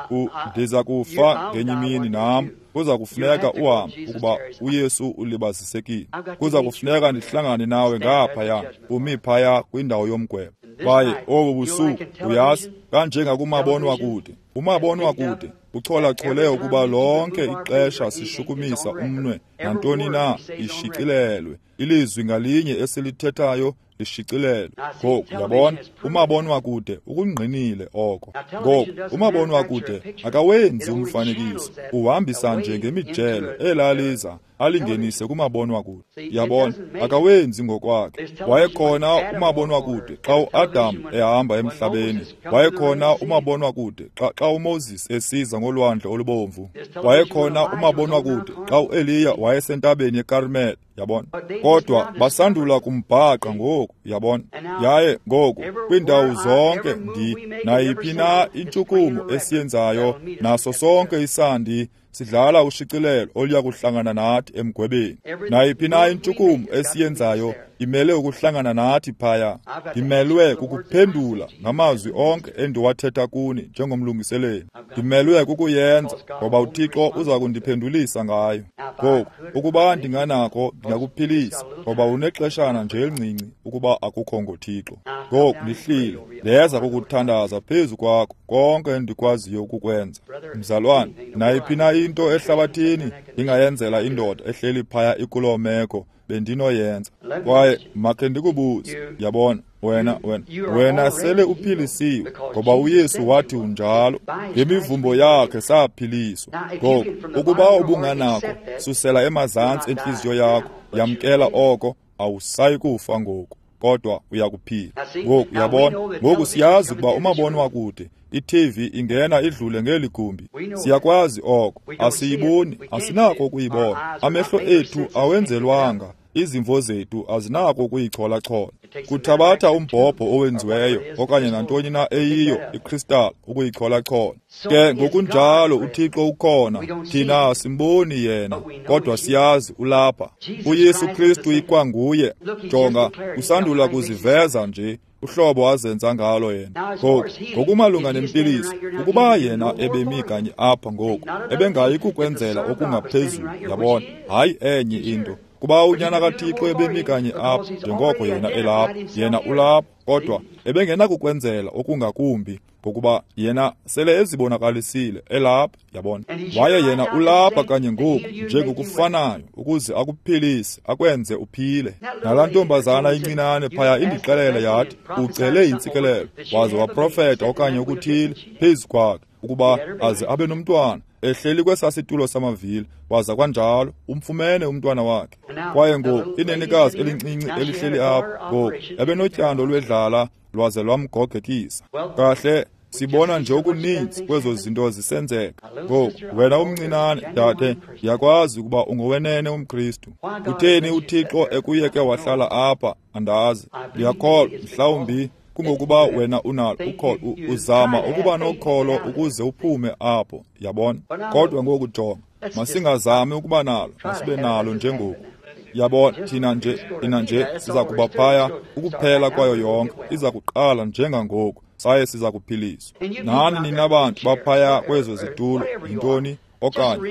ndiza kufa ngenye imini nam. Kuza kufuneka uhambe ukuba uYesu ulibazisekile. Kuza kufuneka ndihlangane nawe ngaphaya, umi phaya kwindawo yomgwebo. Kwaye obu busuku, uyazi, kanjengakumabonwakude, umabonwakude ucholachole ukuba lonke ixesha sishukumisa umnwe nantoni na ishicilelwe. Ilizwi ngalinye esilithethayo lishicilelwe. Ngoku uyabona, umabonwakude ukungqinile oko. Ngoku umabonwakude akawenzi umfanekiso, uhambisa nje ngemijelo elaliza alingenise kumabonwakude. Uyabona, akawenzi ngokwakhe. Wayekhona umabonwakude xa uAdam ehamba emhlabeni. Wayekhona umabonwakude xa uMoses esiza ngolwandle olubomvu. Wayekhona umabonwakude xa uEliya wayesentabeni yeKarmel. Yabona, kodwa basandula kumbhaqa ngoku, yabona. Yaye ngoku kwiindawo zonke nayiphi na intshukumo esiyenzayo, naso sonke isandi sidlala ushicilelo oluya kuhlangana nathi emgwebeni. Nayiphi na intshukumo esiyenzayo imele ukuhlangana nathi phaya. Ndimelwe kukuphendula ngamazwi onke endiwathetha kuni njengomlungiseleli. Ndimelwe kukuyenza ngoba uThixo uza kundiphendulisa ngayo. Ngoku ukuba ndinganako ndingakuphilisa, ngoba unexeshana nje elincinci ukuba akukho ngoThixo. Ngoku ndihlile, ndeza kukuthandaza phezu kwakho konke endikwaziyo ukukwenza. Mzalwane, nayiphi na into ehlabathini ndingayenzela indoda ehleli phaya ikuloo meko, bendinoyenza. Kwaye makhe ndikubuze, yabona, wena sele uphilisiwe, ngoba uYesu wathi unjalo. Ngemivumbo yakhe saphiliswa. Ngoku ukuba ubunganako, susela emazantsi entliziyo yakho, yamkela oko, awusayi kufa ngoku, kodwa uyakuphila. Ngoku uyabona, ngoku siyazi ukuba umabonwakude, i-TV ingena idlule ngeli gumbi. Siyakwazi oko, asiyiboni, asinako ukuyibona. Amehlo ethu awenzelwanga, izimvo zethu azinako ukuyichola-chola. Kuthabatha umbhobho owenziweyo okanye nantoni na eyiyo ikristali ukuyichola-chola. Ke ngokunjalo uThixo ukhona, thina asimboni yena, kodwa siyazi ulapha. uYesu Kristu ikwanguye. Jonga, usandula kuziveza nje uhlobo azenza ngalo yena. Ngoku ngokumalunga nempiliso, ukuba yena ebemi kanye apha ngoku, ebengayi kukwenzela okungaphezulu, yabona, hayi enye into. Kuba unyana kaThixo ebemi kanye apha, njengoko yena elapha, yena ulapha, kodwa ebengenakukwenzela okungakumbi, ngokuba yena sele ezibonakalisile elapha, yabona. Waye yena ulapha kanye ngoku njengokufanayo, ukuze akuphilise, akwenze uphile. Nalaa ntombazana incinane phaya indixelele yathi ucele intsikelelo, waze waprofeta okanye ukuthile phezu kwakhe, ukuba aze abe nomntwana. Ehleli kwesaa situlo samavili, waza kwanjalo umfumene umntwana wakhe. Kwaye ngoku inenekazi elincinci elihleli apha ngoku ebenotyando lwedlala lwaze lwamgogekisa. Kahle, sibona nje okuninzi kwezo zinto zisenzeka. Ngoku, wena umncinane, dade, ndiyakwazi ukuba ungowenene umKristu. Kutheni uThixo ekuyeke wahlala apha? Andazi. Ndiyakholwa, mhlawumbi kungokuba wena unalo ukholo, uzama ukuba nokholo ukuze uphume apho, yabona. Kodwa ngoku jonga, masingazami ukuba nalo, masibe nalo njengoku. Yabona, thina nje siza kuba phaya ukuphela kwayo yonke, iza kuqala njengangoku, saye siza kuphiliswa. Nani nina bantu baphaya kwezo zitulo, yintoni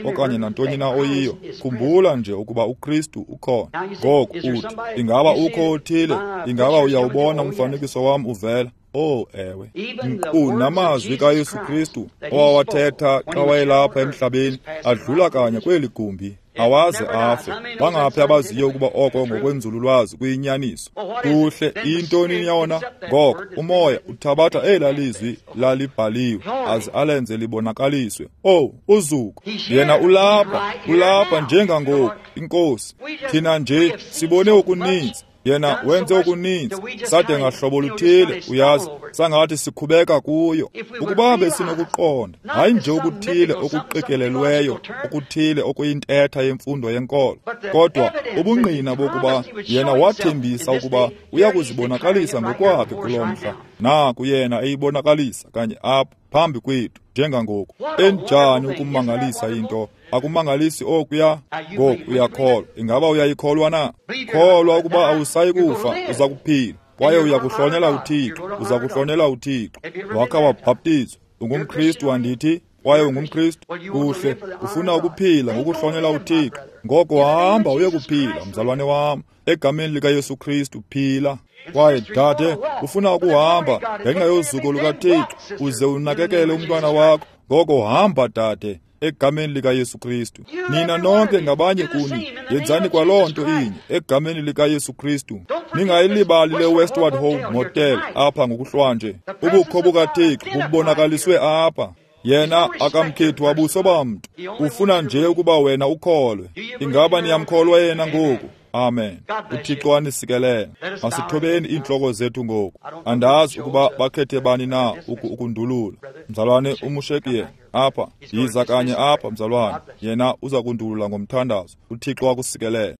okanye nantoni na oyiyo, khumbula nje ukuba uKristu ukhona. Ngoku uthi, ingaba ukho othile? Ingaba uyawubona umfanekiso wam uvela? Oh, ewe. Nkqu namazwi kaYesu Kristu owawathetha xa wayelapha emhlabeni adlula kanye kweli gumbi, awaze afe. Bangaphi abaziyo ukuba oko ngokwenzululwazi kuyinyaniso? Kuhle, iyintoni yona? Ngoko umoya uthabatha elaa lizwi lalibhaliwe aze alenze libonakaliswe. Oh, uzuko! Yena ulapha, ulapha njengangoku, iNkosi. Thina nje sibone okuninzi. Yena wenze okuninzi, sade ngahlobo luthile, uyazi, sangathi sikhubeka kuyo. Ukuba besinokuqonda, hayi nje okuthile okuqikelelweyo, okuthile okuyintetha yemfundo yenkolo, kodwa ubungqina bokuba yena wathembisa ukuba uya kuzibonakalisa ngokwakhe kulo mhla. Naku yena eyibonakalisa kanye apha phambi kwethu njengangoku. Enjani ukumangalisa into! Akumangalisi okuya? Ngoku uyakholwa. Ingaba uyayikholwa na? Kholwa ukuba awusayi kufa, uza kuphila, kwaye uyakuhlonela uThixo, uza kuhlonela uThixo. Wakha wabhaptizwa, ungumKristu andithi? Kwaye ungumKristu? Kuhle, ufuna ukuphila ngokuhlonela uThixo. Ngoko hamba uye kuphila, mzalwane wam, egameni likaYesu Kristu, phila. Kwaye dade, ufuna ukuhamba ngenxa yozuko lukaThixo, uze unakekele umntwana wakho. Ngoko hamba, dade, egameni likaYesu Kristu. Nina nonke ngabanye kuni, yenzani kwaloo nto inye egameni likaYesu Kristu. Ningayilibali le Westward Ho Motel apha ngokuhlwanje. Ubukho bukaThixo bubonakaliswe apha. Yena akamkhethi wabuso bamntu, ufuna nje ukuba wena ukholwe. Ingaba niyamkholwa yena ngoku? Amen. uThixo anisikelele. Masithobeni iintloko zethu ngoku. Andazi ukuba bakhethe bani na ukundulula. Mzalwane uMushekiye apha, yiza kanye apha mzalwane. Yena uza kundulula ngomthandazo. uThixo akusikelele.